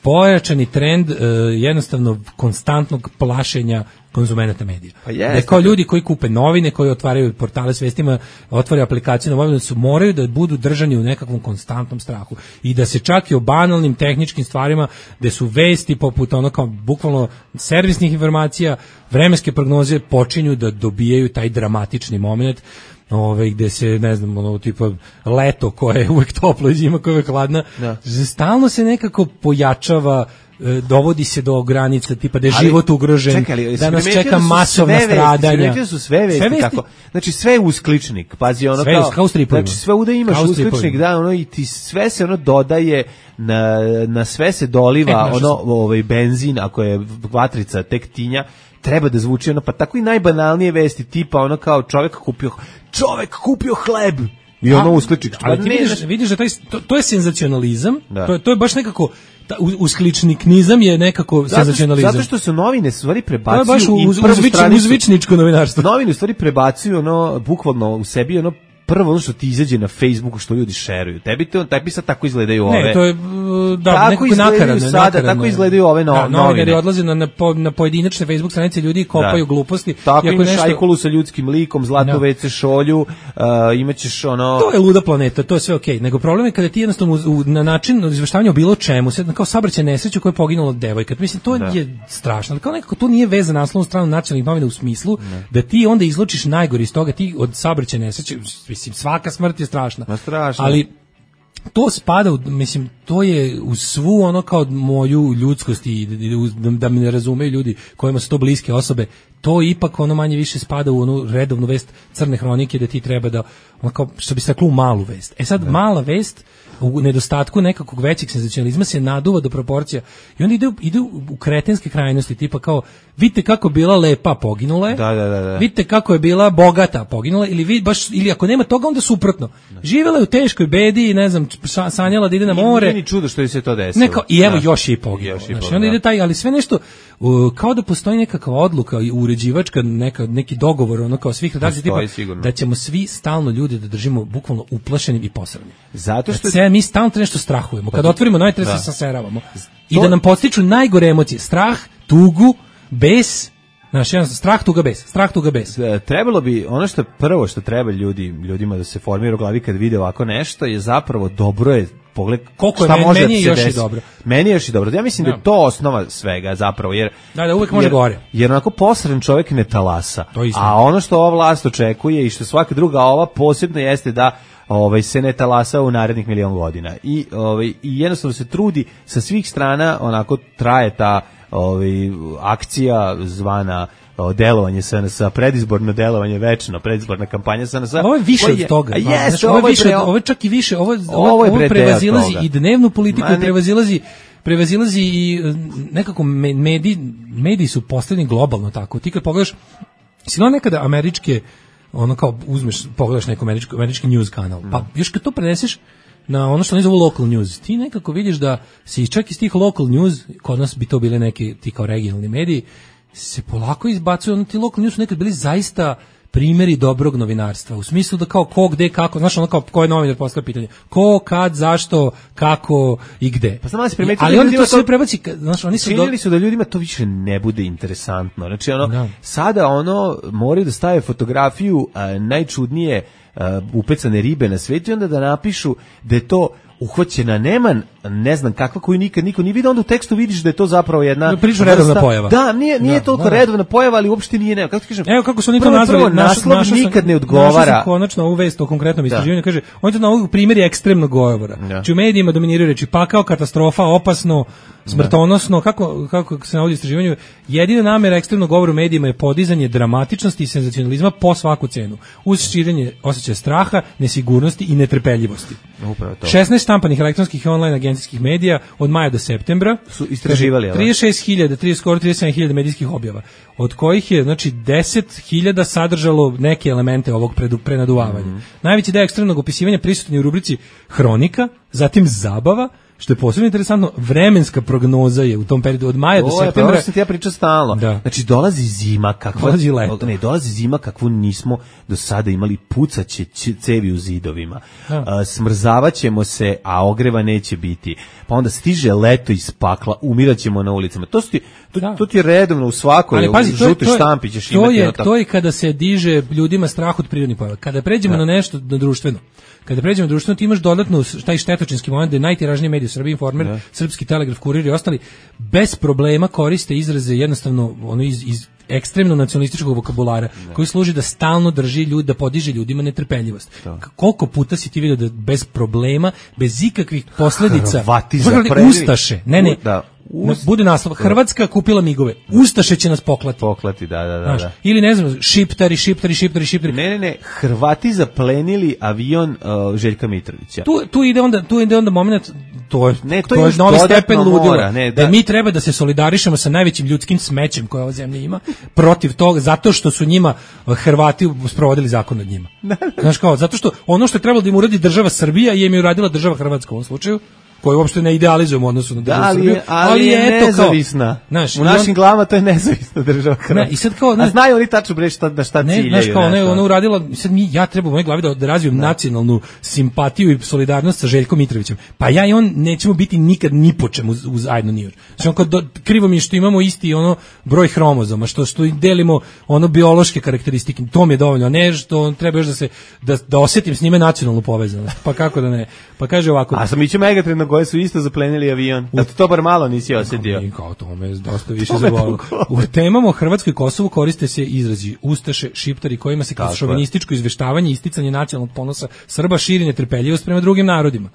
pojačani trend uh, jednostavno konstantnog plašenja konzumenata medija. Pa jest, da kao ljudi koji kupe novine, koji otvaraju portale s vestima, otvaraju aplikaciju na mobilu, su moraju da budu držani u nekakvom konstantnom strahu i da se čak i o banalnim tehničkim stvarima gde su vesti poput ono kao bukvalno servisnih informacija, vremenske prognoze počinju da dobijaju taj dramatični moment. Ove, gde se, ne znam, ono, tipa leto koje je uvek toplo i zima koja je uvek hladna, da. Stalno se nekako pojačava, dovodi se do granica, tipa da je ali, život ugrožen, čekaj, ali, da nas čeka masovna stradanja. Sve su sve vesti, sve vesti tako. Znači sve je uskličnik, pazi ono sve, kao, kao znači sve uda imaš uskličnik, da, ono, i ti sve se ono dodaje, na, na sve se doliva, e, ono, ovaj, benzin, ako je vatrica tek tinja, treba da zvuči ono, pa tako i najbanalnije vesti, tipa ono kao čovjek kupio, čovjek kupio hleb, i ono uskličnik. Ali ti vidiš, vidiš da taj, to, to je senzacionalizam, da. to, to je baš nekako, ta, uskličniknizam je nekako zato, senzacionalizam. Zato što se novine stvari prebacuju to je baš u, i uz, prvu uzvič, stranicu. Uzvičničko novinarstvo. Novine u stvari prebacuju ono, bukvalno u sebi ono, prvo ono što ti izađe na Facebooku što ljudi šeruju. Tebi to tebi sad tako izgledaju ove. Ne, to je da tako nekako nakaradno, sada nakaradno. Tako izgledaju ove no, da, novine. Novinari odlaze na, na, na pojedinačne Facebook stranice ljudi i kopaju da. gluposti. Tako imaš nešto... Ajkulu sa ljudskim likom, Zlatnu ve ce šolju, uh, imaćeš ono... To je luda planeta, to je sve okej. Okay. Nego problem je kada ti jednostavno u, na način izveštavanja o bilo čemu, sad kao saobraćajna nesreća koja je poginula devojka. Mislim, to da. je strašno. Kao nekako to nije veza na naslovnu stranu nacionalnih novina u smislu ne. da ti onda izlučiš najgore iz toga, ti od saobraćajne nesreće, mislim, svaka smrt je strašna. Ma strašno. Ali to spada, u, mislim, to je u svu ono kao moju ljudskost i da, da me ne razumeju ljudi kojima su to bliske osobe, to ipak ono manje više spada u onu redovnu vest crne hronike da ti treba da, ono kao, što bi se reklo, u malu vest. E sad, da. mala vest u nedostatku nekakvog većeg senzacionalizma se naduva do proporcija i onda ide, ide u kretenske krajnosti, tipa kao, vidite kako bila lepa, poginula je, da, da, da, da. vidite kako je bila bogata, poginula, ili, vid, baš, ili ako nema toga, onda suprotno. Živjela je u teškoj bedi i ne znam, sanjala da ide na more. Nije ni čudo što je se to desilo. Neko, I evo da. još je i poginulo. Znači, onda ide taj, ali sve nešto, uh, kao da postoji nekakva odluka uređivačka, neka, neki dogovor, ono kao svih redakcija, tipa, da ćemo svi stalno ljudi da držimo bukvalno uplašenim i posranim. Zato što... Sve, mi stalno nešto strahujemo. Kad otvorimo novi tre se saseravamo. I da nam podstiču najgore emocije. Strah, tugu, bes, znaš, jedan strah, tuga, bes. Strah, tuga, bes. Trebalo bi, ono što prvo što treba ljudi, ljudima da se formira u glavi kad vide ovako nešto je zapravo dobro je pogled koliko šta je, može meni je da još desi. i dobro. Meni je još i dobro. Ja mislim da, da je to osnova svega zapravo, jer da, da uvek može jer, gore. Jer onako posren čovjek ne talasa. A ono što ova vlast očekuje i što svaka druga ova posebno jeste da ovaj se ne talasa u narednih milion godina. I ovaj i jednostavno se trudi sa svih strana, onako traje ta ovaj akcija zvana o, delovanje S N S, predizborno delovanje večno, predizborna kampanja S N S. Ovo je više od toga. Yes, znači, ovo, je više, pre... ovo je čak i više, ovo, ovo, ovo, ovo prevazilazi i dnevnu politiku, Ma, ne... prevazilazi prevazilazi i nekako mediji, mediji su postavljeni globalno tako. Ti kad pogledaš, si no nekada američke, ono kao uzmeš, pogledaš neko američki, američki news kanal, pa još kad to preneseš na ono što oni zovu local news, ti nekako vidiš da si čak iz tih local news, kod nas bi to bile neki ti kao regionalni mediji, se polako izbacuju, ono ti local news su nekad bili zaista primjeri dobrog novinarstva, u smislu da kao ko, gde, kako, znaš ono kao ko je novinar postavlja pitanje, ko, kad, zašto, kako i gde. Pa znam da se primetili, ali onda to sve prebaci, znaš, oni su činili do... su da ljudima to više ne bude interesantno. Znači ono, da. sada ono, moraju da stave fotografiju a, najčudnije a, upecane ribe na svetu i onda da napišu da je to uhvaćena neman, ne znam kakva koju nikad niko nije vidio, onda u tekstu vidiš da je to zapravo jedna priča redovna pojava. Da, nije nije da, toliko da, da. redovna pojava, ali uopšte nije ne. Kako ti kažem? Evo kako su oni to prvo, nazvali, prvo, naslov naš, nikad ne odgovara. Našao konačno ovu vest o konkretnom istraživanju, kaže, on je to na ovog primjer je ekstremnog govora. Da. Znači u medijima dominiraju reči pakao, katastrofa, opasno, smrtonosno, kako kako se navodi u istraživanju, jedina namera ekstremnog govora u medijima je podizanje dramatičnosti i senzacionalizma po svaku cenu, uz širenje osjećaja straha, nesigurnosti i netrpeljivosti. Upravo to. šesnaest štampanih elektronskih i online agencijskih medija od maja do septembra su istraživali, ali trideset šest hiljada, trideset skoro trideset sedam hiljada medijskih objava, od kojih je znači deset hiljada sadržalo neke elemente ovog predu, prenaduvavanja. Mm -hmm. Najveći deo ekstremnog opisivanja prisutan je u rubrici hronika, zatim zabava, što je posebno interesantno, vremenska prognoza je u tom periodu od maja do O, septembra. Pa sam ti ja pričao stalno. Da. Znači, dolazi zima kakva... Dolazi leto. Ne, dolazi zima kakvu nismo do sada imali, pucaće cevi u zidovima. A, smrzavaćemo se, a ogreva neće biti. Pa onda stiže leto iz pakla, umiraćemo na ulicama. To, ti, to, Da. to ti je redovno u svakoj, Ali pazi, u to je- žutoj to je- štampi ćeš to imati. je, ono tako. to je kada se diže ljudima strah od prirodnih pojava. Kada pređemo na nešto na društveno, kada pređemo na društveno, ti imaš dodatno taj štetočinski moment da je najtiražniji medij u Srbiji, Informer, Srpski telegraf, Kurir i ostali, bez problema koriste izraze jednostavno ono iz, iz ekstremno nacionalističkog vokabulara, koji služi da stalno drži ljudi, da podiže ljudima netrpeljivost. K- Koliko puta si ti vidio da bez problema, bez ikakvih posledica, Hrvati Pogledaj, zapreli- Ustaše, ne, ne, Da. Na- bude naslov, Hrvatska kupila migove, Ustaše će nas poklati. Poklati, da, da, da. Znaš, da. ili ne znam, šiptari, šiptari, šiptari, šiptari. Ne, ne, ne, Hrvati zaplenili avion uh, Željka Mitrovića. Tu, tu ide onda, tu ide onda moment, to je, Ne, to to je je još novi dodatno stepen ludila, mora, ne, da. da. mi treba da se solidarišemo sa najvećim ljudskim smećem koje ova zemlja ima, protiv toga, zato što su njima uh, Hrvati sprovodili zakon nad njima. Znaš kao, zato što ono što je trebalo da im uradi država Srbija, je im je uradila država Hrvatska u ovom slučaju, koju uopšte ne idealizujemo u odnosu na Da, državu ali Srbiju, je, ali je eto kao, nezavisna. znaš, u i našim on- glavama to je nezavisna država Hrvatska. Ne, i sad kao, A znaš- znaju oni tačno bre šta, na šta Ne, ciljaju. znaš kao, ona, je- znaš, ona ono. uradila, sad mi, ja treba u mojoj glavi da, da razvijem nacionalnu simpatiju i solidarnost sa Željkom Mitrovićem. Pa ja i on nećemo biti nikad ni po čemu uz- uz zajedno ni još. Znači, on kao do- krivo mi je što imamo isti ono broj hromozoma, što što i delimo ono biološke karakteristike, to mi je dovoljno, a ne što treba još da se da, da osjetim s njime nacionalnu povezanost. Pa kako da ne? Pa kaže ovako. A sam iće Megatron na koje su isto zaplenili avion. Da to bar malo nisi osjetio. I kao to me dosta više To me zabolilo. toliko. U temama o Hrvatskoj i Kosovu koriste se izrazi ustaše, šiptari, kojima se kroz Tako je. šovinističko izveštavanje i isticanje nacionalnog ponosa Srba širi netrpeljivost prema drugim narodima.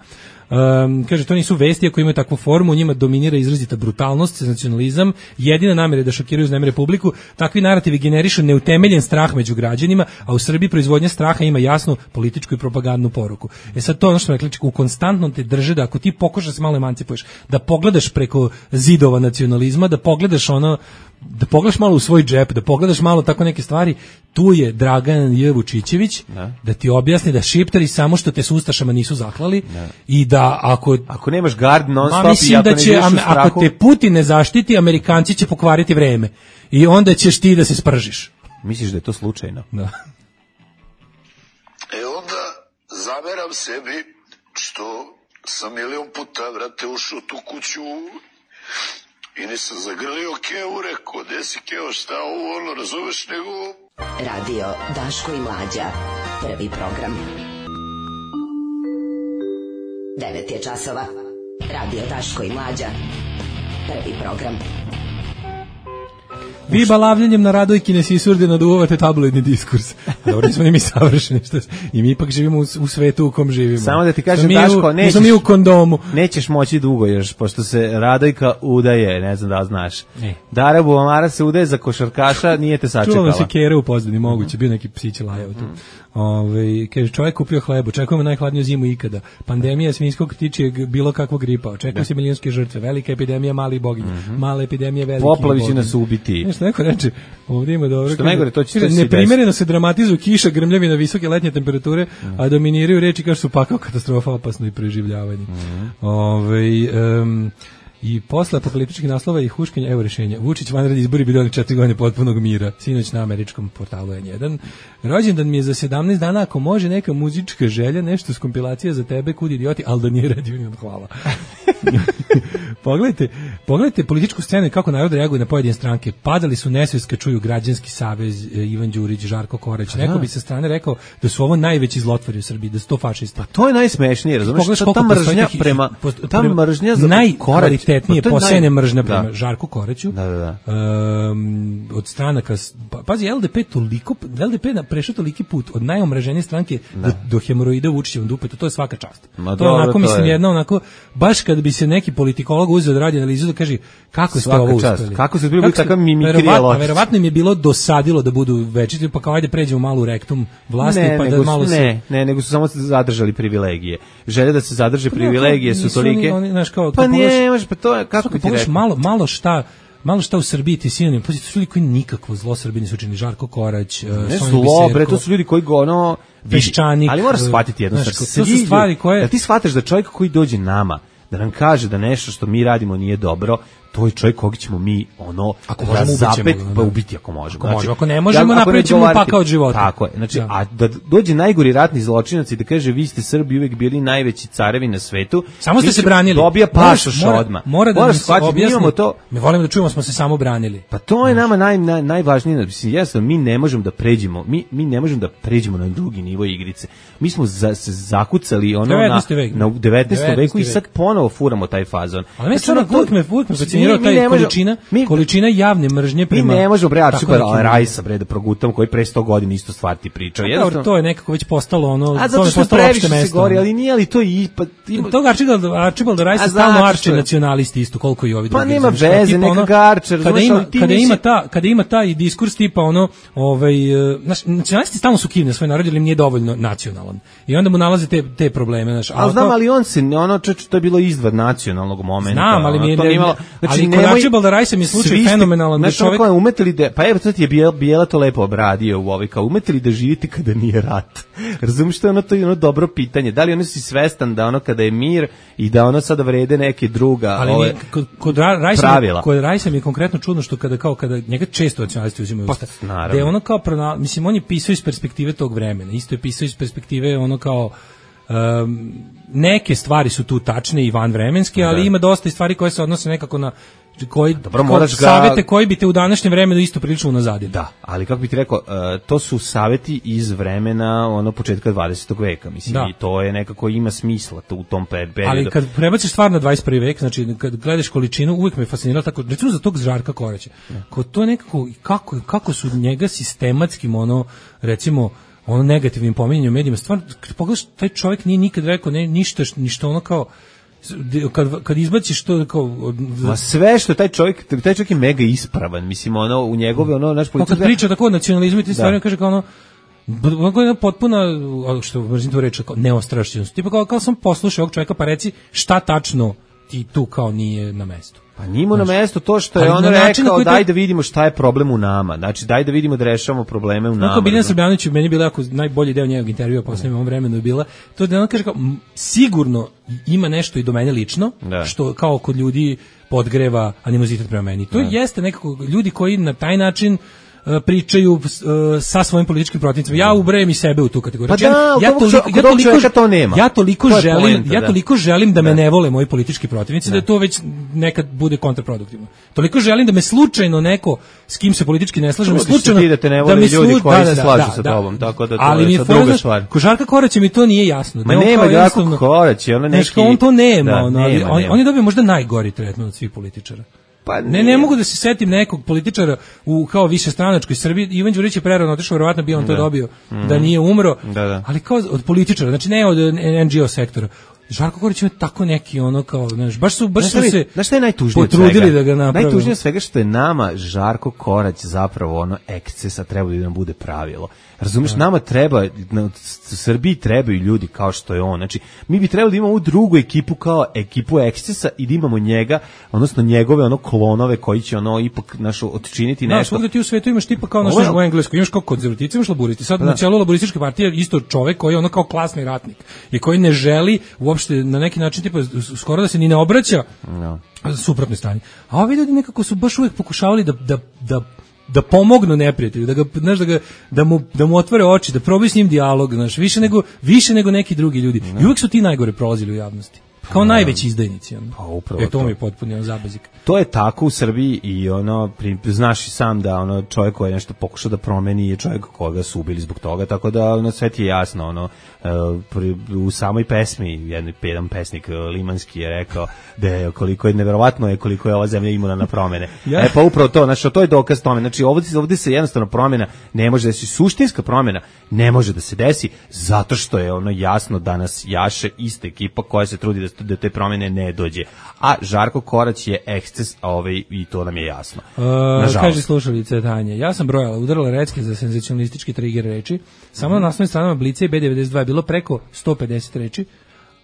Um, kaže, to nisu vesti, ako imaju takvu formu, u njima dominira izrazita brutalnost, senzacionalizam, jedina namjera je da šokiraju znamere publiku, takvi narativi generišu neutemeljen strah među građanima, a u Srbiji proizvodnja straha ima jasnu političku i propagandnu poruku. E sad to je ono što me rekli, u konstantnom te drže da ako ti pokušaš da se malo emancipuješ, da pogledaš preko zidova nacionalizma, da pogledaš ono, da pogledaš malo u svoj džep, da pogledaš malo tako neke stvari, tu je Dragan J. Vučićević da, da ti objasni da šiptari samo što te s ustašama nisu zaklali i da ako Ako nemaš gard non Ma stop i mislim ako da ne će, živiš u am- strahu, ako te Putin ne zaštiti, Amerikanci će pokvariti vreme. I onda ćeš ti da se spržiš. misliš da je to slučajno? Da. E onda zameram sebi što sam milion puta, vrate, ušao tu kuću i nisam zagrlio Keo, rekao, gde si Keo, šta ovo, ono, razumeš, nego... Radio Daško i Mlađa. Prvi program. devet je časova. Radio Daško i Mlađa. Prvi program. Vi balavljanjem na radojki ne sisurde naduvavate tabloidni diskurs. Dobro, nismo ni mi savršeni. Što, I mi ipak živimo u, u svetu u kom živimo. Samo da ti kažem, Smo mi Daško, u, nećeš- smo mi u kondomu. Nećeš moći dugo još, pošto se Radojka udaje, ne znam da li znaš. E. Dara Buvamara se udaje za košarkaša, nije te sačekala. Čuvala se kere u pozadini, moguće, bio neki psić lajao tu. Ove, kaže, čovjek kupio hleb, očekujemo najhladniju zimu ikada. Pandemija svinjskog tičijeg bilo kakvog gripa, očekuju se milijonske žrtve, velika epidemija malih boginja, mala epidemija velikih Poplavi će boginja. nas ubiti. Nešto neko reče, ovdje ima dobro. Što kaže, najgore, to će- kaže, to će se neprimereno se dramatizuju kiša, grmljavina, visoke letnje temperature, a dominiraju reči kao što su pakao katastrofa, opasno i preživljavanje. Ovaj, em, i posle apokaliptičkih naslova i huškanja, evo rešenja. Vučić vanredni izbori bi doneli četiri godine potpunog mira. Sinoć na američkom portalu N jedan. Rođendan mi je za sedamnaest dana, ako može neka muzička želja, nešto s kompilacija za tebe, kud idioti, ali da nije Red Union, hvala. pogledajte, pogledajte političku scenu i kako narod reaguje na pojedine stranke. Padali su nesvest kad čuju Građanski savez, e, Ivan Đurić, Žarko Korać. Neko bi sa strane rekao da su ovo najveći zlotvori u Srbiji, da su to fašisti. To je najsmešnije, razumiješ? Pogledaš Ta, koliko ta postoji mržnja tih- prema, posto- ta prema- mržnja za najkvalitetnije Pa to je posejene naj- mržnja Da. prema Žarku Koraću. Da, da, da. Um, od stranaka, s- pa, pazi, L D P toliko, L D P na prešao toliki put od najomraženije stranke do, do hemoroida u Vučićevom dupetu, to je svaka čast. Ma to je dobro, onako, to mislim, je. jedna onako, baš kad bi se neki politikolog uzeo da radi analizu da kaže kako ste Svaka ovo čast. uspeli. Kako ste bili ste- takav mimikrija verovatno- ločić. Verovatno im je bilo dosadilo da budu večiti, pa kao ajde pređemo malo u rektum vlasti, Ne, pa nego da su, malo se... ne, ne, nego su samo zadržali privilegije. Želje da se zadrže Pa ne, privilegije kao, su nisu tolike. oni- oni, znaš, kao, pa kad nije, pogledaš- može, pa to je, kako Kako bi ti pogledaš rekao? malo, malo šta malo šta u Srbiji ti sinonim, pazi, to su ljudi koji nikakvo zlo Srbiji nisu učinili, Žarko Korać, Ne Sonja zlo, Biserko, bre, to su ljudi koji go ono... vidi, Peščanik, ali moraš shvatiti jednu znaš, stvar. to su Svi stvari ljudi- koje- Da ti shvataš da čovjek koji dođe nama da nam kaže da nešto što mi radimo nije dobro, to je čovjek koga ćemo mi ono ako možemo zapet, ubiti, pa ubiti ako možemo. Ako, znači, možemo, ako ne možemo, napravićemo pakao od života. Tako je. Znači, da. a da dođe najgori ratni zločinac i da kaže vi ste Srbi uvek bili najveći carevi na svetu. Samo ste se branili. Dobija pasoš odmah. Mora da se objasnimo to. Mi volimo da čujemo smo se samo branili. Pa to je nama naj, naj, najvažnije. Mislim, jasno, mi ne možemo da pređemo, mi, mi ne možemo da pređemo na drugi nivo igrice. Mi smo za, se zakucali ono na, na devetnaestom veku i sad ponovo furamo taj fazon. Ali mi stvarno uvijek me, uvijek me fascinirao taj količina, mi, količina javne mržnje prema... Mi ne možemo, bre, Arčibald Rajsa, bre, da progutam, koji pre sto godina isto stvar ti pričao. Jednostavno, to je nekako već postalo ono... A zato što previše se govori, ali nije li to i... Pa, ima... Tog Arčibald, Arčibald Rajsa stalno arče nacionalisti isto, koliko i ovi drugi. Pa nema veze, neka garčer, kada ima, kada ima ta, kada ima taj diskurs tipa ono, ovaj, znaš, nacionalisti stalno su kivni na svoj narod, jer im nije dovoljno nacionalan. I onda mu nalaze te, te probleme, znaš. Ali znam, ali on se, ono, to je bilo izvad nacionalnog momenta. Znam, ali mi je... Znači, ali kod Arčibalda Rajsa mi je slučaj fenomenalan. Znači, čovjek... ono, umete li da, pa evo, sad je Bijela, Bijela to lepo obradio u ovoj, kao umete li da živite kada nije rat? Razumiješ što je ono, to je ono dobro pitanje. Da li ono si svestan da ono kada je mir i da ono sada vrede neke druga ali ove, nije, kod, kod Rajsa, pravila. Kod Rajsa mi je konkretno čudno što kada, kao, kada njega često nacionalisti uzimaju usta, pa, da je ono kao, prona, mislim, on je pisao iz perspektive tog vremena, isto je pisao iz perspektive ono kao, um, neke stvari su tu tačne i vanvremenske, ali da. Ima dosta i stvari koje se odnose nekako na koji dobro, moraš ga... savete koji bi te u današnjem vremenu isto prilično unazadili. Da, ali kako bih ti rekao, uh, to su saveti iz vremena ono početka dvadesetog veka, mislim, da. I to je nekako ima smisla to u tom periodu. Ali kad prebaciš stvar na dvadeset prvi vek, znači kad gledaš količinu, uvijek me fasciniralo tako, recimo za tog Žarka Koraća. Ko to nekako kako kako su njega sistematskim ono recimo ono negativnim pominjanjem u medijima, stvarno, kad pogledaš, taj čovjek nije nikad rekao ne, ništa, ništa ono kao, kad, kad izbaciš to kao... Ma sve što taj čovjek, taj čovjek je mega ispravan, mislim, ono, u njegove, ono, naš politika... Kad priča tako o nacionalizmu i ti stvarno kaže kao ono, ono je potpuna, što mrzim to reći, kao neostrašćenost. Tipa kao, kao sam poslušao ovog čovjeka, pa reci šta tačno ti tu kao nije na mestu. Pa njimo na mesto to što je on rekao, daj da vidimo šta je problem u nama. Znači, daj da vidimo da rešavamo probleme u nama. Kako Biljana Srbljanović, meni je bila jako najbolji deo njegovog intervjua, poslednjem ovom vremenu je bila, to da on kaže kao, sigurno ima nešto i do mene lično, da. Što kao kod ljudi podgreva animozitet prema meni. To da. Jeste nekako ljudi koji na taj način pričaju uh, sa svojim političkim protivnicima. Ja ubrajem i sebe u tu kategoriju. Pa da, ja, ja toliko, ja toliko, to nema. Ja toliko to želim, poenta, ja da. toliko želim da me da. ne vole moji politički protivnici, da. Da to već nekad bude kontraproduktivno. Toliko želim da me slučajno neko s kim se politički ne slažem, slučajno da te ne vole da ljudi slu... koji da, se da, slažu da, sa da, tobom, tako da to ali je druga stvar. Ko Žarka Koraća mi to nije jasno. Ma nema Žarka Koraća, ona neki. On to nema, ono, on on je dobio možda najgori tretman od svih političara. Pa ne, ne mogu da se setim nekog političara u kao višestranačkoj Srbiji. Ivan Đurić je prerano otišao, verovatno bi on to da. dobio mm. da nije umro, da, da. Ali kao od političara, znači ne od en dži o sektora. Žarko Korać ima tako neki ono kao, znaš, baš su, baš znaš, su se znaš šta je najtužnije potrudili da ga naprave. Najtužnije svega što je nama Žarko Korać zapravo ono ekscesa treba da nam bude pravilo. Razumeš, da. Nama treba, na Srbiji trebaju ljudi kao što je on. Znači, mi bi trebali da imamo drugu ekipu kao ekipu ekscesa i da imamo njega, odnosno njegove ono klonove koji će ono ipak našo odčiniti nešto. Da, svugde ti u svetu imaš tipa kao naš u Engleskoj, imaš kao konzervativci, imaš laburisti. Sad da. Na čelu laburističke partije isto čovek koji je ono kao klasni ratnik i koji ne želi uopšte na neki način tipa skoro da se ni ne obraća no. Suprotnoj strani. A ovi ljudi nekako su baš uvek pokušavali da da da da pomognu neprijatelju, da ga znaš da ga da mu da mu otvore oči, da probaju s njim dijalog, znaš, više nego više nego neki drugi ljudi. No. I uvek su ti najgore prolazili u javnosti. Kao no. najveći izdajnici, ono. Pa upravo e, to mi je potpuno on zabazik. To je tako u Srbiji i ono znaš i sam da ono čovjek koji je nešto pokušao da promeni je čovjek koga su ubili zbog toga, tako da ono sve ti je jasno, ono u samoj pesmi jedan jedan pesnik limanski je rekao da je koliko je neverovatno je koliko je ova zemlja imuna na promene. Ja. E pa upravo to, znači to je dokaz tome. Znači ovdje ovdje se jednostavno promjena ne može da se suštinska promjena ne može da se desi zato što je ono jasno danas jaše ista ekipa koja se trudi da da te promjene ne dođe. A Žarko Korać je eksces, a ovaj i to nam je jasno. Uh, kaže slušalice Tanja, ja sam brojala, udarala recke za senzacionalistički trigger reči. Samo mm. na naslovnim stranama Blica i be devedeset dva je bilo preko sto pedeset reči.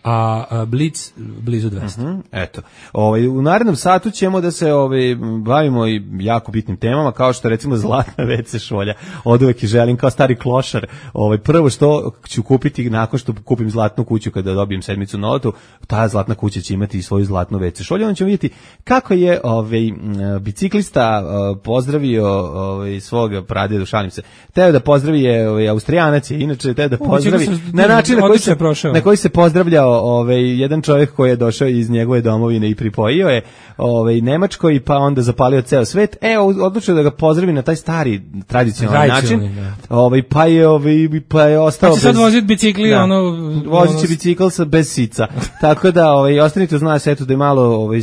a, a Blitz blizu dvesta. Mm-hmm, eto. Ovaj, u narednom satu ćemo da se ovaj, bavimo i jako bitnim temama, kao što recimo zlatna ve ce šolja. Od uvek i želim kao stari klošar. Ovaj, prvo što ću kupiti nakon što kupim zlatnu kuću kada dobijem sedmicu na lotu, ta zlatna kuća će imati i svoju zlatnu ve ce šolju. Onda ćemo vidjeti kako je ovaj, biciklista pozdravio ovaj, svog pradjedu, šalim se. Teo da pozdravi je ovaj, Austrijanac je, inače teo da pozdravi na način na koji se, na koji se pozdravljao ovaj, jedan čovjek koji je došao iz njegove domovine i pripojio je ovaj, Nemačkoj, pa onda zapalio ceo svet. E, odlučio da ga pozdravi na taj stari tradicionalni način. Ovaj, pa je ovaj, pa je ostao pa će bez... sad voziti bicikli, da, ono... Vozit će bicikl sa, bez sica. Tako da, ovaj, ostanite uz nas, eto da je malo ovaj,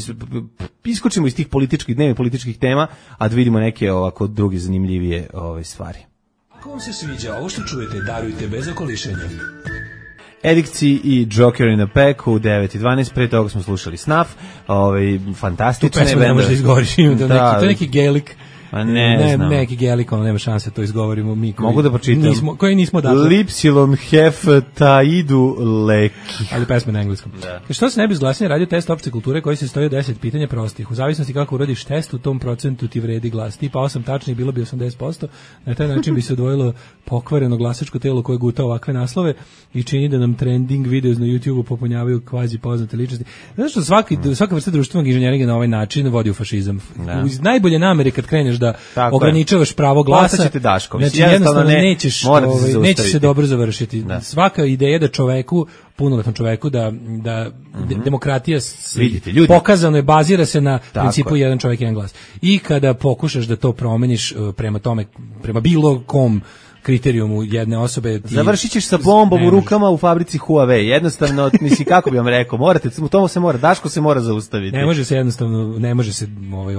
iskočimo iz tih političkih, dnevnih političkih tema, a da vidimo neke ovako druge zanimljivije ovaj, stvari. Ako vam se sviđa ovo što čujete, darujte bez okolišenja. Edikci i Joker in a Pack u devet i dvanaest, pre toga smo slušali Snuff, ovaj, fantastične. Tu pesmu ne može da izgovoriš, da, neki, to je neki gelik. A ne, ne znam. Neki gelik, ono nema šanse to izgovorimo mi koji, mogu da pročitam. Nismo, koji nismo dakle. Lipsilon hef taidu leki. Ali pesme na engleskom. Da. Što se ne bi zglasnije radio test opšte kulture koji se stoji od deset pitanja prostih. U zavisnosti kako uradiš test, u tom procentu ti vredi glas. Tipa osam tačnih bilo bi osamdeset posto. Na taj način bi se odvojilo pokvareno glasačko telo koje guta ovakve naslove i čini da nam trending videos na YouTubeu popunjavaju kvazi poznate ličnosti. Zato što svaki, svaka vrsta društvenog inženjeringa na ovaj način vodi u fašizam. Da. Uz najbolje namere kad kreneš da tako ograničavaš je. Pravo glasa, znači jednostavno ne, nećeš, ovaj, nećeš se dobro završiti. Da. Svaka ideja da čoveku, punoletnom čoveku, da, da mm-hmm. demokratija Vidite, ljudi. pokazano je, bazira se na tako principu je. jedan čovek, jedan glas. I kada pokušaš da to promeniš prema tome, prema bilo kom kriterijumu jedne osobe ti završit ćeš sa bombom u rukama u fabrici Huawei. Jednostavno, misli kako bi vam rekao, morate, u tomu se mora, Daško se mora zaustaviti. Ne može se jednostavno, ne može se ovaj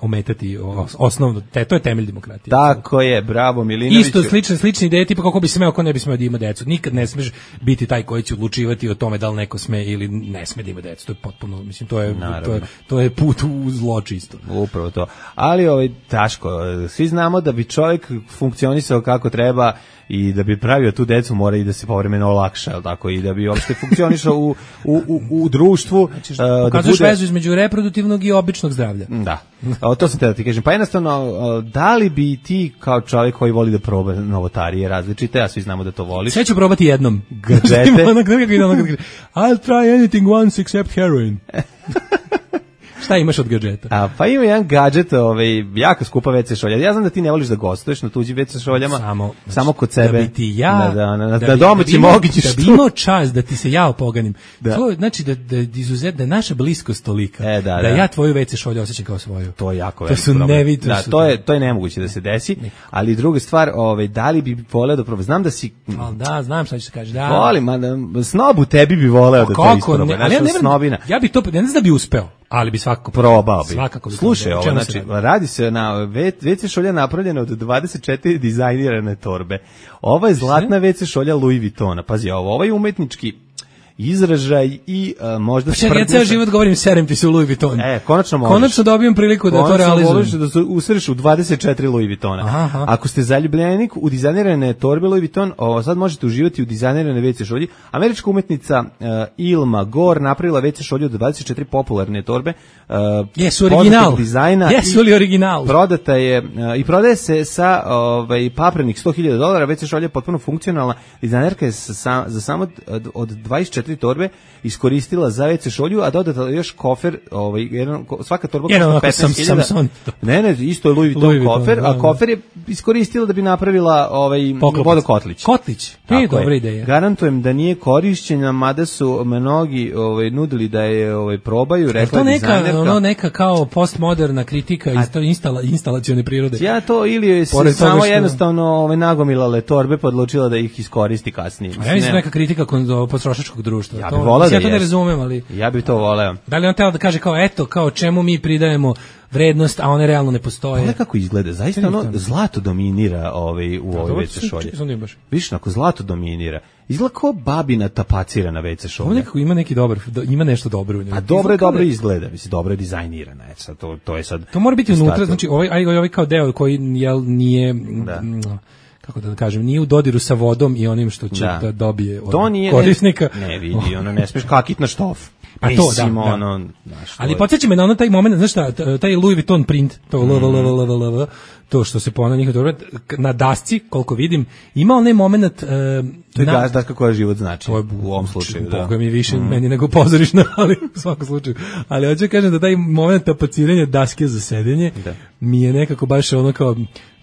ometati osnovno, te, to je temelj demokratije. Tako je, bravo Milinoviću. Isto slične slične ideje, tipa kako bi smeo, ko ne bi smeo da ima decu. Nikad ne smeš biti taj koji će odlučivati o tome da li neko sme ili ne sme da ima decu. To je potpuno, mislim, to je to je to je put u zlo čisto. Upravo to. Ali ovaj Daško, svi znamo da bi čovjek funkcionisao kako treba i da bi pravio tu decu mora i da se povremeno olakša, al tako, i da bi uopšte funkcionisao u, u, u, u društvu. Znači, uh, pokazuješ da bude... vezu između reproduktivnog i običnog zdravlja. Da. O, to sam te da ti kažem. Pa jednostavno, da li bi ti kao čovjek koji voli da proba novotarije različite, a svi znamo da to voliš. Sve ću probati jednom. Gadžete. I'll try anything once except heroin. Šta imaš od gadžeta? A, pa ima jedan gadžet, ovaj, jako skupa ve ce šolja. Ja znam da ti ne voliš da gostuješ na tuđi ve ce šoljama, samo, znači, samo kod sebe. Da bi ti ja, da, da, da, da, da domaći mogući što. Da bi imao čast da ti se ja opoganim. Da. To, znači da, da, izuzet, da je naša bliskost tolika, e, da, da, da ja tvoju ve ce šolju osjećam kao svoju. To je jako to su nevi, to da, su to je, to je nemoguće da se desi, ali druga stvar, ovaj, da li bi voleo da probam, znam da si... Al da, znam šta ćeš kažeš, da. Volim, da, snobu tebi bi voleo da to isprobam, naša snobina. Ja bi to, ne znam da bi uspeo, ali bi svakako probao bi. Svakako bi. Slušaj, ovo, znači, radi? radi se na ve ce šolja napravljena od dvadeset četiri dizajnirane torbe. Ova je zlatna ve ce šolja Louis Vuittona. Pazi, ovo, ovaj umetnički izražaj i uh, možda... Pa čekaj, ja ceo život govorim serem ti se u Louis Vuitton. E, konačno možeš. Konačno dobijem priliku da konačno to realizujem. Konačno da se usreš u dvadeset četiri Louis Vuittona. Aha. Ako ste zaljubljenik u dizajnirane torbe Louis Vuitton, ovo, sad možete uživati u dizajnirane ve ce šolji. Američka umetnica uh, Ilma Gore napravila ve ce šolju od dvadeset četiri popularne torbe. Uh, Jesu original. Dizajna. Jesu li original? Prodata je uh, i prodaje se sa ovaj, paprenih sto hiljada dolara. ve ce šolja je potpuno funkcionalna. Dizajnerka je sa, za samo od, od dvadeset četiri torbe iskoristila za ve ce šolju, a dodatno još kofer, ovaj, jedan, svaka torba košta petnaest hiljada. Ne, ne, isto je Louis Vuitton Louis kofer, Vuitton, a kofer je iskoristila da bi napravila ovaj vodokotlić. Kotlić, je dobra ideja. Garantujem da nije korišćena, mada su mnogi ovaj, nudili da je ovaj, probaju, rekla dizajnerka. To neka, ono neka kao postmoderna kritika a, instala, instalacione prirode. Ja to ili je se samo što... jednostavno ovaj, nagomilale torbe pa odlučila da ih iskoristi kasnije. A ja mislim neka kritika kod potrošačkog društva. Ja bih voleo da ja to ne razumem, ali... Ja bih to voleo. Da li on teo da kaže kao, eto, kao čemu mi pridajemo vrednost, a one realno ne postoje. Ono kako izgleda, zaista ono zlato dominira ovaj, u ovoj ve ce šolji. Viš, ako zlato dominira, izgleda kao babina tapacirana ve ce šolja. Ovo nekako ima neki dobar, ima nešto dobro u njoj. A dobro je, dobro izgleda, mislim, dobro je dizajnirana. E, sad, to, to je sad... To mora biti unutra, znači ovaj, ovaj kao deo koji jel, nije... Da. kako da kažem, nije u dodiru sa vodom i onim što će da, da dobije od to nije, korisnika. Ne, ne vidi, ono ne smiješ kakit na štof. Pa to, da, da. Ono, znaš, ali podsjeća me na ono taj moment, znaš šta, taj Louis Vuitton print, to mm. lvlvlvlv, to što se ponavlja njihov dobro, na dasci, koliko vidim, ima onaj moment... Uh, to je na, daska koja život znači, je, u ovom slučaju. Da. Boga mi više mm. meni nego pozorišna, ali u svakom slučaju. Ali hoću kažem da taj moment tapaciranja daske za sedenje da. mi je nekako baš ono kao...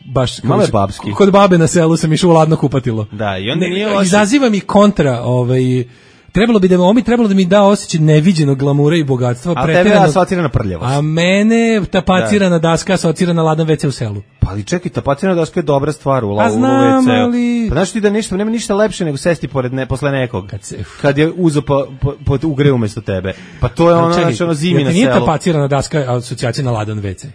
baš malo je babski. Kod babe na selu sam išao u ladno kupatilo. Da, i onda nije loše. Izaziva mi kontra, ovaj trebalo bi da mi trebalo da mi da osjećaj neviđenog glamura i bogatstva, a tebe asocirana prljavost. A mene tapacirana da. daska asocirana ladan ve ce u selu. Pa ali čekaj, tapacirana daska je dobra stvar u lavu ve ce. Ali... Pa znaš ti da ništa, nema ništa lepše nego sesti pored ne posle nekog. Kad, se, kad je uzo pa po, po ugre umesto tebe. Pa to je ono, znači ono zimi na selu. Nije tapacirana daska asocijacija na ladan ve ce.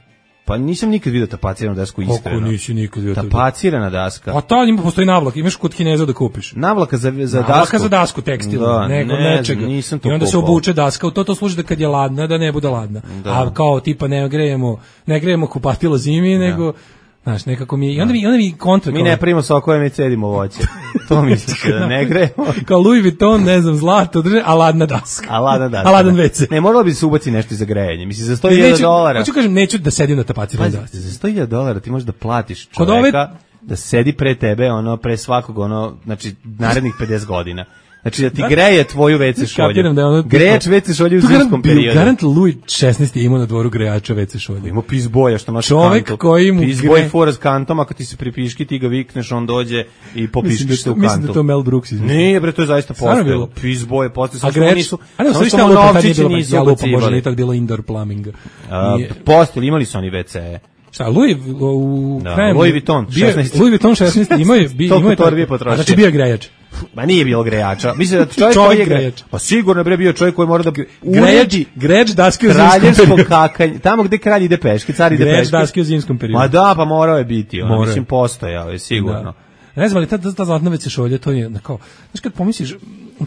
Pa nisam nikad vidio tapaciranu dasku iskreno. Kako nisi nikad vidio? Tapacirana daska. A to ima postoji navlak, imaš kod Kineza da kupiš. Navlaka za za navlaka dasku. za dasku tekstil, da, nego ne, nečega. I onda se obuče daska, u to to služi da kad je ladna da ne bude ladna. Da. A kao tipa ne grejemo, ne grejemo kupatilo zimi, da. nego znaš, nekako mi i onda mi onda mi kontra. Mi ne primimo sokove, mi cedimo voće. To misliš da ne grejemo. Kao Louis Vuitton, ne znam, zlato drže, a ladna daska. A ladna daska. A ladan ve ce. Ne, moralo bi se ubaci nešto za grejanje. Mislim za sto hiljada dolara. Hoću kažem, neću da sedim na tapaciranoj dasci. Za sto hiljada dolara ti možeš da platiš čoveka da sedi pre tebe, ono pre svakog, ono, znači narednih pedeset godina. Znači da ti greje tvoju ve ce šolju. Da ono, grejač ve ce šolju u zimskom periodu. Garant Louis šesnaesti imao na dvoru grejača ve ce šolju. Ima pizboja što nosi čovek kantu. Koji mu pizboj gre... fora s kantom, ako ti se pripiški, ti ga vikneš, on dođe i popiškiš se u kantu. Mislim da to Mel Brooks izmislio. Nije bre, to je zaista postojalo. Pizboje, postojalo. A grejač nisu. A ne, sve što novčići nisu ubacivali. Možda nije tad bilo indoor plumbing. Postojali, imali su oni ve ce. Šta, Louis u da, Louis Vuitton šesnaesti. Louis Vuitton šesnaesti imao je imao je. Znači bio grejač. Ma nije bilo grejača. Mislim da čovjek, čovjek koji je grejač. Pa sigurno bre bio čovjek koji mora da uredi grejač daske u zimskom kakanje. Tamo gde kralj ide peške, car ide peške. Grejač daske u zimskom periodu. Ma da, pa morao je biti, ono mislim postojao je sigurno. Da. Ne znam, ali ta, ta zlatna ve ce šolja, to je kao, znaš kad pomisliš,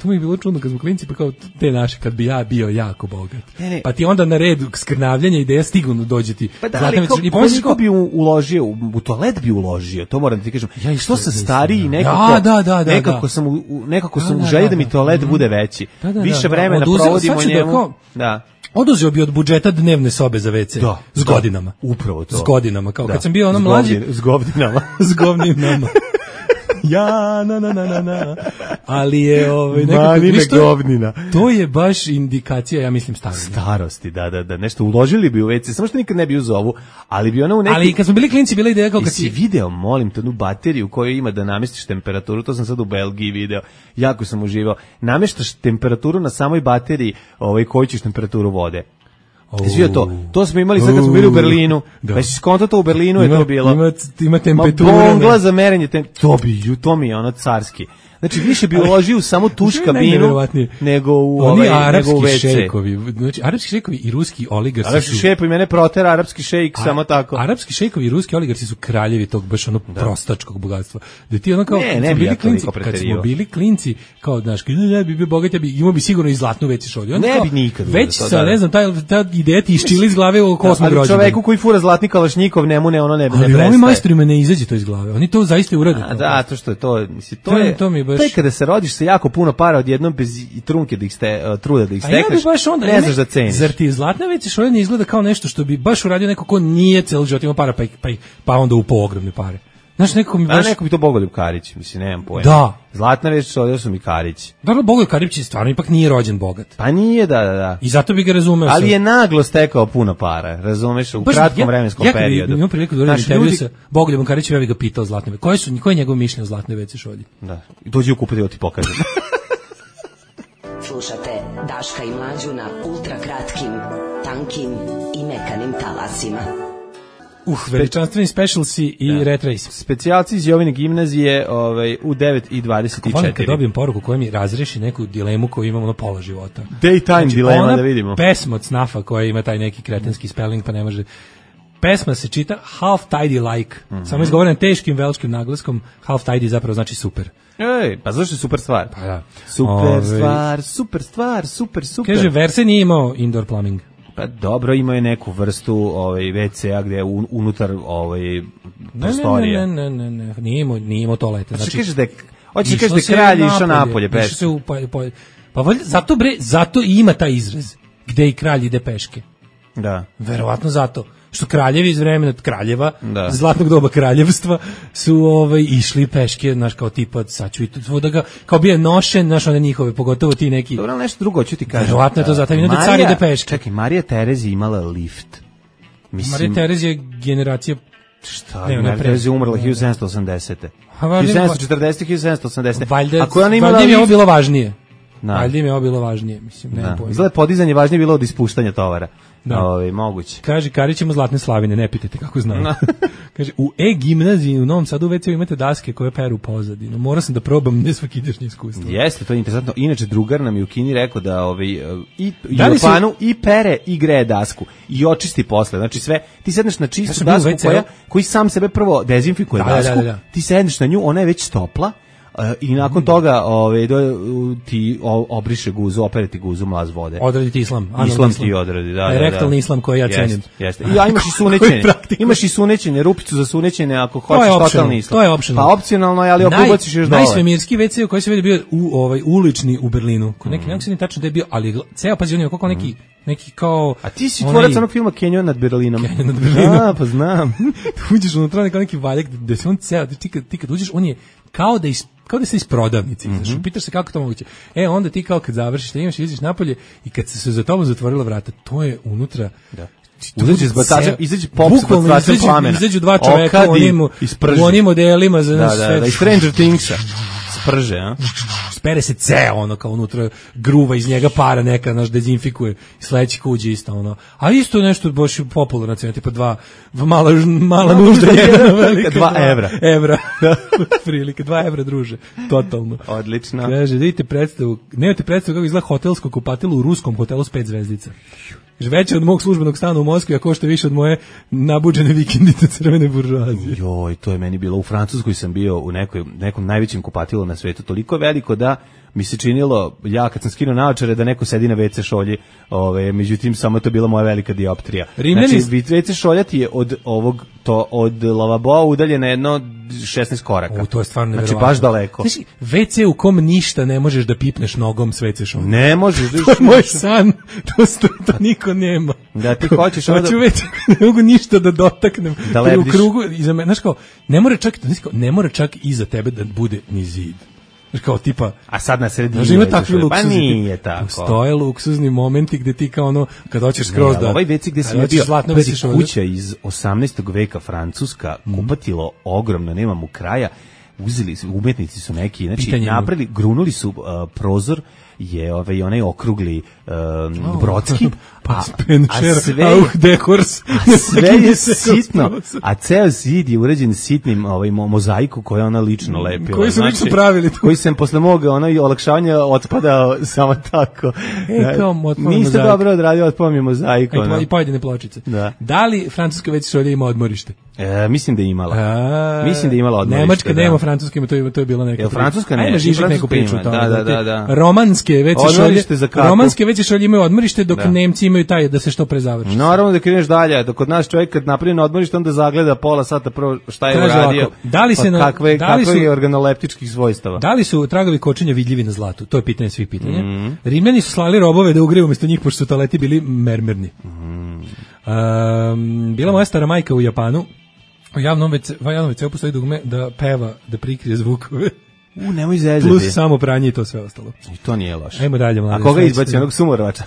to mi je bilo čudno kad smo klinci, pa kao te naše, kad bi ja bio jako bogat. Ne, ne. Pa ti onda na redu skrnavljanja ideja stignu dođe ti. Pa da, ali kao, koliko bi uložio, u, u toalet bi uložio, to moram da ti kažem. Ja što sam stariji, nekako, ja, da, da, da, nekako da. sam, u, nekako sam da, u želji da, da mi toalet da, bude veći. Da, da, Više da, vremena oduzeo, provodimo njemu. Da, da. Oduzeo bi od budžeta dnevne sobe za ve ce da, s godinama. Da, upravo to. S godinama, kao da. kad sam bio ono mlađi. S govdinama. S govdinama. Ja, na, na, na, na, na. Ali je ovaj, nekako, govnina. To je baš indikacija, ja mislim, starosti. Starosti, da, da, da. Nešto uložili bi u ve ce, samo što nikad ne bi uzovu, ali bi ono u neki... Ali kad smo bili klinci, bila ideja kao kad si... video, molim te, onu bateriju koju ima da namestiš temperaturu, to sam sad u Belgiji video, jako sam uživao. Nameštaš temperaturu na samoj bateriji, ovaj, koju ćeš temperaturu vode. Izvio to. To smo imali sad kad smo bili u Berlinu. Da. Pa si skontato u Berlinu ima, je to bilo. Ima, ima temperatura. Bongla za merenje tem... To bi, to mi je ono carski. Znači više bi uložio u samo tuš kabinu nego u oni ovaj arapski nego u šejkovi. Znači arapski šejkovi i ruski oligarsi su. Arapski šejkovi mene protera arapski šejk samo tako. Arapski šejkovi i ruski oligarsi su kraljevi tog baš ono da. prostačkog bogatstva. Da ti ono kao ne, ne bili ja klinci, kad smo bili klinci, kao znaš, ne bi bio bogat, ja bi imao bi sigurno i zlatnu ve ce šolju. Ne bi nikad. Već sa ne znam taj ta ideja ti isčili iz glave oko osmog rođendana. Ali čoveku koji fura zlatni kalašnjikov nemu ne ono ne ne prestaje. Ali ovi majstorima ne izađe to iz glave. Oni to zaista urade. Da, to što je to, mislim to je to mi baš kada se rodiš se jako puno para odjednom bez i trunke da ih ste uh, truda da ih stekneš. Ja onda, ne znaš da ceniš. Zar ti zlatna ve ce šolja ne izgleda kao nešto što bi baš uradio neko ko nije ceo život imao para pa pa, pa onda upao ogromne pare. Znaš, neko mi baš... A neko bi to Bogoljub Karić, mislim, nemam pojma. Da. Zlatna ve ce šolja su mi Karić. Dobro, Bogoljub Karić stvarno ipak nije rođen bogat. Pa nije, da, da, da. I zato bi ga razumeo. Ali je naglo stekao puno para, razumeš, u baš, kratkom ja, vremenskom ja, periodu. Ja imam priliku da uradim intervju sa Bogoljubom Karićem, ja bih ga pitao zlatne ve ce. Koje su, koje je njegovo mišljenje o zlatnoj ve ce šolji? Da, dođi u kupati, ti pokažem. Slušate Daška i Mlađu na ultra kratkim, tankim i mekanim talasima. Uh, veličanstveni specialsi i da. Red Race. Specijalci iz Jovine gimnazije ovaj, u devet i dvadeset četiri. Volim kad dobijem poruku koja mi razreši neku dilemu koju imamo na pola života. Daytime znači, dilema, da vidimo. Pesma od Snafa koja ima taj neki kretenski spelling pa ne može... Pesma se čita half tidy like, mm-hmm. samo izgovorena teškim velškim naglaskom, half tidy zapravo znači super. Ej, pa zašto je super stvar? Pa da. Super Ove... stvar, super stvar, super, super. Kaže, Verse nije imao indoor plumbing. Pa dobro, imaju neku vrstu ovaj ve ce a gde je un, unutar ovaj prostorije. Ne, ne, ne, ne, ne, nije imao, nije imao toalete. Znači, Znači, kažeš da je, hoćeš kažeš da je kralj išao napolje peške. Se u, pa, pa, pa valjda, zato bre, zato i ima taj izraz, gde i kralj ide peške. Da. Verovatno zato što kraljevi iz vremena kraljeva, da. zlatnog doba kraljevstva su ovaj išli peške, znaš, kao tipa sad ću i tu da ga kao bio nošen, znaš, one njihove, pogotovo ti neki. Dobro, nešto drugo ću ti kažem. Verovatno je to zato, mi da car ide peške. Čekaj, Marija Tereza imala lift. Mislim, Marija Tereza je generacija šta? Ne, Marija Tereza je umrla hiljadu sedamsto osamdesete. hiljadu sedamsto četrdesete hiljadu sedamsto osamdesete. Valjda, ako ona imala valjda lift, je ovo bilo važnije. Da. Valjda im je ovo bilo važnije, mislim, nema pojma. Izgleda podizanje važnije bilo od ispuštanja tovara. Da. Ovi, moguće. Kaže, Karić ima zlatne slavine, ne pitajte kako znam. No. Kaže, u E-gimnaziji u Novom Sadu u ve ce u imate daske koje peru pozadinu. Morao sam da probam nesvakidašnje iskustvo. Jeste, to je interesantno. Inače, drugar nam je u Kini rekao da ovaj, i u Japanu su... i pere i greje dasku. I očisti posle. Znači sve, ti sedneš na čistu ja dasku koja, koji sam sebe prvo dezinfikuje da, dasku. Da, da, da. Ti sedneš na nju, ona je već topla. Uh, i nakon toga ove, do, ti obriše guzu, opere ti guzu mlaz vode. Odradi ti islam. Islam, islam ti odradi, da. Rektalni da, da. islam koji ja cenim. Jeste, jeste. I ja imaš i sunećenje. imaš i sunećenje, rupicu za sunećenje ako hoćeš totalni islam. To je optional. Pa opcionalno je, ali ako ubaciš još dole. Najsvemirski ve ce u koji se vidi bio u, ovaj, ulični u Berlinu. Kod neki, mm. nekako se ne tačno da je bio, ali ceo pazi on je kako neki neki kao... A ti si tvorac onog filma Kenyon nad Berlinom. Kenyon nad Berlinom. A, pa znam. Uđeš unutra kao neki valjak, da se on ceo, ti kad, ti kad uđeš, on je kao da is, kao da se iz prodavnice, mm -hmm. znaš, pitaš se kako to moguće. E, onda ti kao kad završiš, da imaš, izađeš napolje i kad se za tobom zatvorila vrata, to je unutra... Da. Uzađe s batačem, izađe pop s batačem plamena. Izađu dva čoveka u onim, u onim modelima za nas da, sve. Da, da, i Stranger Thingsa. Sprže, a? Spere se ceo, ono, kao unutra gruva iz njega para neka, naš dezinfikuje i sledeći kuđe isto, ono. A isto nešto baš popularno, cena, tipa dva, mala, mala nužda, jedna velika. Dva evra. Evra. Prilike, dva evra, druže. Totalno. Odlično. Kaže, vidite predstavu, nemate predstavu kako izgleda hotelsko kupatilo u ruskom hotelu s pet zvezdica. Veće od mog službenog stana u Moskvi, a košta više od moje nabuđene vikendice crvene buržoazije. Joj, to je meni bilo. U Francuskoj sam bio u nekoj, nekom najvećem kupatilu na svetu, toliko veliko da mi se činilo, ja kad sam skinuo naočare, da neko sedi na ve ce šolji, ove, međutim, samo to bila moja velika dioptrija. Rimljani... Znači, ve ce šolja ti je od ovog, to, od lavaboa udaljena jedno šesnaest koraka. U, to je stvarno znači, baš daleko. Znači, ve ce u kom ništa ne možeš da pipneš nogom s ve ce šolja. Ne možeš. To je moj san, to, to, to niko nema. Da ti hoćeš onda... Hoću već, ne mogu ništa da dotaknem. Da u krugu, iza me, znaš kao, ne mora čak, ne mora čak iza tebe da bude ni zid. Kao tipa, a sad na sredini ima takvi luksuzni, pa nije tako. Postoje luksuzni momenti gde ti kao ono, kad hoćeš skroz da... Ovaj ve ce gde si ja bio, pazi, kuća iz osamnaestog veka francuska, mm. kupatilo ogromno, nema mu kraja, uzeli su, umetnici su neki, znači pitanje napravili, grunuli su uh, prozor, je ovaj onaj okrugli um, oh, brodski, pa a, Spencer, a sve, auh, dekors, a sve je sitno, a ceo zid je uređen sitnim ovaj, mozaiku koju ona lično lepila. Koji su znači, lično pravili to? Koji sam posle moga onaj olakšavanja otpadao samo tako. E, kao otpao niste dobro odradio, otpao mi mozaik. I pojedine pločice. Da. Da li francuska ve ce šolja ima odmorište? E, mislim da je imala. A, mislim da je imala odmorište. Nemačka da. nema, francuska ima, to je, to je bila neka. Jel francuska ne? Ajme, Žižek neku priču. Da, da, da, da. Romanske ve ce šolje, romanske ve ce šolje imaju odmorište, dok da. Nemci imaju taj da se što pre završi. Naravno da kreneš dalje, dok kod nas čovjek kad napravi na odmorište, onda zagleda pola sata prvo šta je Traži uradio. Lako. Da li se na, kakve, da li su, kakve je organoleptičkih svojstava? Da li su tragovi kočenja vidljivi na zlatu? To je pitanje svih pitanja. Mm. Rimljani su slali robove da ugreju umjesto njih, pošto su toaleti bili mermerni. Mm. Um, bila moja stara majka u Japanu. U javnom ve ce, u javnom ve ce postoji dugme da peva, da prikrije zvukove. U, nemoj zezati. Plus samo pranje i to sve ostalo. I to nije loše. Ajmo dalje, mlade. A koga izbaci onog sumorovača?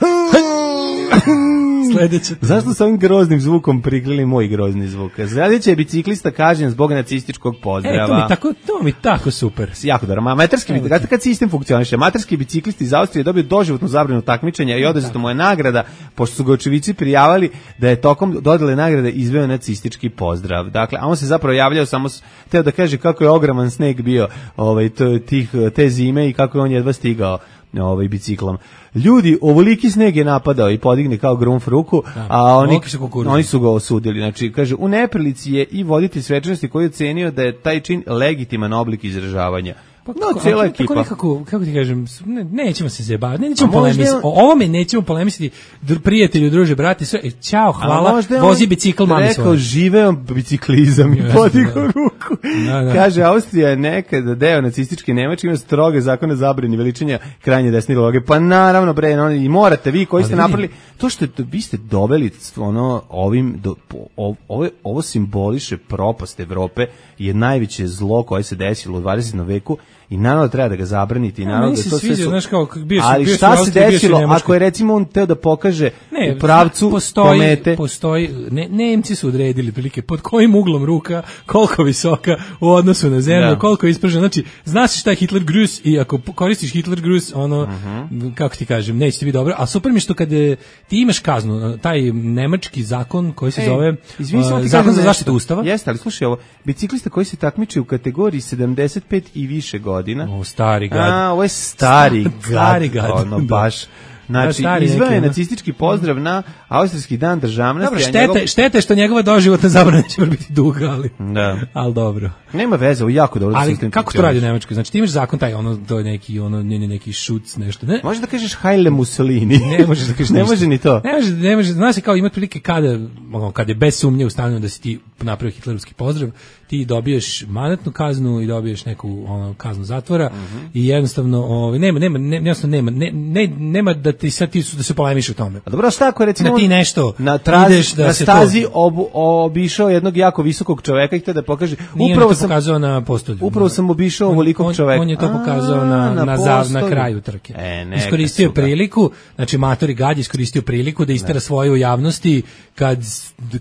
Sledeće. Zašto sa ovim groznim zvukom prikrili moj grozni zvuk? Sledeće je biciklista kažnjen zbog nacističkog pozdrava. E, to mi tako, to mi tako super. Jako dobro. Amaterski biciklisti, kad sistem funkcioniše, amaterski biciklisti iz Austrije dobio doživotnu zabranu takmičenja i oduzeta mu je nagrada, pošto su ga očevici prijavali da je tokom dodele nagrade izveo nacistički pozdrav. Dakle, a on se zapravo javljao samo, teo da kaže kako je ogroman sneg bio ovaj, tih, te zime i kako je on jedva stigao ovaj biciklom. Ljudi, ovoliki sneg je napadao i podigne kao grunf ruku, da, a oni, oni su ga osudili. Znači, kaže, u neprilici je i voditelj svečanosti koji je ocenio da je taj čin legitiman oblik izražavanja. Pa No, kako, cijela a, ekipa. Tako nekako, kako ti kažem, ne, nećemo se zajebavati, ne, nećemo A možda je polemisati. on- O ovome nećemo polemisati, dr- prijatelju, druže, brate, sve, e, ćao, A hvala, možda je vozi on bicikl mami rekao, svoje. živeo biciklizam i Jeste, podigao da. ruku. Da, da. Kaže, Austrija je nekada deo nacističke Nemačke, ima stroge zakone zabrani veličanja krajnje desne ideologije. Pa naravno, bre, no, i morate vi koji Ali ste vidi- napravili, to što je, vi ste doveli ono, ovim, do, o- ovo, ovo simboliše propast Evrope, je najveće zlo koje se desilo u dvadesetom veku i naravno treba da ga zabraniti. I Ja, naravno meni da se to sve sviđa, su- znaš kao, bio si- ali bio si u šta se Austriji, bio si u desilo, Nemačkoj. ako je recimo on teo da pokaže Ne, u pravcu postoji, komete, postoji, ne, Nemci su odredili prilike pod kojim uglom ruka, koliko visoka u odnosu na zemlju, Da. koliko je ispržena. Znači, zna se šta je Hitler Grus i ako koristiš Hitler Grus, ono, Mhm. kako ti kažem, neće ti biti dobro. A super mi je što kad e, ti imaš kaznu, taj nemački zakon koji se Ej, zove izvini, samo uh, ti zakon kažem za nešto. zaštitu ustava. Jeste, ali slušaj ovo, biciklista koji se takmiči u kategoriji sedamdeset pet i više godina. O, stari gad. A, ovo je stari gad. Stari gad, Ono, da. baš. Znači, Da, stari izveo neki, je ono. nacistički pozdrav na Austrijski dan državnosti. Dobro, a štete, njegov- štete što njegova doživotna zabrana će biti duga, ali, Da. ali dobro. Nema veze, ovo je jako dobro. Ali sistem kako to funkcioniše. radi u Nemačkoj? Znači ti imaš zakon taj, ono, to je neki, ono, ne, ne, neki šuc, nešto, ne? Možeš da kažeš Hajle Mussolini. Ne možeš da kažeš Ne ništa. može ni to. Ne može, ne može, znaš se kao ima prilike kada, ono, kad je bez sumnje ustanovljeno da si ti napravio hitlerovski pozdrav, ti dobiješ mandatnu kaznu i dobiješ neku ono kaznu zatvora i jednostavno ovaj nema nema ne, jednostavno nema ne, ne, nema da ti sad ti su da se polemiš o tome. A dobro, šta ako je recimo Da ti on nešto na, trazi, ideš da na se stazi to- obu, obišao jednog jako visokog čoveka i htio da pokaže, Nije upravo on to sam, pokazao na postolju. upravo sam obišao On- ovolikog on- čoveka. On je to A, pokazao na, na na, za, na postolju. kraju trke. E, neka Iskoristio su ga. priliku, znači Matori Gad je iskoristio priliku da istera svoje u javnosti kad,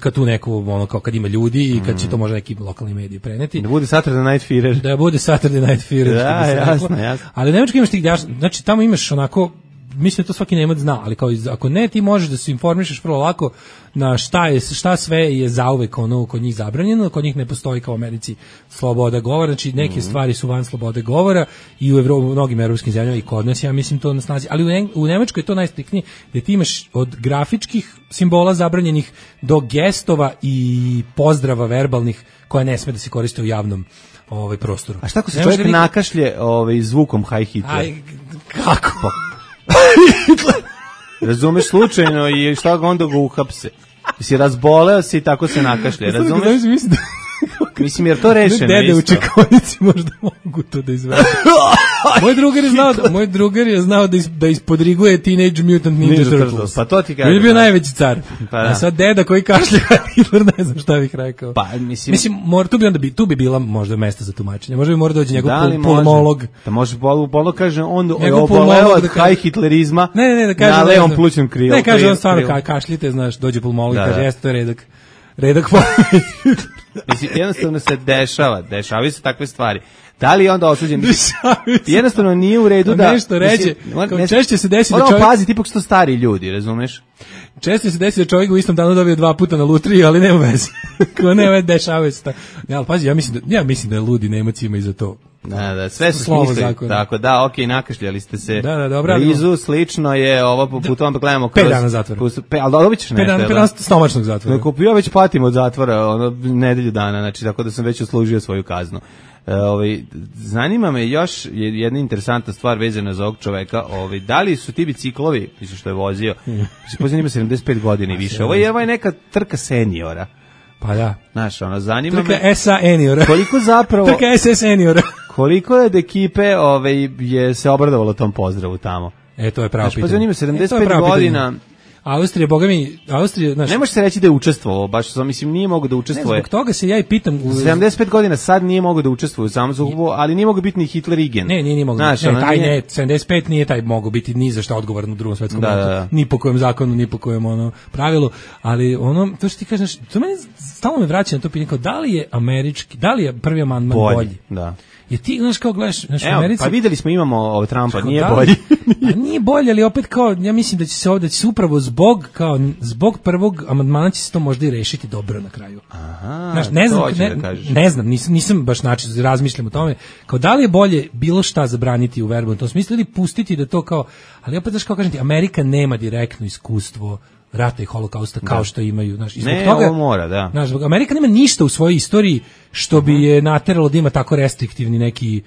kad tu neko, ono, kao kad ima ljudi i kad će to možda neki lokalni mediji preneti. Da bude Saturday Night Fever. Da bude Saturday Night Fever. Da, što bi se jasno, reklo. jasno. Ali u Nemačkoj imaš tih, znači tamo imaš onako, mislim da to svaki Nemac zna, ali kao iz- ako ne, ti možeš da se informišeš vrlo lako na šta je šta sve je zauvek ono kod njih zabranjeno, kod njih ne postoji kao u Americi sloboda govora, znači neke stvari su van slobode govora i u Evropi, u mnogim evropskim zemljama i kod nas, ja mislim to na snazi, ali u, Eng- u Nemačkoj je to najstriktnije, da ti imaš od grafičkih simbola zabranjenih do gestova i pozdrava verbalnih koje ne sme da se koriste u javnom ovaj prostoru. A šta ako se Ne može čovjek niko- nakašlje ovaj, zvukom High Hitler? Aj, kako? Razumeš slučajno i šta ga onda ga uhapse? Si razboleo se i tako se nakašlje, razumeš? Mislim da Mislim, jer to rešeno dede u isto. čekonici možda mogu to da izvedu. moj drugar je znao, da, moj drugar je znao da, is, da ispodriguje Teenage Mutant Ninja, Ninja Turtles. Turtles, pa to ti On kažem, je bio da. najveći car. Pa da. A sad deda koji kašlja Hitler, ne znam šta bih rekao. Pa, mislim- mislim mora, tu bi onda bi, tu bi bila možda mesta za tumačenje. Možda bi mora doći njegov Da li pul- može? pulmolog. Da može pol, polo kaže on je Njegov oboleo pulmolog od da kaže- high hitlerizma Ne, ne, ne, da kaže na ne levom znam. plućnom krilu. Ne, kaže on stvarno krilu. ka, kašljite, znaš, dođe pulmolog i Da, kaže, da. jeste, to je redak. Redak po... Mislim, jednostavno se dešava, dešavaju se takve stvari. Da li je onda osuđen? Dešavaju se. Jednostavno nije u redu Pa da... nešto ređe. on- Kao ne- češće se desi da Moramo čovjek- paziti, ipak su to stari ljudi, razumeš? Često se desi da čovjek u istom danu dobije dva puta na lutriji, ali nema veze. Ko ne, dešavaju se to. Ne, ali pazi, ja mislim da, ja mislim da ludi Nemac ima i za to. Da, da, sve su Slovo smislili. zakona. Tako da, okej, nakašljali ste se. Da, da, dobro, Blizu, slično je ovo po putu, onda gledamo kroz... Pet dana zatvora. pus- Pe, ali dobit ćeš Pet nešto, dana, jel pet da? dana stomačnog zatvora. Dakle, ja već patim od zatvora, ono, nedelju dana, znači, tako da sam već uslužio svoju kaznu. E, ovaj, zanima me još je- jedna interesantna stvar vezana za ovog čoveka, ovaj, da li su ti biciklovi, mislim što je vozio, se pozivno ima sedamdeset pet godina i više, ovo je, ovo je neka trka seniora, Pa da. znaš, ono, zanima Trka me S A Eniora. koliko zapravo, Trka S S Eniora. koliko je od ekipe ovaj, je se obradovalo tom pozdravu tamo. E, to je pravo Znači, pa pitanje. zanima E, sedamdeset to je pet pravo pitanje. godina, Austrija, boga mi, Austrija, znaš, ne može se reći da je učestvovao, baš sam, mislim, nije mogo da ne, učestvuje. zbog toga se ja i pitam. u- sedamdeset pet godina sad nije mogao da učestvuje u samom sukobu, ali nije mogao biti ni Hitler igen. Ne, nije ni mogao. Znaš, Ne, ono, taj nije- ne, sedamdeset pet nije taj mogao biti ni za šta odgovoran u Drugom svetskom Da, ratu. da, da. Ni po kojem zakonu, ni po kojem ono pravilu, ali ono to što ti kažeš, to meni stalno me vraća na to pitanje kao da li je američki, da li je prvi amandman bolji? bolji. Da. Jer ti znaš kao gledaš, znaš, u Evo, Americi. pa videli smo imamo ovaj Trumpa, Kao, nije da li- bolji. A nije bolje, ali opet kao ja mislim da će se ovdje da će se upravo zbog kao zbog prvog amandmana će se to možda i rešiti dobro na kraju. Aha, Znaš, ne znam, to hoćeš ne, da kažeš. ne znam, nisam, nisam baš način, razmišljam o tome, kao da li je bolje bilo šta zabraniti u verbalnom tom smislu ili pustiti da to kao, ali opet znaš kao kažem ti, Amerika nema direktno iskustvo rata i holokausta kao da. što imaju, znaš, i zbog ne, toga ovo mora, da. Znaš, zbog Amerika nema ništa u svojoj istoriji što bi je nateralo da ima tako restriktivni neki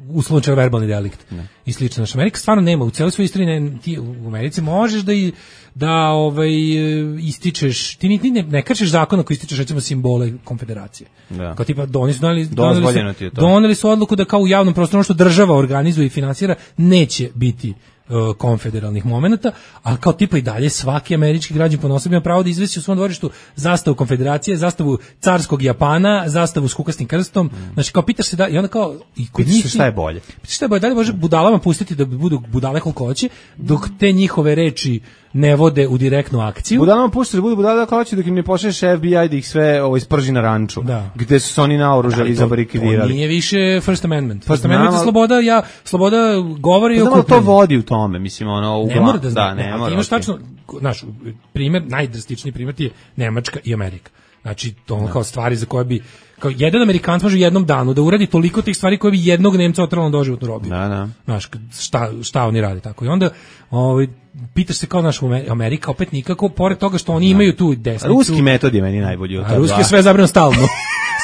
uslovno čak verbalni delikt ne. I slično. Naš Amerika stvarno nema u celoj svojoj istoriji, ne, ti u Americi možeš da i da ovaj ističeš, ti ni, ni ne, ne kršiš zakon ako ističeš recimo simbole konfederacije. Da. Kao tipa doneli su doneli, doneli, su, doneli su odluku da kao u javnom prostoru što država organizuje i finansira neće biti uh, konfederalnih momenata, a kao tipa i dalje svaki američki građanin ponosno ima pravo da izvesi u svom dvorištu zastavu konfederacije, zastavu carskog Japana, zastavu s kukastim krstom. Mm. Znači kao pitaš se da i onda kao i kod pitaš njih se šta je bolje. Pitaš šta je bolje, da li može budalama pustiti da budu budale koliko hoće, dok te njihove reči ne vode u direktnu akciju. Budalama puštaš da budu budale kako hoće dok im ne pošalješ F B I da ih sve ovo isprži na ranču. Da. Gde su se oni naoružali i zabarikidirali. To nije više First Amendment. First Amendment je sloboda, ja, sloboda govori pa o okupljanju. To vodi u tome, mislim, ono... U ne mora da zna, da, ne, ne mora. Imaš okay. tačno, znaš, primjer, najdrastičniji primjer ti je Nemačka i Amerika. Znači, to ono kao stvari za koje bi, kao jedan Amerikanac može u jednom danu da uradi toliko tih stvari koje bi jednog Nemca otralo na doživotnu robiju. Da, da. Znaš, šta, šta oni rade tako. I onda, ovaj, pitaš se kao naš Amerika, opet nikako, pored toga što oni imaju tu desnicu. Ruski metod je meni najbolji od toga. A ruski je sve zabranjeno stalno.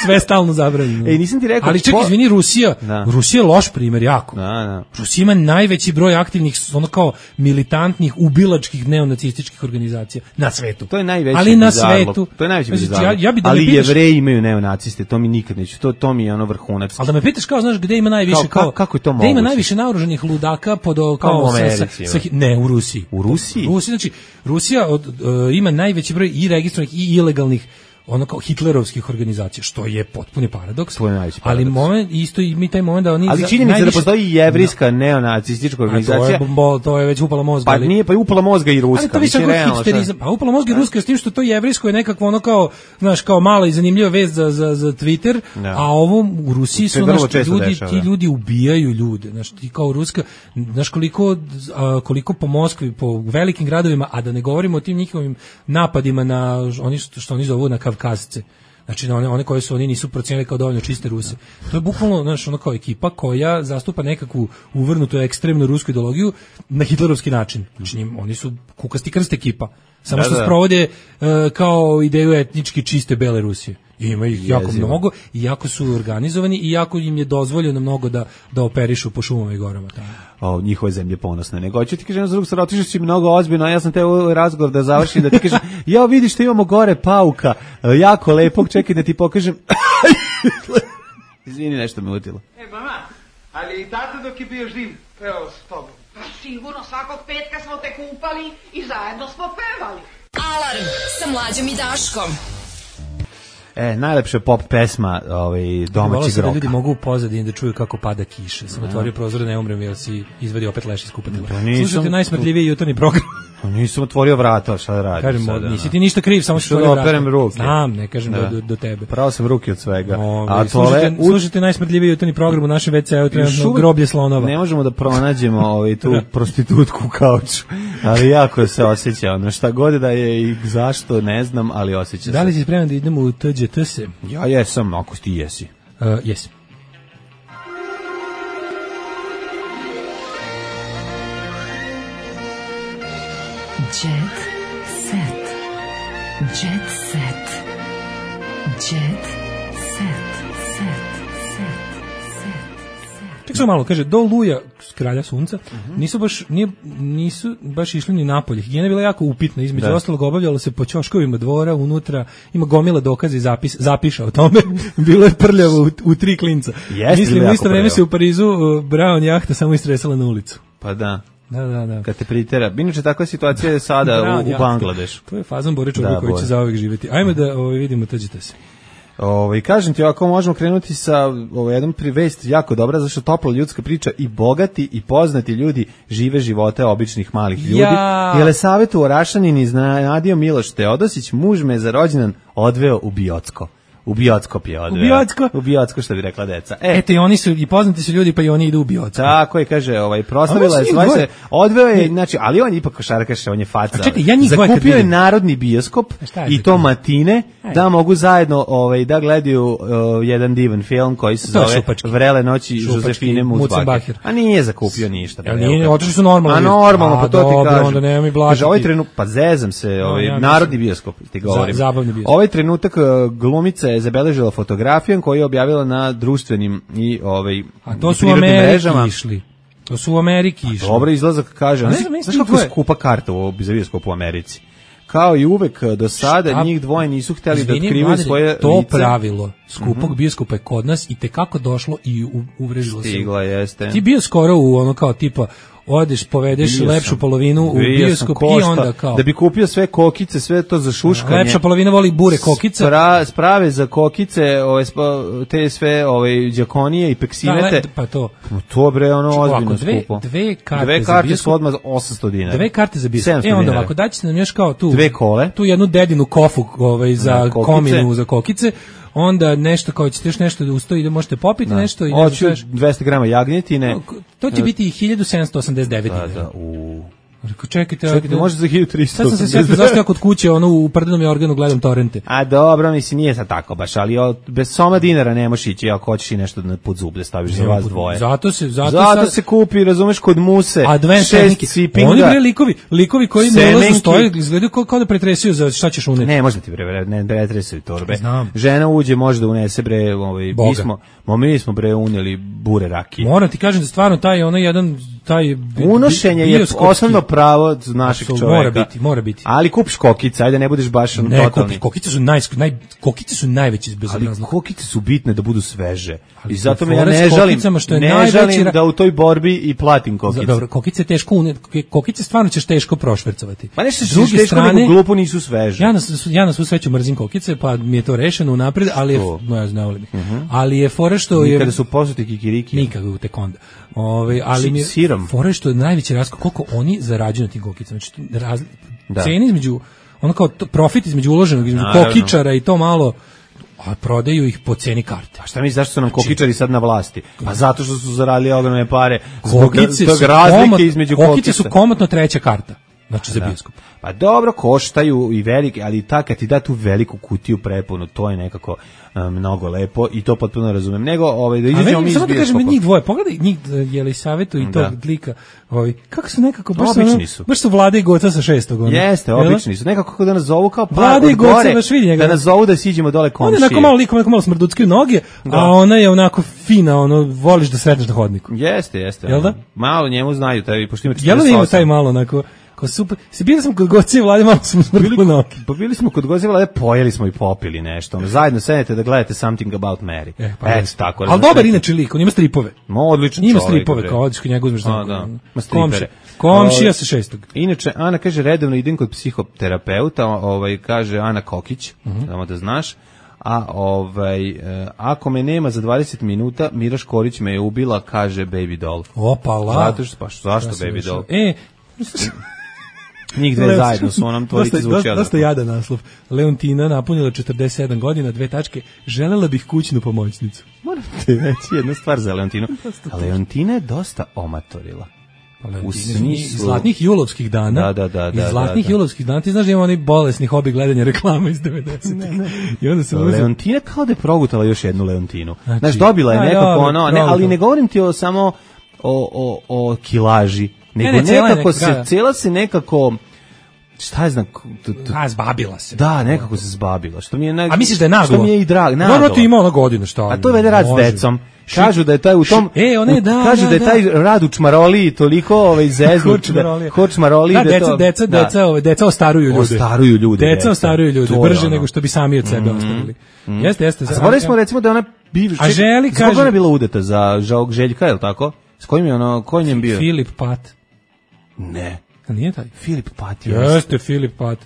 Sve stalno zabranjeno. Ej, nisam ti rekao. Ali čekaj, izvini, Rusija, da. Rusija je loš primjer jako. Da, da. Rusija ima najveći broj aktivnih, ono kao militantnih, ubilačkih neonacističkih organizacija na svetu. To je najveći ali na bizarluk. svetu. To je najveći bizarluk. Ja, ja bi da ali pitaš, Jevreji imaju neonaciste, to mi nikad neću. To, to mi je ono vrhunac. Ali da me pitaš kao, znaš, gde ima najviše, kao, kao, kako je to gde moguće? ima najviše naoružanih ludaka pod, kao, kao u Americi, sa, sa, ne, u Rusiji. U Rusiji? U Rusiji, znači, Rusija od, uh, ima najveći broj i registrovanih i ilegalnih ono kao hitlerovskih organizacija, što je potpuni paradoks. To je najveći paradoks. Ali moment, isto i mi taj moment da oni... Ali činjenica najviše... da postoji jevrijska no. neonacistička organizacija... A to je, bo, to je već upala mozga. Pa ali... nije, pa je upala mozga i ruska. Ali to više kao hipsterizam. Pa upala mozga i ruska s tim što to jevrijsko je nekako ono kao, znaš, kao mala i zanimljiva vest za, za, za Twitter, no. a ovo u Rusiji su, znaš, ljudi, dešava, ti ljudi ubijaju ljude. Znaš, ti kao ruska, znaš koliko, a, koliko po Moskvi, po velikim gradovima, a da ne govorimo o tim njihovim napadima na, oni što, što oni zovu na Kavkazce. Znači one, one koje su oni nisu procijenili kao dovoljno čiste Ruse. To je bukvalno, znaš, ono kao ekipa koja zastupa nekakvu uvrnutu ekstremnu rusku ideologiju na hitlerovski način. Znači njim, oni su kukasti krst ekipa. Samo da, što da. sprovode uh, kao ideju etnički čiste bele Rusije. I ima ih jako Jezivo. mnogo i jako su organizovani i jako im je dozvoljeno mnogo da, da operišu po šumama i gorama. Tamo. O, njihove zemlje ponosne. Nego ću ti kažem za drugog strana, otišao si mnogo ozbiljno, a ja sam te ovaj razgovor da završim, da ti kažem, ja vidiš što imamo gore pauka, jako lepog, čekaj da ti pokažem. Izvini, nešto me utilo. E, mama, ali i tata dok je bio živ, pevao s tobom. Pa sigurno, svakog petka smo te kupali i zajedno smo pevali. Alarm sa Mlađom i Daškom. E, najlepša pop pesma ovaj, domaćeg roka. Da ljudi mogu u pozadini da čuju kako pada kiša. Sam otvorio prozor da ne umrem jer si izvadio opet leš iz kupatila. Slušajte najsmrdljiviji jutarnji program. Nisam otvorio vrata, šta da radim kažem, sada? Nisi ti ništa kriv, samo što da operem ruke. Znam, ne kažem da. do, do tebe. Pravo sam ruke od svega. O, a slušajte, u... slušajte najsmrdljiviji jutarnji program u našem ve ce-u, trenutno groblje slonova. Ne možemo da pronađemo ovaj, tu prostitutku u kauču, ali jako se osjeća. Ono, šta god da je i zašto, ne znam, ali osjeća se. Da li si spreman da idemo u te đe te se? Ja jesam, ako ti jesi. Uh, jes. Jet set. Jet set. Jet set. Set. Set. Set. Ček samo malo, kaže, do Luja, kralja sunca, uh-huh. nisu baš nije, nisu baš išli ni napolje. Higijena je bila jako upitna, između da. ostalog obavljalo se po ćoškovima dvora, unutra, ima gomila dokaza i zapis, zapiša o tome, bilo je prljavo u, u tri klinca. Jeste, mislim, u isto vreme se u Parizu uh, Brown jahta samo istresala na ulicu. Pa da. Da, da, da. Kad te pritera. Inače, takva situacija je sada u, u Bangladešu. To je fazon Bore čovjek koji će zauvek živjeti. Ajme da ovaj, vidimo, tađite se. Ovaj kažem ti, ako možemo krenuti sa ovaj jednom privest jako dobra, zašto topla ljudska priča i bogati i poznati ljudi žive živote običnih malih ljudi. Ja. Jelesavetu Orašanin iznenadio Miloš Teodosić, muž me za rođendan odveo u Biocko. U bioskop je odveo. U bioskop? U bioskop, što bi rekla deca. E, Eto, i oni su, i poznati su ljudi, pa i oni idu u bioskop. Tako je, kaže, ovaj, proslavila je, zvaj se, odveo je, znači, ali on je ipak košarkaš, on je faca. A čekaj, ja njih dvoje kad Zakupio je vidim. narodni bioskop Šta je i za to to? matine, Ajde. da mogu zajedno ovaj, da gledaju uh, jedan divan film koji se To je zove šupački. Vrele noći Šupački, Josefine Mucbacher. Mucbacher. A nije zakupio ništa. Jel nije, otišli su normalno. A normalno, A, pa to ti dobro, kažem. onda nema mi blatiti. Kaže, ovaj trenut, pa zezam se, ovaj, ja narodni mislim- bioskop, ti govorim. Za- zabavni bioskop. Ovaj trenutak uh, glumica je zabeležila fotografijom koju je objavila na društvenim i ovaj, A to su u prirodnim Ameriki mrežama. išli. To su u Ameriki išli. Dobro, izlazak kaže. A ne Znaš, znam, znaš njih kako je dvoje- skupa karta u za bioskop u Americi? Kao i uvek do sada, Šta? njih dvoje nisu hteli da Izvini, otkrivaju mladene, svoje to lice. pravilo skupog bioskopa je kod nas i tekako došlo i u- uvrežilo se. Stigla jeste. Ti bio skoro u ono kao tipa odeš, povedeš Bio lepšu sam. polovinu u Bio sam bioskop i košta, onda kao da bi kupio sve kokice, sve to za šuškanje. lepša polovina voli bure kokice. Spra, sprave za kokice, ove, spa- te sve ove, đakonije i peksinete. Da, le- pa to. To bre, ono Čekaj, ozbiljno ovako, dve- skupo. dve karte Dve za karte bioskop. su odmah osamsto dinara. Dve karte za bioskop. sedamsto E onda dinara. ovako daćete nam još kao tu Dve kole. tu jednu dedinu kofu ovaj za Na kokice. kominu za kokice. Onda nešto kao ćete još nešto da ustoji da možete popiti nešto i ne znam Hoću šta još. dvesta grama jagnjetine. To će biti hiljadu sedamsto osamdeset devet Da, dinara. da, u... Rekao, čekajte, Čekajte, može za hiljadu tristo Sad sam se sjetio zašto ja kod kuće ono u prdenom je organu gledam torrente. A dobro, mislim, nije sad tako baš, ali o, bez soma dinara ne možeš ići ako hoćeš i nešto na pod zub da staviš za vas dvoje. Zato se zato, Zato sad, se kupi, razumeš, kod muse, advanced šest tehnike. cipinga. Oni bre likovi, likovi koji Semenki. ne ulazno stoje, izgledaju kao, kao da pretresaju za šta ćeš uneti. Ne, može da ti bre, ne pretresuju torbe. Znam. Žena uđe, može da unese bre, ovaj, Boga. mi smo, mo, mi smo bre unijeli bure rakije. Moram ti kažem da stvarno taj ono jedan taj bi- Unošenje je bioskopski- osnovno pravo našeg Apsolutno, čoveka. mora biti, mora biti. Ali kupiš kokice, ajde ne budeš baš ono Ne, totalni. kupi, kokice su naj, naj kokice su najveći Ali bezobrazluk. kokice su bitne da budu sveže. Ali I zato me ja fora s ne žalim, kokicama što je ne najveći žalim ra- da u toj borbi i platim kokice. Dobro, kokice je teško une, kokice stvarno ćeš teško prošvercovati. Pa nešto S se druge teško strane, nego glupo nisu sveže. Ja na, ja na svu sreću mrzim kokice, pa mi je to rešeno unapred, ali je, To. no ja znao li mi. Ali je fora što je Kada su posuti kikiriki. nikako tek onda. Ove, ali mi je Sirom. fora što je najveći raskol koliko oni zarađuju na tim kokicama. Znači raz, Da. cene između ono kao to, profit između uloženog između Naravno. kokičara i to malo, a prodaju ih po ceni karte. A šta misliš zašto su nam kokičari sad na vlasti? Pa zato što su zaradili ogromne pare zbog Kokice tog su razlike komot- između kokice kokica. su komotno treća karta. Znači za Da. bioskop. Pa dobro, koštaju i velike, ali ta kad ti da tu veliku kutiju prepunu, to je nekako um, mnogo lepo i to potpuno razumem. Nego, ovaj, da A izađemo mi meni, iz samo da kažem, bioskopa. njih dvoje, pogledaj njih Jelisavetu i tog Da. lika, ovaj, kako su nekako, baš su, Obični ono- su. baš su Vlada i Goca sa šestog. Ono. Jeste, Jel da? obični su. Nekako kako da nas zovu kao par Vlada i od Goca, gore, baš vidi njega. da nas zovu da siđemo dole On je komšije. onako malo lik, onako malo smrduckaju noge, Da. a ona je onako fina, ono, voliš da sretneš na hodniku. Jeste, jeste. Jel da? Malo njemu znaju, taj, pošto ima Jel da ima četrdeset osam. taj malo onako, kao super, se bili smo kod Goca i Vlade, malo smo smrdili noge. Pa bili smo kod Goze Vlade, pojeli smo i popili nešto. Ono, zajedno sedete da gledate Something About Mary. E, pa Eto, jeste. tako. Ali dobar inače lik, on ima stripove. Ma, odličan Ima čovjek, stripove, bre. kao odeš kod njega uzmeš A, za da. ono. Ma, stripere. Komšija. Komšija Ovaj, sa šestog. Inače, Ana kaže, redovno idem kod psihoterapeuta, ovaj, kaže Ana Kokić, Mhm. samo da znaš, a ovaj, e, ako me nema za dvadeset minuta, Mira Škorić me je ubila, kaže Baby Doll. Opala. Zato što, pa što, zašto Ja sam Baby išao. Doll? E, Njih dve Leo- zajedno su onom tvorici dosta, zvuči dosta, dosta odavno. jadan naslov. Leontina napunila četrdeset sedam godina, dve tačke, želela bih kućnu pomoćnicu. Moram ti reći jednu stvar za Leontinu. A Leontina je dosta omatorila. U Iz smislu... zlatnih julovskih dana. Da, da, da, Iz da, zlatnih da, da. julovskih dana. Ti znaš da ima onaj bolesni hobi gledanja reklama iz devedesetih. I onda se uzeo. Leontina kao da je progutala još jednu Leontinu. Znači, Znaš, dobila je a, nekako dobro, ono, ne, dobro. ali ne govorim ti o samo o, o, o kilaži, nego ne, cela je nekako neka- se, da. cela se nekako, šta je znam, t- t- A, zbabila se. da, nekako se zbabila, što mi je, naj- A misliš da je naglo? što mi je i drag, Dobro naglo. ti ima ona godina, šta? A to je vede rad s Može. decom. Kažu da je taj u tom E, one, u- da, kažu da, da je da. taj rad u čmaroliji toliko ovaj zeznut, Hočmarolija. hočmaroliji Da, da deca, to deca, da. deca, ove, deca ostaruju ljude. Ostaruju ljude, Deca deca. ostaruju ljude, To je brže ono. nego što bi sami od sebe ostavili. Jeste, jeste. A zaboravili smo recimo da je ona bivša. A Želi Zbog kaže- ona je bila udeta za Žog Željka, je li tako? S kojim je ono, ko je njem bio? Filip Pat. Ne. A nije taj? Filip Pat. Jeste, Filip Pat.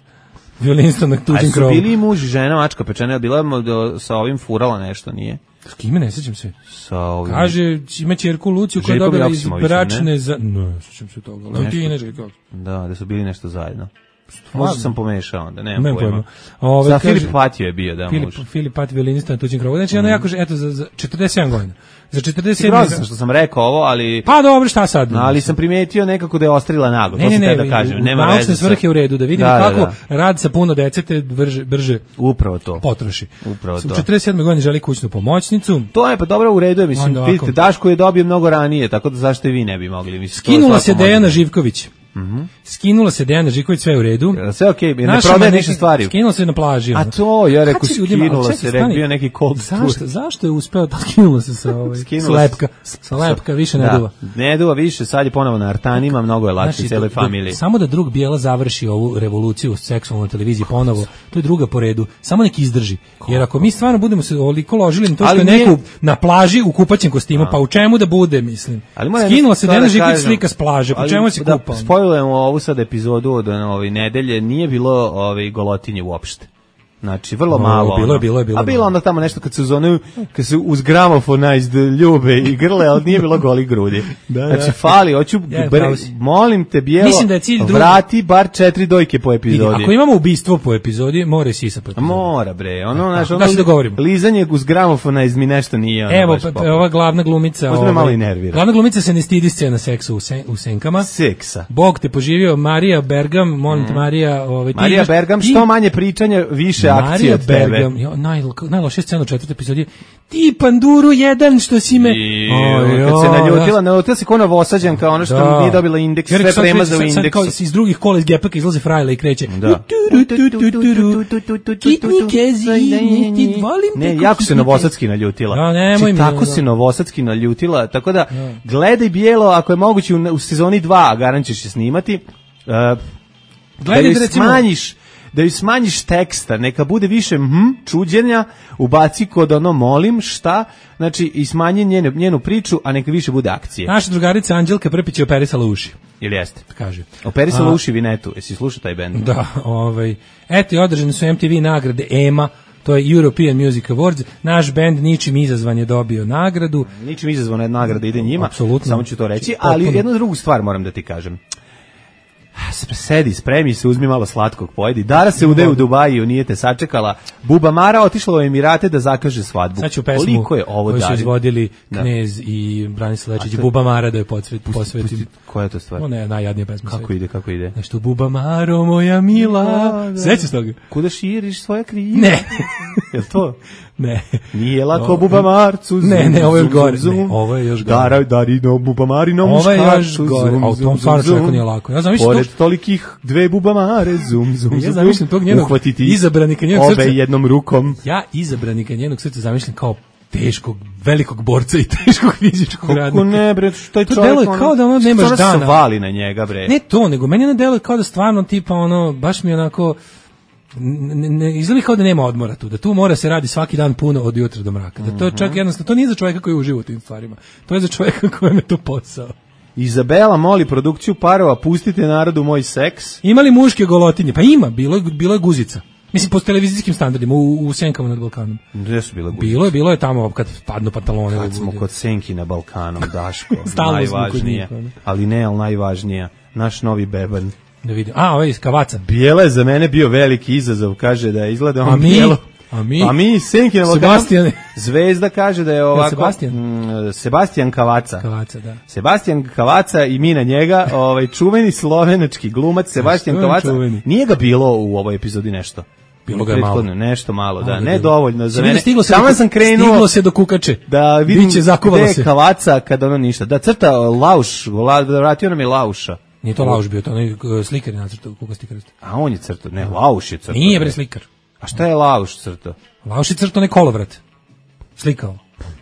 Violinista na A tuđem su krovu. bili i muž i žena, mačka pečena, je bila mo- do- sa ovim furala nešto, nije? S kime, ne sjećam se. Sa ovim... Kaže, ima ćerku Luciju koja je Željkom dobila iz Joksimovićem, bračne za... Ne, sjećam se toga. Leontina Nešto. Željko. Da, da su bili nešto zajedno. Možda sam pomešao onda, nemam Nemam pojma. pojma. Ove, Za kaže- Filip Patio je bio, da, Filip, muž. Filip Pat, violinista na tuđim krovu. Znači, ono jako, že- eto, za, za četrdeset sedam godina. Za četrdeset sedam Grozno sam što sam rekao ovo, ali... Pa dobro, šta sad? Ali sam primetio nekako da je ostrila naglo, Ne, to ne, sam ne, te da kažem. u Nema naučne veze sa- svrhe u redu, da vidimo Da, da, kako da. rad sa puno dece te brže, brže Upravo to. potroši. Upravo U to. četrdeset sedme godine želi kućnu pomoćnicu. To je pa dobro u redu, je, mislim, Onda ovako. vidite, Daško je dobio mnogo ranije, tako da zašto i vi ne bi mogli? Mislim, to Skinula svako se može. Dejana Živković. Mhm. Skinula se Dejana Živković, sve u redu. Sve okej, ne Naša prodaje maneken- ništa stvari. Skinula se na plaži. A ono. to, ja rekao, Kad će ljudima- skinula ali se, čekaj, rekao, stani. bio neki cold Zašto, tour. zašto je uspeo da skinula se sa ovaj, Skinula sa se- lepka, sa lepka, više ne Da, duva. ne duva više, sad je ponovo na artanima, mnogo je lakše Znači, cijeloj do- do- familiji. samo da drug Bijela završi ovu revoluciju seksualnu na televiziji ponovo, to je druga po redu. Samo nek izdrži. Jer ako mi stvarno budemo se oliko ložili na to što Ali je nije- neko na plaži u kupaćem kostimu, pa u čemu da bude, mislim. Ali moram Skinula jednu se stvar Dejana da Živković kažem. slika s plaže, po Ali čemu se da kupa? spojlujemo ovu sad epizodu od ove nedelje, nije bilo ove golotinje uopšte. Znači, vrlo O, malo. bilo je, ono. bilo je, bilo A je bilo malo. onda tamo nešto kad se uz onu, kad se uz gramofonize ljube i grle, ali nije bilo golih grudi. Da, Znači, da. fali, hoću, Ja, bre- pravo si. molim te, Bijelo, Mislim da je cilj drugi. vrati bar četiri dojke po Vidi, epizodi. ako imamo ubistvo po epizodi, mora i sisa po epizodi. Mora, bre, ono, znaš, da ono, se dogovorimo. lizanje uz gramofonize mi nešto nije. Ono, Evo, baš pa, pa, popularno. ova glavna glumica... Možda me ovaj, malo i nervira. Glavna glumica se ne stidi scena seksa u, sen, u senkama. Seksa. Bog te poživio, Marija Bergam, molim te, Marija... Ovaj, ti Marija imaš- Bergam, ti- što manje pričanja, više akcije Marija od tebe. Bergam, jo, naj, najlošija scena u četvrtoj epizodi. Ti panduru jedan što si me... I, Oj, kad se oj, naljutila, naljutila se kao novosađanka, ono što Da. nije dobila indeks, Jer sve sad prema kreće- za u sad- sad indeksu. kao iz drugih kola iz gepaka izlaze frajla i kreće. Da. Ne, jako se Novosadski naljutila. Da, nemoj Znači, mi, tako da. se Novosadski naljutila, tako da gledaj Bijelo, ako je moguće u, u sezoni dva, a garant ćeš je snimati, uh, da Gledaj joj da recimo- smanjiš da joj smanjiš teksta, neka bude više hm, čuđenja, ubaci kod ono molim, šta, znači i smanji njenu, njenu priču, a neka više bude akcije. Naša drugarica Anđelka Prpić je operisala uši. Ili jeste? Kaže. Operisala A- uši Vinetu, jesi slušao taj bend? Da, ovaj. Eto i održane su M T V nagrade E M A, to je European Music Awards. Naš bend ničim izazvan je dobio nagradu. Ničim izazvana nagrada ide njima, Apsolutno. samo ću to reći, Potpuno. ali jednu drugu stvar moram da ti kažem. Sedi, spremi se, uzmi malo slatkog, pojedi. Dara se ude u Dubaju, nije te sačekala. Buba Mara otišla u Emirate da zakaže svadbu. Sad ću pesmu Koliko je ovo koju su Dari? izvodili Da. Knez i Branislav Lečić, A to- Buba Mara da je podsvet, posvetim. Koja je to stvar? Ona je najjadnija pesma. Kako ide, kako ide? Nešto Buba Maro, moja mila. Da. Sećaš toga? Kuda širiš svoja krila? Ne. Jel to? Ne. Nije lako O, Buba Marcu. Zum, Ne, ne, ovo je još zum, gore. zum, Ne, zum. ovo je još gore. Dara, Darino, Buba Marino, Ovo je muškarcu. još gore. zum, A u zum, tom stvarno zum, čoveku zum. nije lako. Ja zamišljam Pored to- tolikih dve Buba Mare, zum, zum, Ja zum, zamišljam tog njenog uhvatiti izabranika njenog obe srca. jednom rukom. Ja izabranika njenog srca zamišljam kao teškog, velikog borca i teškog fizičkog radnika. Kako ne, bre, taj To čovjek... deluje kao da ono nemaš što dana. se vali na njega, bre. Ne to, nego meni ono deluje kao da stvarno tipa ono, baš mi onako, ne, ne, izgleda kao da nema odmora tu, da tu mora se radi svaki dan puno od jutra do mraka. Da to je čak jednostavno, to nije za čovjeka koji uživa u tim stvarima. To je za čovjeka kojem je to posao. Izabela moli produkciju parova, pustite narodu moj seks. Ima li muške golotinje? Pa ima, bilo je, bilo je guzica. Mislim, po televizijskim standardima, u, u Senkama nad Balkanom. Gde su bile guzice? Bilo je, bilo je tamo kad padnu pantalone. Kad smo kod Senki na Balkanom, Daško, Stalno smo kod najvažnije. njih, ono. Ali ne, ali najvažnija. Naš novi beban. Da vidim. A, ovaj iz Kavaca. Bijela je za mene bio veliki izazov, kaže da izgleda on A mi? bijelo. A mi? A mi, Senki na Balkanom. Sebastijane. Zvezda kaže da je ovako... Sebastijan? Mm, Sebastijan Kavaca. Kavaca, da. Sebastijan Kavaca i mi na njega, ovaj čuveni slovenački glumac Sebastijan Što je Kavaca. čuveni? Nije ga bilo u ovoj epizodi nešto. Bilo ga je malo. Prethodno, nešto malo, da, Malo ga ne je bilo. dovoljno za Si vidio, mene. stiglo se Samo do- sam krenuo stiglo se do kukače. da vidim Biće, zakuvalo gde je se. Kavaca kad ono ništa. Da crta Lauš, la- vratio nam je Lauša. Nije to Lauš bio, to onaj uh, slikar je nacrtao kukasti krst. A on je crtao, ne, Lauš je crtao. Nije bre slikar. A šta je Lauš crtao? Lauš je crtao onaj kolovrat. Slikao.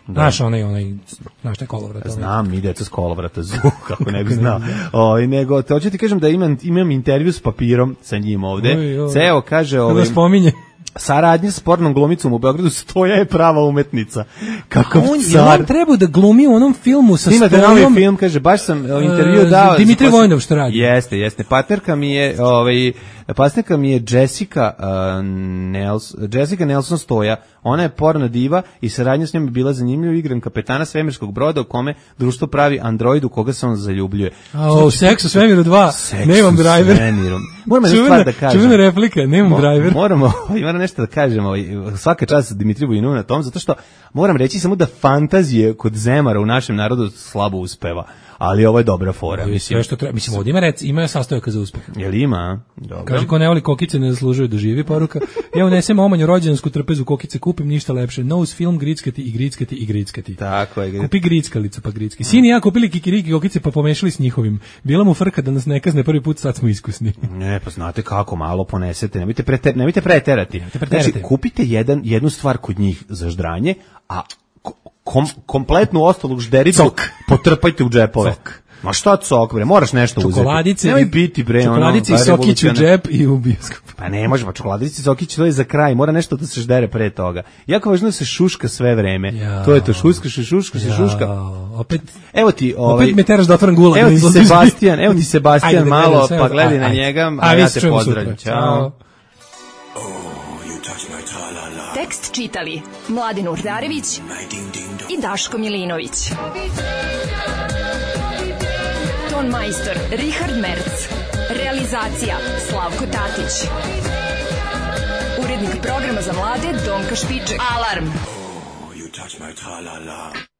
Znaš onaj, onaj, znaš taj kolovrat. onaj. Znam, mi deca s kolovrata zvu, kako ne bi znao. Ovaj nego, te hoću ti kažem da imam, imam intervju s papirom sa njim ovde. Oj, oj. Ceo kaže... Kada Ovaj, spominje. saradnja s pornom glumicom u Beogradu, Stoja je prava umetnica. Kakav On, je car. on trebao da glumi u onom filmu sa Snimate novi Stojom. film, kaže, baš sam uh, intervju E, dao. Dimitrij pa sam- Vojnov što radi. Jeste, jeste. Partnerka mi je ovaj, Pasnika mi je Jessica, uh, Nelson, Jessica Nelson Stoja. Ona je porno diva i saradnja s njom je bila zanimljiva. Igram kapetana svemirskog broda u kome društvo pravi android u koga se on zaljubljuje. O, Seks u svemiru dva, nemam driver. Moramo jednu stvar da kažem. Čuvena replika, nemam Mo, driver. Moramo, moram nešto da kažemo, svaka čast Dimitriju Vojinu na tom, zato što moram reći samo da fantazije kod Zemara u našem narodu slabo uspeva. Ali ovo je dobra fora. Mislim, sve što treba. Mislim, ovdje ima, rec, ima sastojaka za uspeh. Jel ima? Dobro. Kaže, ko ne voli kokice, ne zaslužuje da živi, poruka. Ja unesem omanju rođensku trpezu kokice, kupim ništa lepše. Nose film, grickati i grickati i grickati. Tako je. Kupi grickalicu, pa gricki. Sin i ja kupili kikiriki kokice, pa pomešali s njihovim. Bila mu frka da nas ne kazne prvi put, sad smo iskusni. Ne, pa znate kako, malo ponesete. Nemojte, preter, nemojte preterati. Nemojte preterati. Znači, kupite jedan, jednu stvar kod njih za ždranje, a kom, kompletnu ostalu ždericu potrpajte u džepove. Cok. Ma šta cok, bre, moraš nešto uzeti. Čokoladice, nemoj biti, bre, čokoladice ono, i sokić u džep i u bioskop. Pa ne može, pa čokoladice i sokić to je za kraj, mora nešto da se ždere pre toga. Jako važno da se šuška sve vreme. Ja. To je to, šuška se, šuška se, šuška. Opet, evo ti, ovaj, opet me teraš da otvoram gulag. Evo ti Sebastian, evo ti Sebastian ajde, malo, sve, pa gledaj na ajde. njega, a, a ja te pozdravljam. Ćao. Tekst čitali Mladin Urdarević i Daško Milinović. Ton majstor Richard Merc. Realizacija Slavko Tatić. Urednik programa za mlade Donka Špiček. Alarm! Oh, you touch my tra-la-la.